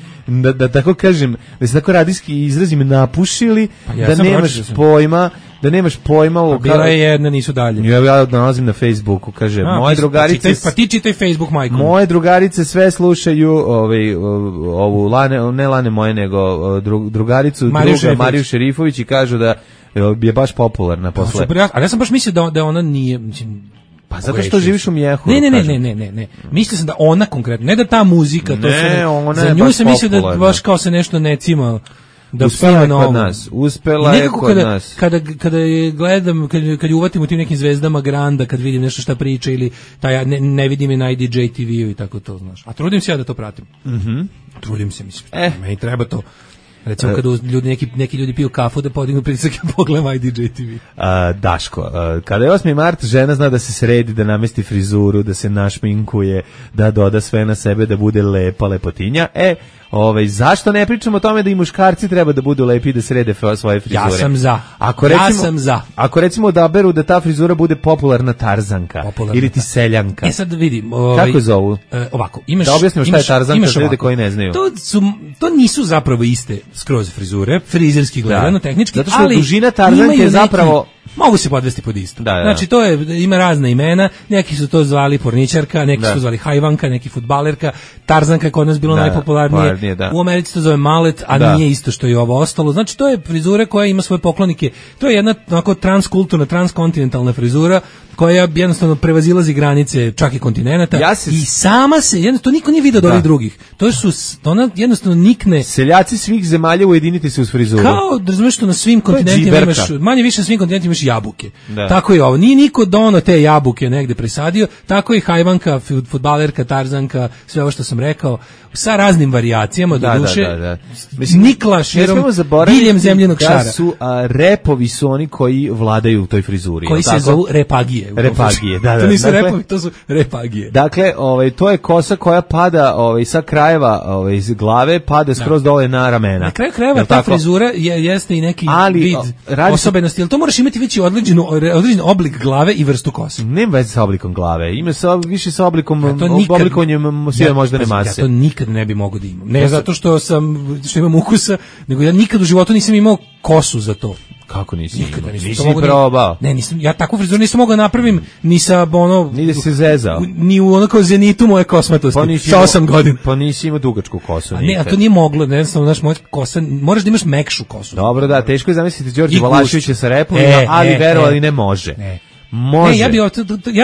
F: da tako kažem, da se tako radijski izrazim napušili, da nemaš pojma u
E: bila je jedna, nisu dalje.
F: Ja nalazim na Facebooku, kaže, moje drugarice...
E: Pa ti čitaj Facebook, majko.
F: Moje drugarice sve slušaju ovu ne Lane moje, nego drugaricu, Mariju Šerifović i kažu da je baš popularna posle.
E: Ali ja sam baš mislio da ona nije...
F: Pa zato što živiš u Mjehu.
E: Ne. Mislio sam da ona konkretno, ne da ta muzika, to za nju sam mislio da baš kao se nešto ne cima... Da
F: uspela je kod nas. Uspela je kod nas.
E: Kada je gledam, kad je uvatim u tim nekim zvezdama Granda, kad vidim nešto šta priča ili taj ne vidim je na IDJ TV-u i tako to, znaš. A trudim se ja da to pratim. Trudim se, mislim. Meni treba to. Recimo kada neki ljudi piju kafu da podignu pritisak i pogledam IDJ TV.
F: Daško, kada je 8. mart, žena zna da se sredi, da namesti frizuru, da se našminkuje, da doda sve na sebe, da bude lepa lepotinja. Zašto ne pričamo o tome da i muškarci treba da budu lepi i da srede svoje frizure?
E: Ja sam za.
F: Ako recimo odaberu da ta frizura bude popularna Tarzanka ili ti seljanka.
E: Sad vidim.
F: Kako zovu?
E: Ovako,
F: da objasnimo šta je Tarzanka za ljude koji ne znaju.
E: To nisu zapravo iste skroz frizure, frizerski gledano, tehnički,
F: zato što dužina Tarzanke je zapravo...
E: Mogu se podvesti pod isto. Znači, to ima razna imena, neki su to zvali porničarka, neki su zvali hajvanka, neki fudbalerka, Tarzanka je kod nas bilo najpopularnije, u Americi to zove malet, a nije isto što je ovo ostalo. Znači, to je frizura koja ima svoje poklonike, to je jedna onako transkulturna, transkontinentalna frizura koja jednostavno prevazilazi granice čak i kontinenta i sama se, jednostavno niko nije vidio od ovih drugih. Ona jednostavno nikne.
F: Seljaci svih zemalja ujedinite se uz frizuru.
E: Kao, razumiješ što na svim kontinentima imaš, manje više na svim kontinentima imaš jabuke. Tako je ovo. Nije niko dono te jabuke negde presadio, tako i hajvanka, fudbalerka, Tarzanka, sve ovo što sam rekao, sa raznim varijacijama, do duše. Nikla širom, diljem zemljenog šara.
F: Repovi su oni koji vladaju u toj frizuri.
E: Koji se zovu repagije. To nisu repovi, to su repagije.
F: Dakle, to je kosa koja pada sa krajeva iz glave, pada skroz dole na ramena.
E: Na kraju krajeva ta frizura jeste i neki vid osobenosti, ali to moraš imati već određen oblik glave i vrstu kose.
F: Nema veze sa oblikom glave, ima više sa oblikovanjem sve moždane mase.
E: Ja to nikad ne bi mogao da imam. Ne zato što imam ukusa, nego ja nikad u životu nisam imao kosu za to.
F: Kako nisi?
E: Nikada nisam.
F: Nisi probao?
E: Ne, nisam. Ja takvu frizuru nisam mogao napravim ni sa
F: ni da se zezao.
E: Ni u onako zenitu moje kosmatosti. Sa 8 godina.
F: Pa nisi imao dugačku kosu.
E: Ne, a to nije moglo. Ne znam, znaš, moja kosa, moraš da imaš mekšu kosu.
F: Dobro, da, teško je zamisliti Đorđe Valaševića sa repovima, ali verovali ne može. Može.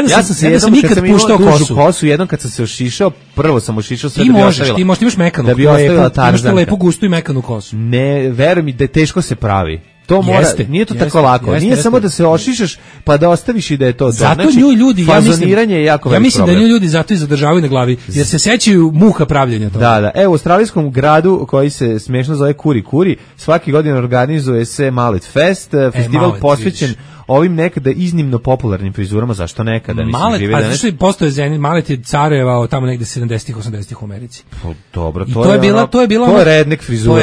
E: Ja sam se jednom nikad puštao
F: kosu, jednom kad sam se ošišao, prvo sam ošišao sve
E: da bi ostavila. Ti možeš, imaš mekanu.
F: Da bi ostavila Tarzanka.
E: Imaš lepu, gustu i mekanu kosu.
F: Ne, veruj mi da teško se pravi. To mora, nije to tako lako. Nije samo da se ošišaš pa da ostaviš i da je to.
E: Zato nju ljudi,
F: fazoniranje je jako
E: velik problem. Ja mislim da nju ljudi zato i zadržavaju na glavi, jer se sećaju muha pravljenja toga.
F: Da. Evo, u australijskom gradu koji se smešno zove Kuri Kuri, svaki godin organizuje se Mallet Fest, festival posvećen ovim nekada iznimno popularnim frizurama, zašto nekada?
E: Malet, pa zašto je postoje Zenit, Malet je carevao tamo negde 70-ih, 80-ih u Americi.
F: Dobro,
E: to je
F: redneck frizura,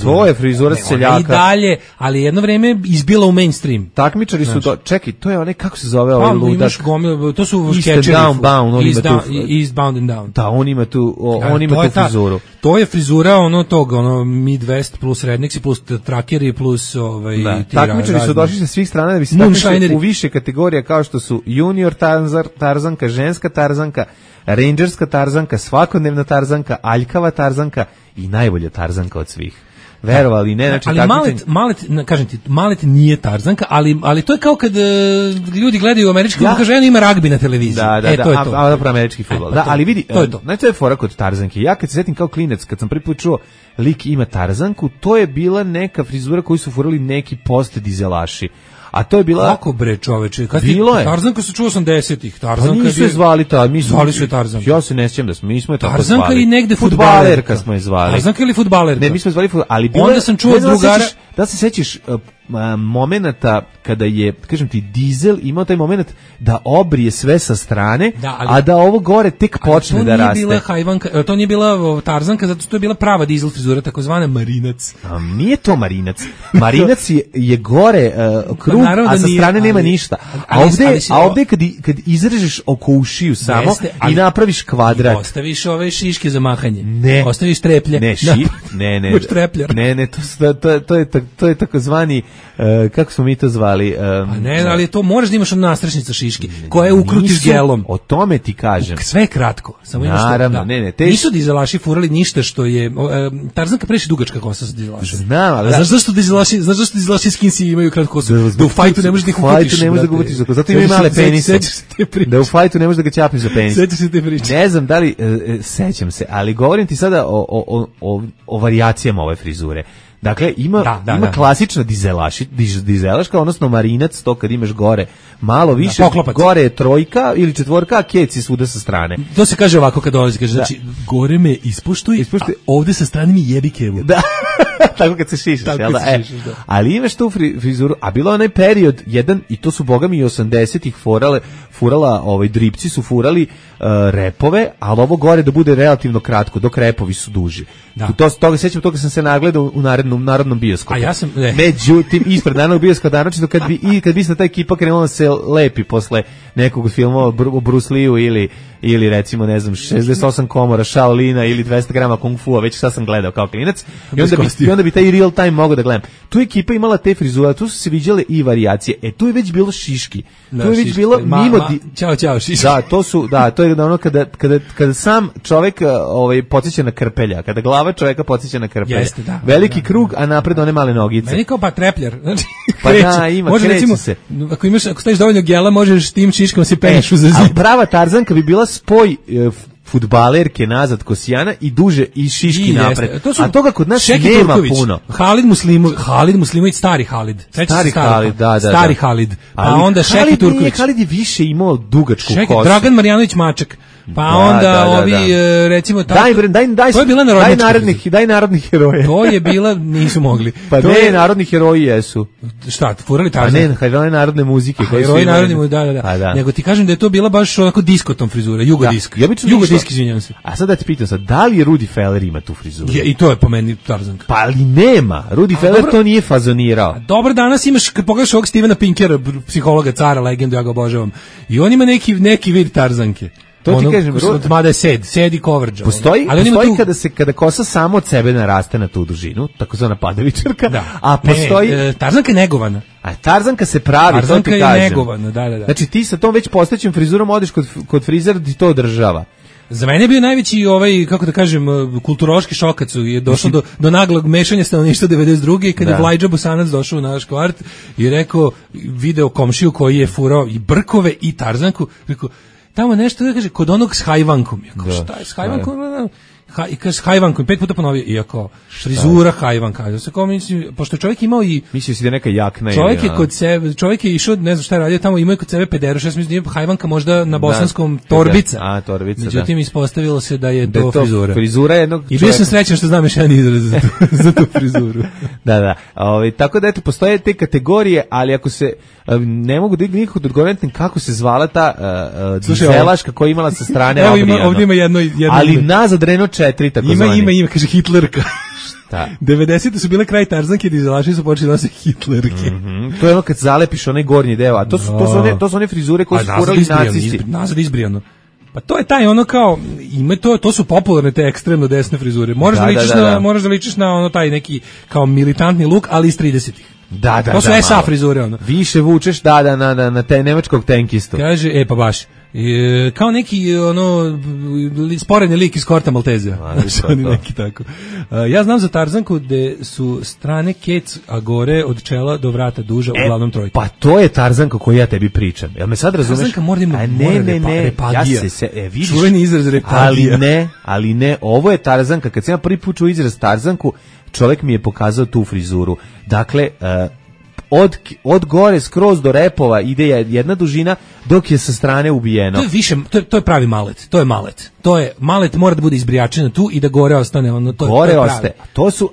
F: to je frizura seljaka.
E: I dalje, ali jedno vreme izbila u mainstream.
F: Takmičari su, čekaj, to je onaj, kako se zove ovaj ludak?
E: To su skečevi. Eastbound and Down.
F: Da, on ima tu frizuru.
E: To je frizura Midwest plus rednecks plus trackeri plus
F: takmičari su došli sa svih strana da bi se
E: Moonshineri.
F: U više kategorija kao što su junior tarzanka, ženska tarzanka, rangerska tarzanka, svakodnevna tarzanka, aljkava tarzanka i najbolja tarzanka od svih. Verovali, ne, znači
E: ali kažem ti, Malet nije tarzanka, ali to je kao kad ljudi gledaju američki fudbal, kaže ima ragbi na televiziji.
F: Da,
E: to je to.
F: A dobro američki fudbal. Da, ali vidi,
E: to je to.
F: Znači to je fora kod tarzanke. Ja kad se setim kao klinec, kad sam prvi put čuo lik ima tarzanku, to je bila neka frizura koju su furali neki post-dizelaši. A to je bila...
E: Kako bre čoveče?
F: Bilo je.
E: Tarzanka se čuo 80-ih. Tarzanka
F: pa nisu je zvali
E: zvali su je Tarzanka.
F: Ja se ne sjećam da mi smo je tako
E: Tarzanka
F: zvali.
E: I negde
F: fudbalerka smo je zvali.
E: Tarzanka ili fudbalerka?
F: Ne, mi smo je zvali ali bilo
E: onda sam čuo drugara...
F: Da se sećaš momenata kada je, kažem ti, dizel imao taj moment da obrije sve sa strane, a da ovo gore tek počne da raste.
E: To nije bila tarzanka, zato što je bila prava dizel frizura, takozvana marinac.
F: Nije to marinac. Marinac je gore krug, a sa strane nema ništa. A ovde kad izrežeš oko ušiju samo i napraviš kvadrat.
E: Ostaviš ove šiške za mahanje.
F: Ne.
E: Ostaviš treplje.
F: Ne. To je takozvani kako smo mi to zvali?
E: Ne, ali to moraš da imaš nastrešnica šiške, koje ukrutiš gelom.
F: O tome ti kažem.
E: Sve je kratko. Samo
F: naravno,
E: nisu dizelaši furali ništa što je... Tarzanka previše dugačka kosa sa dizelašom.
F: Znam, ali...
E: Znaš zašto dizelaši skinsi imaju kratku kosu? Da u fajtu ne možeš da ih ukrutiš.
F: Zato imaju male penise. Da u fajtu ne možeš da ga ćapniš za penis.
E: Sećaš se te priče.
F: Ne znam da li... Sećam se, ali govorim ti sada o varijacijama ove frizure. Dakle, ima klasična dizelaška, odnosno marinac, to kad imaš gore malo više, gore je trojka ili četvorka, a keci svuda sa strane.
E: To se kaže ovako kad dolazi, kaže, znači, gore me ispuštuj, a ovde sa strane mi jebi kevu.
F: Da, tako kad se šišaš, jel da? Ali imaš tu frizuru, a bilo onaj period, jedan, i to su bogami i 80-ih furala, dripci su furali repove, ali ovo gore da bude relativno kratko, dok repovi su duži. Toga sećam, toga sam se nagledao u narodnom bioskopu.
E: A ja sam...
F: Međutim, ispred narodnog bioskopa, naročito kad bi se ta ekipa krenula se lepi posle nekog filma o Bruce Lee-u ili recimo, ne znam, 68 komora Shaolina ili 200 grama Kung Fu-a, već šta sam gledao kao klinac, i onda bi taj real time mogao da gledam. Tu ekipa imala te frizure, tu su se viđale i varijacije. Tu je već bilo šiški. Tu je već bilo mimo...
E: Ćao, šiški.
F: To je ono kada sam čovek podsjeća na krpelja, kada glava čoveka podsjeća na krpelja. Veliki krug, a napred one male nogice.
E: Meni kao trepljar. Znači,
F: pa da, kreće se.
E: Ako staviš dovoljno gela, možeš tim šiškom se penješ za zid.
F: A prava tarzanka bi bila spoj fudbalerke nazad Kosijana i duže i šiški napred. A toga kod nas nema puno.
E: Halid Muslimović, stari Halid.
F: Stari Halid, da.
E: Stari Halid. Pa onda Šeki Turković.
F: Halid je više imao dugačku kosu.
E: Dragan Marjanović Maček. Pa onda ovi, recimo... To je bila narodnjačka.
F: Daj narodnih heroja.
E: To je bila, nisu mogli.
F: Pa ne, narodni heroji jesu.
E: Šta, furali Tarzan?
F: Pa ne, heroji narodne muzike.
E: Heroji narodne muzike, da. Nego ti kažem da je to bila baš onako diskotom frizura, jugo-disk. Jugo-disk, izvinjam se.
F: A sad da ti pitam sad, da li Rudi Feller ima tu frizuru?
E: I to je po meni Tarzanka.
F: Pa ali nema. Rudi Feller to nije fazonirao.
E: Dobro, danas imaš, kad pogledaš ovog Stevena Pinkera, psihologa, cara, legendu, ja ga obožavam. I on ima neki vid Tarzanke.
F: To ti kažem,
E: mada je sed i coverage.
F: Postoji kada kosa samo od sebe naraste na tu dužinu, takozvana padavičarka, a postoji...
E: Tarzanka je negovana.
F: A Tarzanka se pravi,
E: Tarzanka
F: to ti kažem.
E: Tarzanka je negovana, da.
F: Znači ti sa tom već postojećim frizurom odeš kod frizera da ti to održava.
E: Za mene je bio najveći kako da kažem, kulturološki šok kad je došlo do naglog mešanja stanovništva 92. i kad je Vlajđa Bosanac došao u naš kvart i rekao, video komšiju koji je furao i brkove i Tarzanku, rekao, tamo nešto da kaže, kod onog s hajvankom. Jako, šta je s hajvankom? I kaže s hajvankom, 5 puta ponovio, iako frizura hajvanka. Pošto čovjek imao i...
F: Mislio si da neka jakna.
E: Čovjek je kod sebe, čovjek je išao, ne znam šta je radio, tamo imao je kod sebe pederoš, ja sam mislim da je hajvanka možda na bosanskom torbica.
F: A, torbica,
E: međutim, ispostavilo se da je to frizura.
F: Frizura jednog
E: čovjeka. I bio sam srećan što znam još jedan izraz za tu frizuru.
F: Da. Tako da eto, postoje te kategorije, ali ako se ne mogu da nikako da odgovorim kako se zvala ta dizelaška koja imala sa strane obrijano.
E: Ovdje ima jedno...
F: Ali nazad Renault 4, tako zvani.
E: Ima, kaže Hitlerka.
F: Šta?
E: 90. su bile kraj Tarzanke, dizelaši su počeli nose Hitlerke.
F: To je ono kad zalepiš onaj gornji deo, a to su one frizure koje su furali nacisti.
E: Nazad izbrijano. Pa to je taj ono kao, to su popularne te ekstremno desne frizure. Moraš da ličiš na ono taj neki kao militantni luk, ali iz 30-ih.
F: Da,
E: to su SA frizure, ono.
F: Više vučeš, na te nemačkog tenkistu.
E: Kaže, pa baš. Kao neki sporedni lik iz Korta Maltezija. Oni neki tako. Ja znam za Tarzanku gde su strane kec, a gore od čela do vrata duža, uglavnom trojka.
F: Pa to je Tarzanka koju ja tebi pričam. Jel me sad razumeš?
E: Tarzanka mora repagija.
F: Vidiš.
E: Čuveni izraz repagija.
F: Ali ne, ovo je Tarzanka. Kad sam ja prvi put čuo izraz Tarzanku, čovjek mi je pokazao tu frizuru. Dakle, od gore skroz do repova ide jedna dužina dok je sa strane ubijeno.
E: To je više, to je pravi malet. To je malet. Malet mora da bude izbrijačeno tu i da gore ostane ono,
F: gore ostaje. To su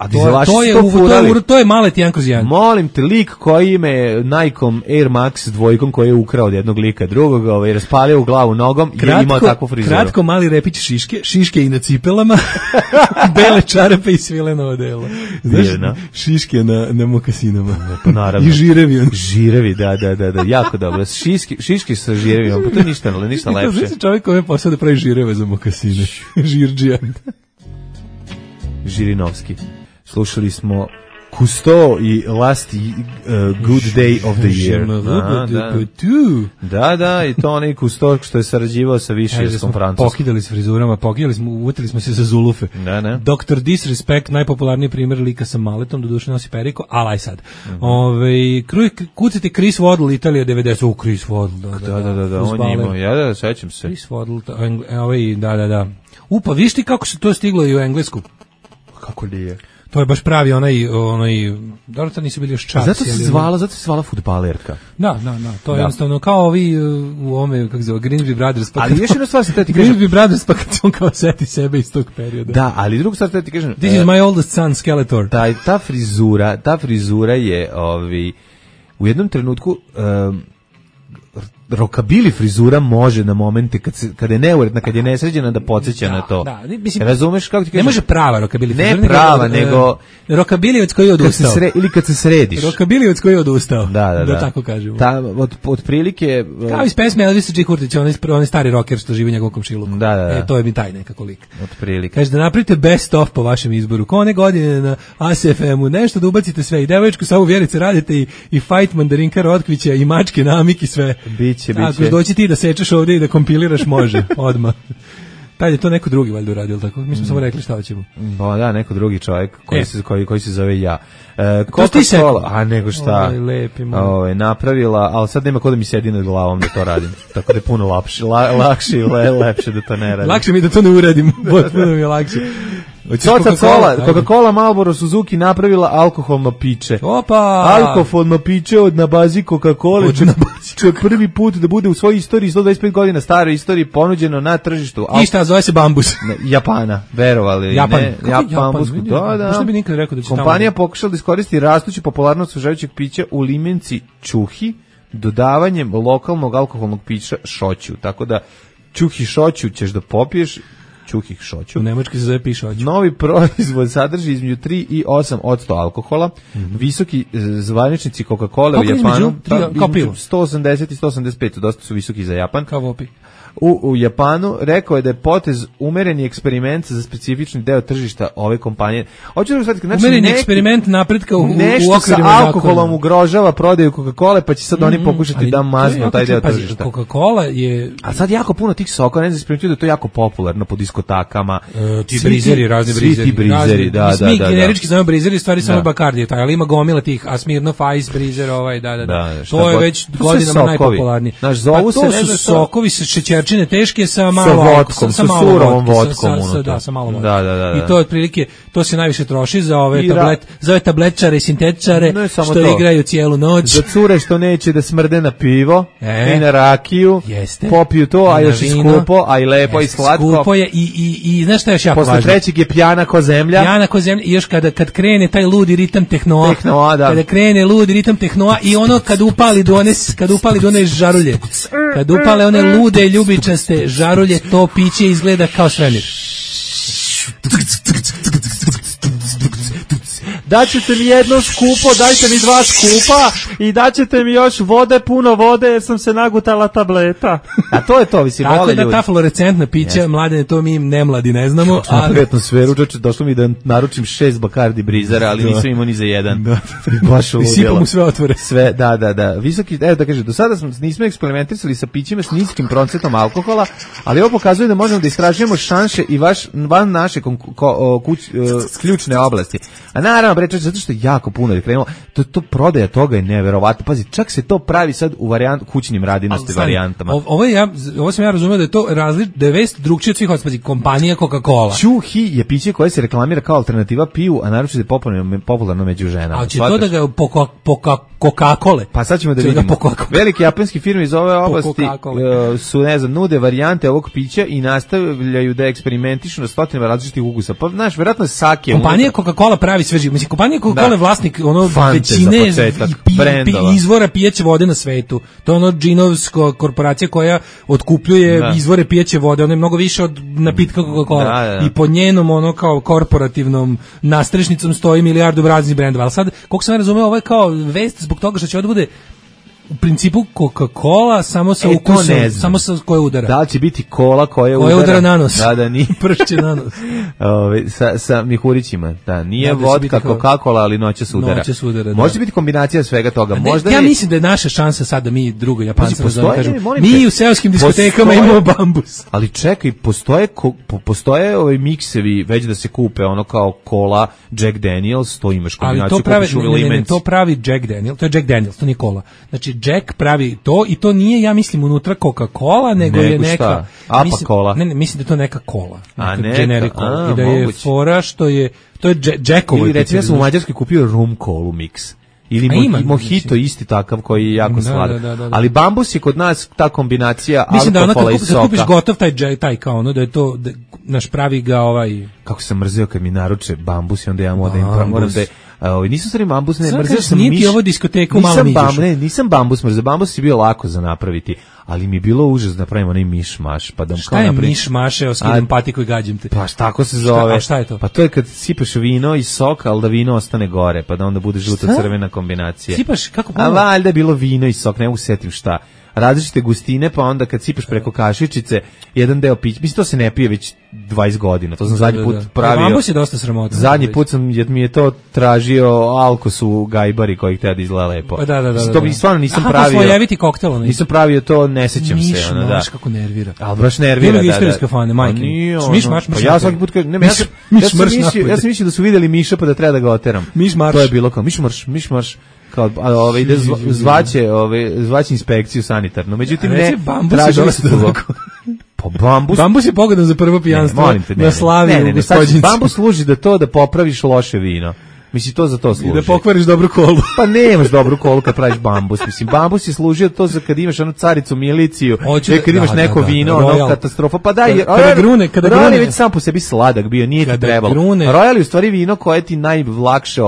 E: to je malet 1/1.
F: Molim te, lik koji ime Nike Air Max 2 koji je ukrao od jednog lika drugog, raspalio u glavu nogom i imao takvu frizuru.
E: Kratko mali repić šiške i na cipelama, bele čarape i svileno odelo. Znaš, šiške na mokasinama.
F: Pa naravno.
E: I žirevi.
F: Žirevi, da, jako dobro. Šiški sa žirevima, pa to je ništa lepše.
E: Znači čovjek koji je posao da pravi žireve za mokasine. Žirđija.
F: Žirinovski. Slušali smo Kusto i Last Good Day of the Year. Da, i to onaj Kusto što je sarađivao sa Višerskom Francuskom.
E: Pokidali s frizurama, uvutili smo se za zulufe. Dr. Disrespect, najpopularniji primjer lika sa maletom, doduše nosi periku, ali aj sad. Kucite Chris Waddle, Italija 90. Chris Waddle,
F: da, on je imao, sećam se.
E: Chris Waddle, da. Pa viš ti kako se to stiglo i u Englesku?
F: Kako li je?
E: To je baš pravi onaj dobro, to nisu bili još čaci.
F: Zato se zvala fudbalerka.
E: Da, to je jednostavno kao ovi u ome, kako se zove, Grimsby Brothers.
F: Ali još jedna stvar se ti kažem.
E: Grimsby Brothers, pa kad on kao seti sebe iz tog perioda.
F: Da, ali drugu stvar ti kažem.
E: This is my oldest son, Skeletor.
F: Ta frizura je u jednom trenutku rokabili frizura može na momente kad je neuredna, kad je nesređena da podsjeća na to.
E: Da, mislim,
F: razumeš kako ti kažeš?
E: Ne može prava rokabili frizura.
F: Ne prava, nego
E: rokabilijevac koji je odustao.
F: Ili kad se središ.
E: Rokabilijevac koji je odustao.
F: Da
E: tako kažemo.
F: Od prilike
E: kao iz pesme Elvisa G. Hurtića, onaj stari rocker što živi u njegovom komšiluku.
F: Da.
E: To je mi taj nekako lik.
F: Od prilike.
E: Kaže da napravite best of po vašem izboru. Ko one godine na ASFM-u, nešto da ubacite sve. I devojčku Savu Vjerice radite i fight Mandarinka Rotkvića i mačke Namik i sve.
F: Biće.
E: Ako doći ti da sečeš ovdje i da kompiliraš, može, odmah. Tad je to neko drugi valjda uradio, tako? Mi smo samo rekli šta hoćemo.
F: Da, neko drugi čovjek koji se zove ja.
E: Coca-Cola,
F: nego šta, napravila, ali sad nema ko da mi sedi nad glavom da to radim. Tako da je puno lakše i lepše da to ne radim.
E: Lakše mi da to ne uradim, potpuno mi je lakše.
F: Coca-Cola Marlboro Suzuki napravila alkoholno piće.
E: Opa!
F: Alkoholno piće na bazi Coca-Cola. Će prvi put da bude u svojoj istoriji, 125 godina staroj istoriji, ponuđeno na tržištu.
E: I šta, zove se Bambus?
F: Japana, verovali.
E: Japan.
F: Da.
E: Bi nikad rekao da će
F: kompanija pokušala da iskoristi rastuću popularnost osvežavajućeg pića u limenci Čuhi dodavanjem lokalnog alkoholnog pića šoću. Tako da Čuhi šoću ćeš da popiješ, Čuhih šoću.
E: U Nemačkoj se zove pišoću.
F: Novi proizvod sadrži između 3 i 8% alkohola. Visoki zvaničnici Coca-Cola u Japanu između 180 i 185, dosta su visoki za Japan.
E: Kao vopi.
F: U Japanu rekao je da je potez umereni eksperiment za specifični deo tržišta ove kompanije. Hoću da shvatite, znači
E: umereni eksperiment napretka u
F: nešto sa alkoholom ugrožava prodaju Coca-Cola, pa će sad oni pokušati da maznu taj deo tržišta.
E: Coca-Cola je...
F: A sad jako puno tih soka, ne znam, da je to jako popularno po diskotakama.
E: Ti brizeri, razni brizeri.
F: Ti brizeri, da.
E: Mi generički znamo brizeri, stvari samo Bacardi, ali ima gomila tih, a Smirnoff Ice brizer, da. To je već godinama najpopularniji.
F: To
E: su sokovi sa šećerčine teške sa
F: surovom vodkom.
E: Sa malo vodkom.
F: Da.
E: I to otprilike, to se najviše troši za ove tabletčare i sintetičare što igraju cijelu noć.
F: Za cure što neće da smrde na pivo i na rakiju, popiju to, a još i skupo, a i lepo i slatko.
E: Skupo je i znaš šta je još jako važno?
F: Posle trećeg je pijana ko zemlja.
E: I još kad krene taj ludi ritam tehnoa, kada krene ludi ritam tehnoa i ono kad upali do one žarulje, kad upale one lude ljubičaste žarulje, to piće izgleda kao svemir.
F: Daćete mi jedno skupo, dajte mi dva skupa i daćete mi još vode, puno vode, jer sam se nagutala tableta. A to je to, mislim,
E: tako
F: vole
E: da
F: ljudi.
E: ta fluorescentna pića, mladene, to mi nemladi ne znamo.
F: Ali atmosferu, čoče, došlo mi da naručim 6 Bacardi brizara, ali nisam imao ni za jedan. Baš
E: I sipam u sve otvore.
F: Sve, da. Visoki, evo da kaže, do sada nismo eksperimentisali sa pićima s niskim procentom alkohola, ali ovo pokazuje da možemo da istražujemo šanse i van naše ključne oblasti. A naravno, bre, zato što je jako puno je krenulo, to prodaja toga je neverovatno. Pazi, čak se to pravi sad u kućnim radinosti varijantama.
E: Ovo sam ja razumio da je to da je vest drugčije od svih ospazi, kompanija Coca-Cola.
F: Čuhi je piće koje se reklamira kao alternativa piju, a naročito je popularno među ženama.
E: A će to da ga Coca-Cola.
F: Pa sad ćemo da vidimo. Velike japanske firme iz ove oblasti su, ne znam, nude varijante ovog pića i nastavljaju da eksperimentišu na stotinama različitih ukusa. Pa, znaš, verovatno sake.
E: Kompanija Coca-Cola pravi sve živo. Mislim, kompanija Coca-Cola je vlasnik većine izvora pijeće vode na svetu. To je ono džinovska korporacija koja otkupljuje izvore pijeće vode. Ono je mnogo više od napitka Coca-Cola. I pod njenom kao korporativnom nastrešnicom stoji milijardu raznih brendova. Ali sad, koliko sam razumeo, ovo je kao vest zbog toga što će ovdje bude u principu Coca-Cola samo sa ukusom, samo sa koje udara.
F: Da li će biti kola koja
E: udara na nos?
F: Da, nije.
E: Pršće na nos.
F: Sa mihurićima, da. Nije vodka Coca-Cola, ali noćas udara. Može biti kombinacija svega toga.
E: Ja mislim da je naša šansa sad da mi drugo Japanci mi u seoskim diskotekama imamo bambus.
F: Ali čekaj, postoje ovi miksevi već da se kupe, ono kao kola, Jack Daniels, to imaš kombinaciju.
E: Ali to pravi Jack Daniels, to je Jack Daniels, to nije kola. Znači, Jack pravi to i to nije, ja mislim, unutra Coca-Cola, nego je neka...
F: Apa-Cola.
E: Ne, mislim da je to neka kola. Generic cola. I da je fora što je... To je Jackovo.
F: Ili recimo ja sam u Mađarskoj kupio rum kolu mix. Ili mojito isti takav koji je jako sladak. Ali bambus je kod nas ta kombinacija alkohola i soka. Mislim da
E: kupiš gotov taj kao ono, da je to, naš pravi ga
F: Kako sam mrzeo kad mi naruče bambus i onda ja moram da nisam stvari bambus, ne, mrzeo sam
E: miš. Nije ovo diskoteku malo miđeš.
F: Nisam bambus mrzeo, bambus je bio lako za napraviti, ali mi je bilo užas da napravimo onaj miš-maš. Pa da
E: šta je miš-maš, evo skidam patiku i gađim te.
F: Pa tako se zove.
E: A šta je to?
F: Pa to je kad sipaš vino i sok, ali da vino ostane gore, pa da onda bude žuto-crvena kombinacija.
E: Sipaš, kako
F: a valjda je bilo vino i sok, ne mogu setim šta. Različite gustine, pa onda kad sipaš preko kašičice, jedan deo pića, mislim to se ne pije već 20 godina, to sam zadnji put pravio.
E: Bambus je dosta sramotan.
F: Zadnji put mi je to tražio Alkos u Gajbari koji htio da izgleda lepo.
E: Da.
F: To bi stvarno nisam pravio.
E: Slojeviti koktel.
F: Nisam pravio to, ne sećam se.
E: Miš, kako nervira.
F: Ali baš nervira,
E: da. Istorijske fane, majke.
F: Miš-maš. Pa ja svaki put kažem, ja sam mislio da su vidjeli Miša pa da treba da ga oteram.
E: Miš-marš.
F: To je bilo kao miš-marš. Kao ide zvaće inspekciju sanitarnu. Međutim ne, tražili su to. Pa
E: bambus je pogodan za prvo pijanstvo na slavi u Gospođincu.
F: Bambus služi da popraviš loše vino. Mislim, to za to služi.
E: I da pokvariš dobru kolu.
F: Pa nemaš dobru kolu kad praviš bambus. Mislim, bambus je služio to za kad imaš onu caricu miliciju, kad imaš neko vino, ono katastrofa. Pa daj, Royal je već sam po sebi sladak bio, nije ti trebalo. Royal je u stvari vino koje ti najlakše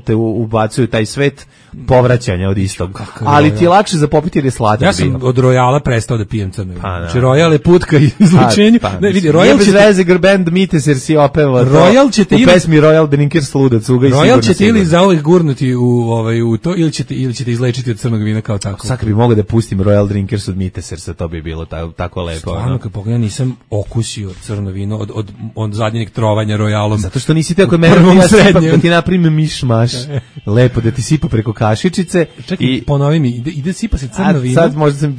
F: te ubacuju taj svet povraćanja od istog. Ali ti je lakše za popiti jer je sladak vino.
E: Ja sam od Royala prestao da pijem crno vino. Znači, Royal je put ka izlučenju.
F: Ne, vidi, Royal će... Bez veze Band Mites jer si opevao u pesmi Royal Drinker sludac, cuga i
E: Royal ćete ili za ovih gurnuti u to ili ćete izlečiti od crnog vina kao tako.
F: Sad bi mogao da pustim Royal Drinkers od Mitesersa, to bi bilo tako lepo.
E: Stvarno, kad pogledam, nisam okusio crno vino od zadnjeg trovanja Royalom.
F: Zato što nisi tako mene, ja sipak da ti napravim miš-maš. Lepo, da ti sipa preko kašičice.
E: Čekaj, ponovi mi, ide sipa se crno vino.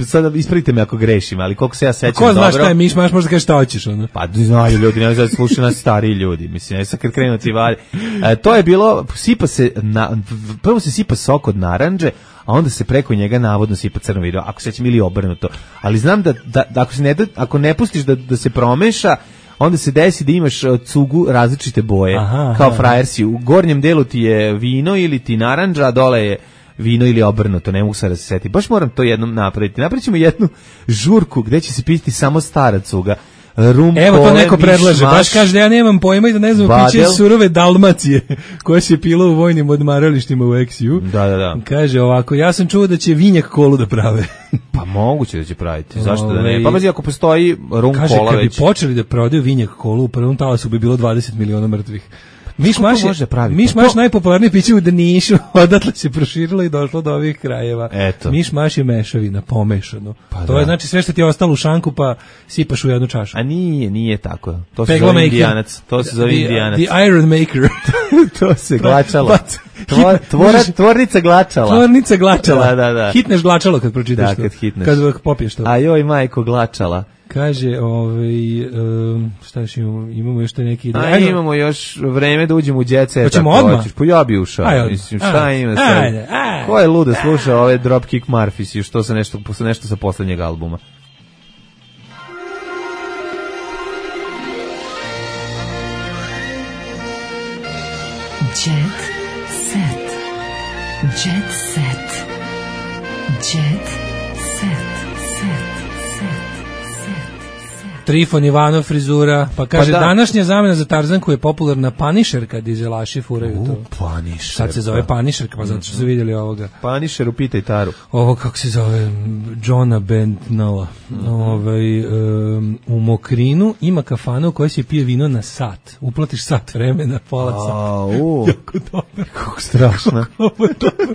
F: Sad ispravite me ako grešim, ali koliko se ja sećam
E: dobro. Ko zna šta je miš-maš, možda kažeš šta hoćeš.
F: Pa znaju ljudi, ne znam, slušaju nas stariji ljudi. Mislim, sad kad krenu ti valje. To je bilo, prvo se sipa sok od narandže, a onda se preko njega navodno sipa crno vino, ako sećam ili obrnuto. Ali znam da ako ne pustiš da se promeša, onda se desi da imaš cugu različite boje, kao frajersi. U gornjem delu ti je vino ili ti narandža, a dole je vino ili obrnuto, ne mogu sad da se seti. Baš moram to jednom napraviti. Napravit ćemo jednu žurku gde će se piti samo stara cuga.
E: Evo to neko predlaže, baš kaže da ja nemam pojma i da ne znam piće surove Dalmacije koja se pila u vojnim odmaralištima u Eksiju.
F: Da.
E: Kaže ovako, ja sam čuo da će vinjak kolu da prave.
F: Pa moguće da će praviti, zašto da ne? Pa bazi ako postoji rum
E: kaže,
F: kola već.
E: Kaže, kad bi počeli da prodaju vinjak kolu, u prvom talasu bi bilo 20 miliona mrtvih. Miš-maš najpopularnije piće u Nišu, odatle se proširilo i došlo do ovih krajeva.
F: Eto.
E: Miš-maš je mešavina, pomešano.
F: Pa
E: to je znači sve što ti je ostalo u šanku pa sipaš u jednu čašu.
F: A nije tako. To se zove indijanac. To se zove indijanac.
E: The Iron Maker.
F: To se glačalo. Tvornica glačala.
E: Tvornica glačala.
F: Da.
E: Hitneš glačalo kad pročitaš to.
F: Kad hitneš.
E: Kad popiješ to.
F: A joj, majko, glačala.
E: Kaže, šta još imamo još te neki...
F: imamo još vreme da uđemo u Jet Set.
E: Hoćemo odmah?
F: Pa ja bi ušao. Mislim, šta ima sad? Ko je ludo slušao ove Dropkick Murphys i što se nešto sa poslednjeg albuma?
I: Jet Set. Jet Set. Jet Set.
E: Trifon Ivanov frizura, pa kaže današnja zamena za Tarzanku je popularna Punisher kad dizelaši furaju to.
F: Punisher.
E: Sad se zove Punisher, pa zato što su vidjeli ovoga.
F: Punisher, upitaj Taru.
E: Ovo kako se zove, Johna Bentnala. U Mokrinu ima kafana u kojoj se pije vino na sat. Uplatiš sat vremena, pola sata. Jako dobro.
F: Kako strašno.
E: Kako je dobro.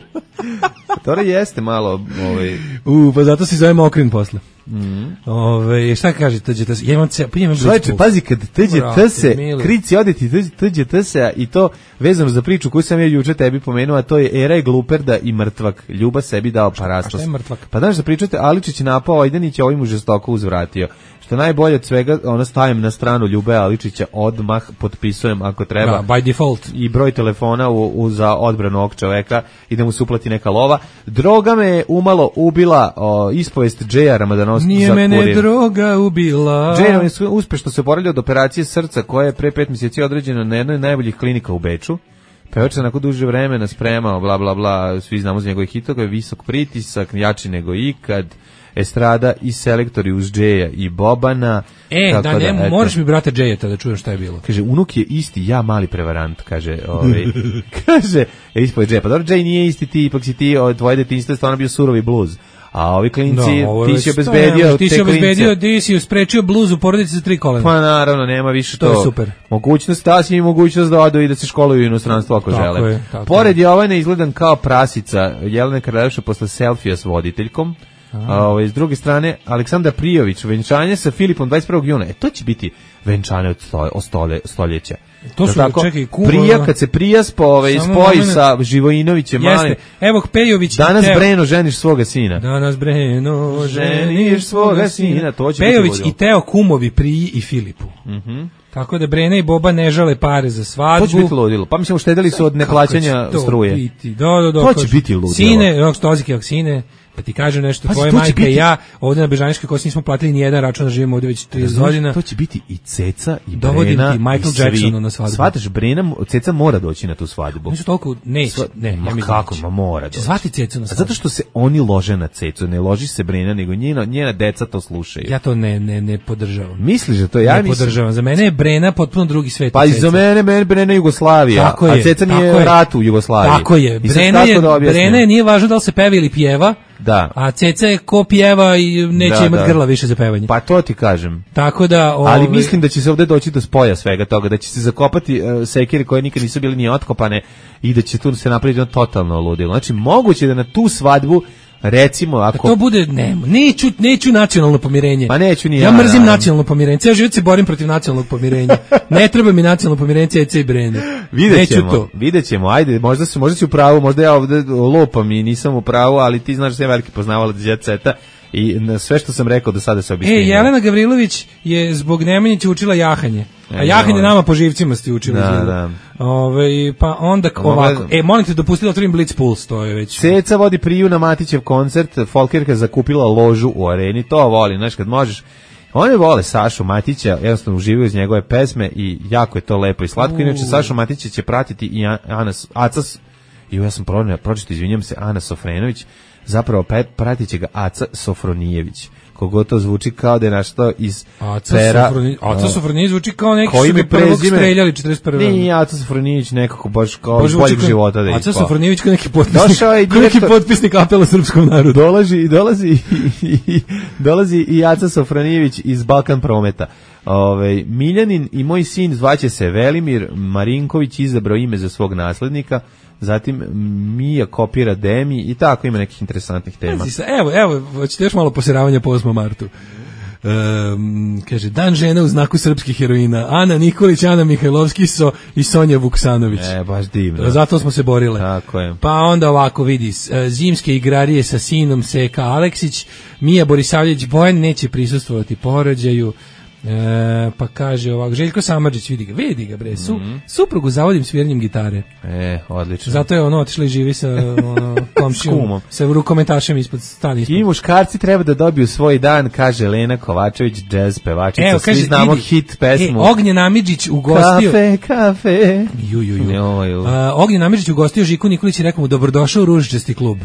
F: To jeste malo...
E: Pa zato se zove Mokrin posle. Šta kaže TGT? Ja imam
F: Čovječe, pazi, kad TGT se krici odeti TGT se i to vezano za priču koju sam ja juče tebi pomenuo, a to je Era je gluperda i mrtvak. Ljuba sebi dao parastos.
E: A šta je mrtvak?
F: Pa znaš da pričate, Aličić je napao Ojdanić, a ovim mu žestoko uzvratio. Što najbolje od svega, stajem na stranu Ljube Aličića, odmah potpisujem ako treba.
E: By default.
F: I broj telefona za odbranu ovog čoveka i da mu se uplati neka lova. Droga me je umalo ubila, ispovest Džeja Ramadanovskog za Kurir.
E: Nije mene droga ubila.
F: Džej je uspešno se oporavljao od operacije srca koja je pre 5 mjeseci određena na jednoj najboljih klinika u Beču. Pevač se nakon duže vremena spremao, bla bla bla, svi znamo za njegove hitove, visok pritisak, jači nego ikad, estrada i selektori uz Džeja i Bobana.
E: Moraš mi brate Džejeta da čujem šta je bilo.
F: Kaže, unuk je isti, ja mali prevarant, kaže, kaže, ispod Džeja, pa dobro, Džej nije isti ti, ipak si ti, tvoje detinjstvo je stvarno bio surovi bluz. A ovi klinci, ti si obezbedio
E: ti si obezbedio, ti si usprečio bluz u porodici za 3 kolena.
F: Pa naravno, nema više to.
E: To je super.
F: Mogućnost, da si im mogućnost da odu i da se školuju u inostranstvu ako žele. Pored Jovane izgledan kao prasica, Jelena Karleuša posle selfija s voditeljkom. S druge strane, Aleksandar Prijović, venčanje sa Filipom 21. juna. To će biti venčanje od stoljeća.
E: To su, čekaj,
F: Prija, kad se Prija spoji sa Živojinovićem malim.
E: Evo Pejović
F: danas Breno ženiš svoga sina.
E: Danas Breno ženiš svoga sina. Pejović i Teo kumovi Priji i Filipu. Tako da Brena i Boba ne žale pare za svadbu.
F: To će biti ludilo. Pa mislim, uštedeli su od neplaćanja struje.
E: To
F: će biti ludilo.
E: Sine, Sine, pa ti kažem nešto, tvoja majka i ja ovdje na Bežanijskoj kosi nismo platili ni jedan račun, da živimo ovdje već 30 godina.
F: To će biti i Ceca i Brena.
E: Dovodim ti Michael Jacksonu na svadbu.
F: Shvataš, Ceca mora doći na tu svadbu.
E: Nisu toliko, neće.
F: Kako, mora doći.
E: Zvati Cecu na svadbu.
F: Zato što se oni lože na Cecu, ne loži se Brena, nego njena deca to slušaju.
E: Ja to ne podržavam.
F: Misliš da to ja
E: ne podržavam? Za mene je Brena potpuno drugi svet.
F: Pa i za mene Brena Jugoslavija, a Ceca nije rat u Jugoslaviji.
E: Tako je. Brena nije važno da li se peva ili pjeva.
F: Da.
E: A Ceca je ko pjeva i neće imati grla više za pevanje.
F: Pa to ti kažem.
E: Tako da...
F: Ali mislim da će se ovdje doći do spoja svega toga, da će se zakopati sekire koje nikad nisu bili ni otkopane i da će tu se napraviti totalno ludilo. Znači, moguće da na tu svadbu recimo ako
E: to bude neću nacionalno pomirenje.
F: Pa neću ni
E: ja mrzim nacionalno pomirenje. Ja život se borim protiv nacionalnog pomirenja. Ne treba mi nacionalno pomirenje Ceca i Brene.
F: Videćemo. Ajde, možda si u pravu, možda ja ovdje lopam i nisam u pravu, ali ti znaš da sam veliki poznavalac Jet Seta i sve što sam rekao do sada se obistinilo.
E: Jelena Gavrilović je zbog Nemanjića učila jahanje. A jahanje nama po živcima ste učili.
F: Da.
E: Pa onda ovako. Molim te, dopustila otvorim Blitz Puls, to je već.
F: Ceca vodi Priju na Matićev koncert, Folkerka zakupila ložu u areni, to volim, znaš, kad možeš. Oni vole Sašu Matića, jednostavno uživaju iz njegove pesme i jako je to lepo i slatko. Inače, Sašu Matića će pratiti i ja sam pročito, izvinjam se, Ana Sofrenović, zapravo pratit će ga Aca Sofronijević. kogo to zvuči kao da je našto iz pera.
E: Aca Sofronijević zvuči kao neki
F: koji
E: su ga prvog streljali 41.
F: Nije Aca Sofronijević nekako baš kao iz boljeg života da je.
E: Aca Sofronijević kao neki
F: potpisnik
E: apela srpskom narodu.
F: Dolazi i Aca Sofronijević iz Balkan Prometa. Miljanin i moj sin zvaće se Velimir, Marinković izabrao ime za svog naslednika, zatim Mija kopira Demi i tako ima nekih interesantnih tema.
E: Evo, hoćete još malo posiravanja po 8. martu. Kaže, dan žena u znaku srpskih heroina, Ana Nikolić, Ana Mihajlovski i Sonja Vuksanović.
F: Baš divno.
E: Zato smo se borile.
F: Tako je.
E: Pa onda ovako vidi, zimske igrarije sa sinom Seka Aleksić, Mija Borisavljević Bojan neće prisustvovati porođaju. Pa kaže ovako, Željko Samardžić, vidi ga bre, suprugu zavodim sviranjem gitare.
F: Odlično.
E: Zato je otišla i živi sa komšijom, sa rukometašem ispod stani.
F: I muškarci treba da dobiju svoj dan, kaže Lena Kovačević, džez pevačica. Svi znamo hit pesmu.
E: Ognjen Amidžić ugostio.
F: Kafe.
E: Ognjen Amidžić ugostio Žiku Nikolić i rekao mu dobrodošao u Ružičasti klub.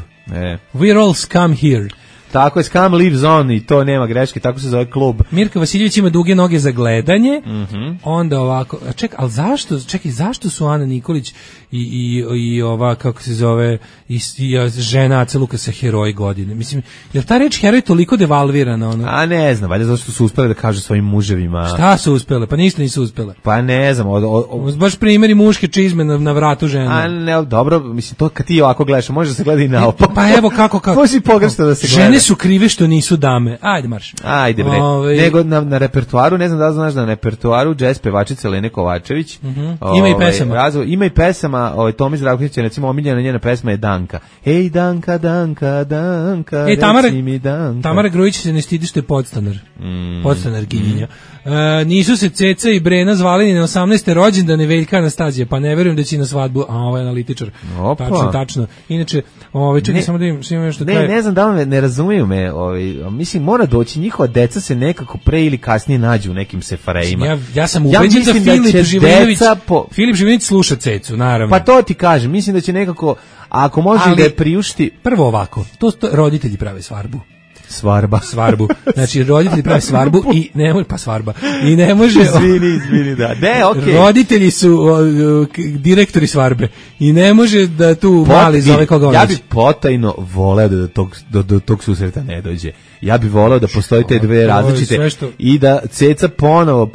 E: We're all scum here.
F: Tako je, Scam Lives On i to nema greške, tako se zove klub.
E: Mirka Vasiljević ima duge noge za gledanje, onda ovako, ali zašto su Ana Nikolić i ova, kako se zove, i žena Ace Lukasa heroji godine? Mislim, je li ta reč heroj toliko devalvirana? Ono?
F: A ne znam, valjda zato što su uspele da kažu svojim muževima.
E: Šta su uspele? Pa ništa nisu uspele.
F: Pa ne znam.
E: Baš primjeri muške čizme na vratu žena.
F: A ne, dobro, mislim, to kad ti ovako gledaš, može da se gleda i naopako.
E: Pa evo kako.
F: Može pogrešno da se gleda.
E: Žene su krive što nisu dame. Ajde marš.
F: Ajde bre. Nego na repertoaru, ne znam da li znaš, na repertoaru džez pevačice Lene Kovačević.
E: Ima i pesama.
F: Ima i pesama, Tomi Zdravković, recimo omiljena njena pesma je Danka. Ej Danka, reci mi Danka.
E: Tamara Grujić se ne stidi što je podstanar. Podstanarkinja. Nisu se Ceca i Brena zvali ni na 18. rođendane Veljka Anastazije, pa ne verujem da će na svadbu, a ovo je analitičar. Tačno. Inače, čekaj samo da im što kaže.
F: Ne znam da li ne razumiju me, mislim mora doći, njihova deca se nekako pre ili kasnije nađu u nekim sefarejima.
E: Ja sam ubeđen da Filip Živinović sluša Cecu, naravno.
F: Pa to ti kažem, mislim da će nekako, ako može da je priušti.
E: Prvo ovako, to roditelji prave svarbu.
F: Svarbu.
E: Znači, roditelji prave svarbu i ne može, pa svarba. I ne može...
F: Izvini, da. Ne, okej.
E: Roditelji su direktori svarbe i ne može da tu mali zove koga on.
F: Ja bih potajno voleo da do tog susreta ne dođe. Ja bih voleo da postoji te dve različite i da Ceca ponovo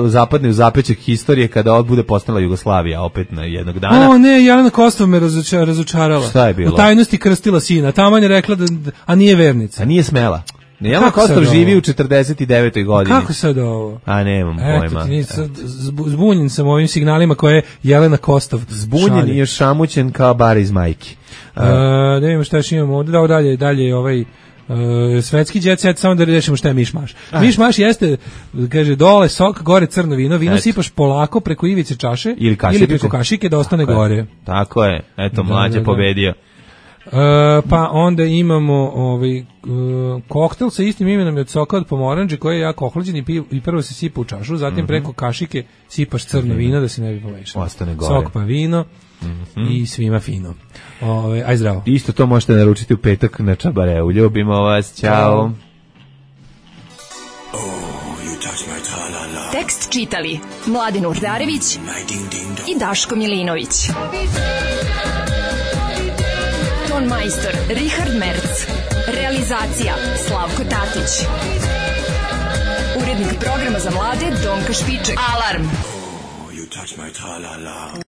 F: zapadne u zapećak historije kada bude postala Jugoslavija opet na jednog dana.
E: Ne, Jelena Kostov me razočarala.
F: Šta je bilo?
E: U tajnosti krstila sina. Taman je rekla a nije vernica.
F: A nije smela. Jelena Kostov živi u 49. godini.
E: Kako sad ovo?
F: A nemam pojma.
E: Zbunjen sam ovim signalima koje je Jelena Kostov.
F: Zbunjen i još šamućen kao bar iz majke.
E: Da vidimo šta još imamo ovdje. Dalje ovaj... svetski jet set, samo da rešimo šta je mišmaš. Mišmaš jeste, kaže, dole sok, gore crno vino sipaš polako preko ivice čaše ili preko kašike da ostane gore.
F: Tako je, eto, mlađe pobedio.
E: Pa onda imamo koktel sa istim imenom od soka od pomoranđe koji je jako ohlađen i prvo se sipa u čašu, zatim preko kašike sipaš crno vino da se ne bi pomešalo.
F: Ostane gore.
E: Sok pa vino i svima fino. Aj zdravo.
F: Isto to možete naručiti u petak na Čabareu. Ljubimo vas, ćao.
I: Tekst čitali Mladen Urdarević i Daško Milinović. Ton majstor Richard Merc. Realizacija Slavko Tatić. Urednik programa za mlade Donka Špiček. Alarm!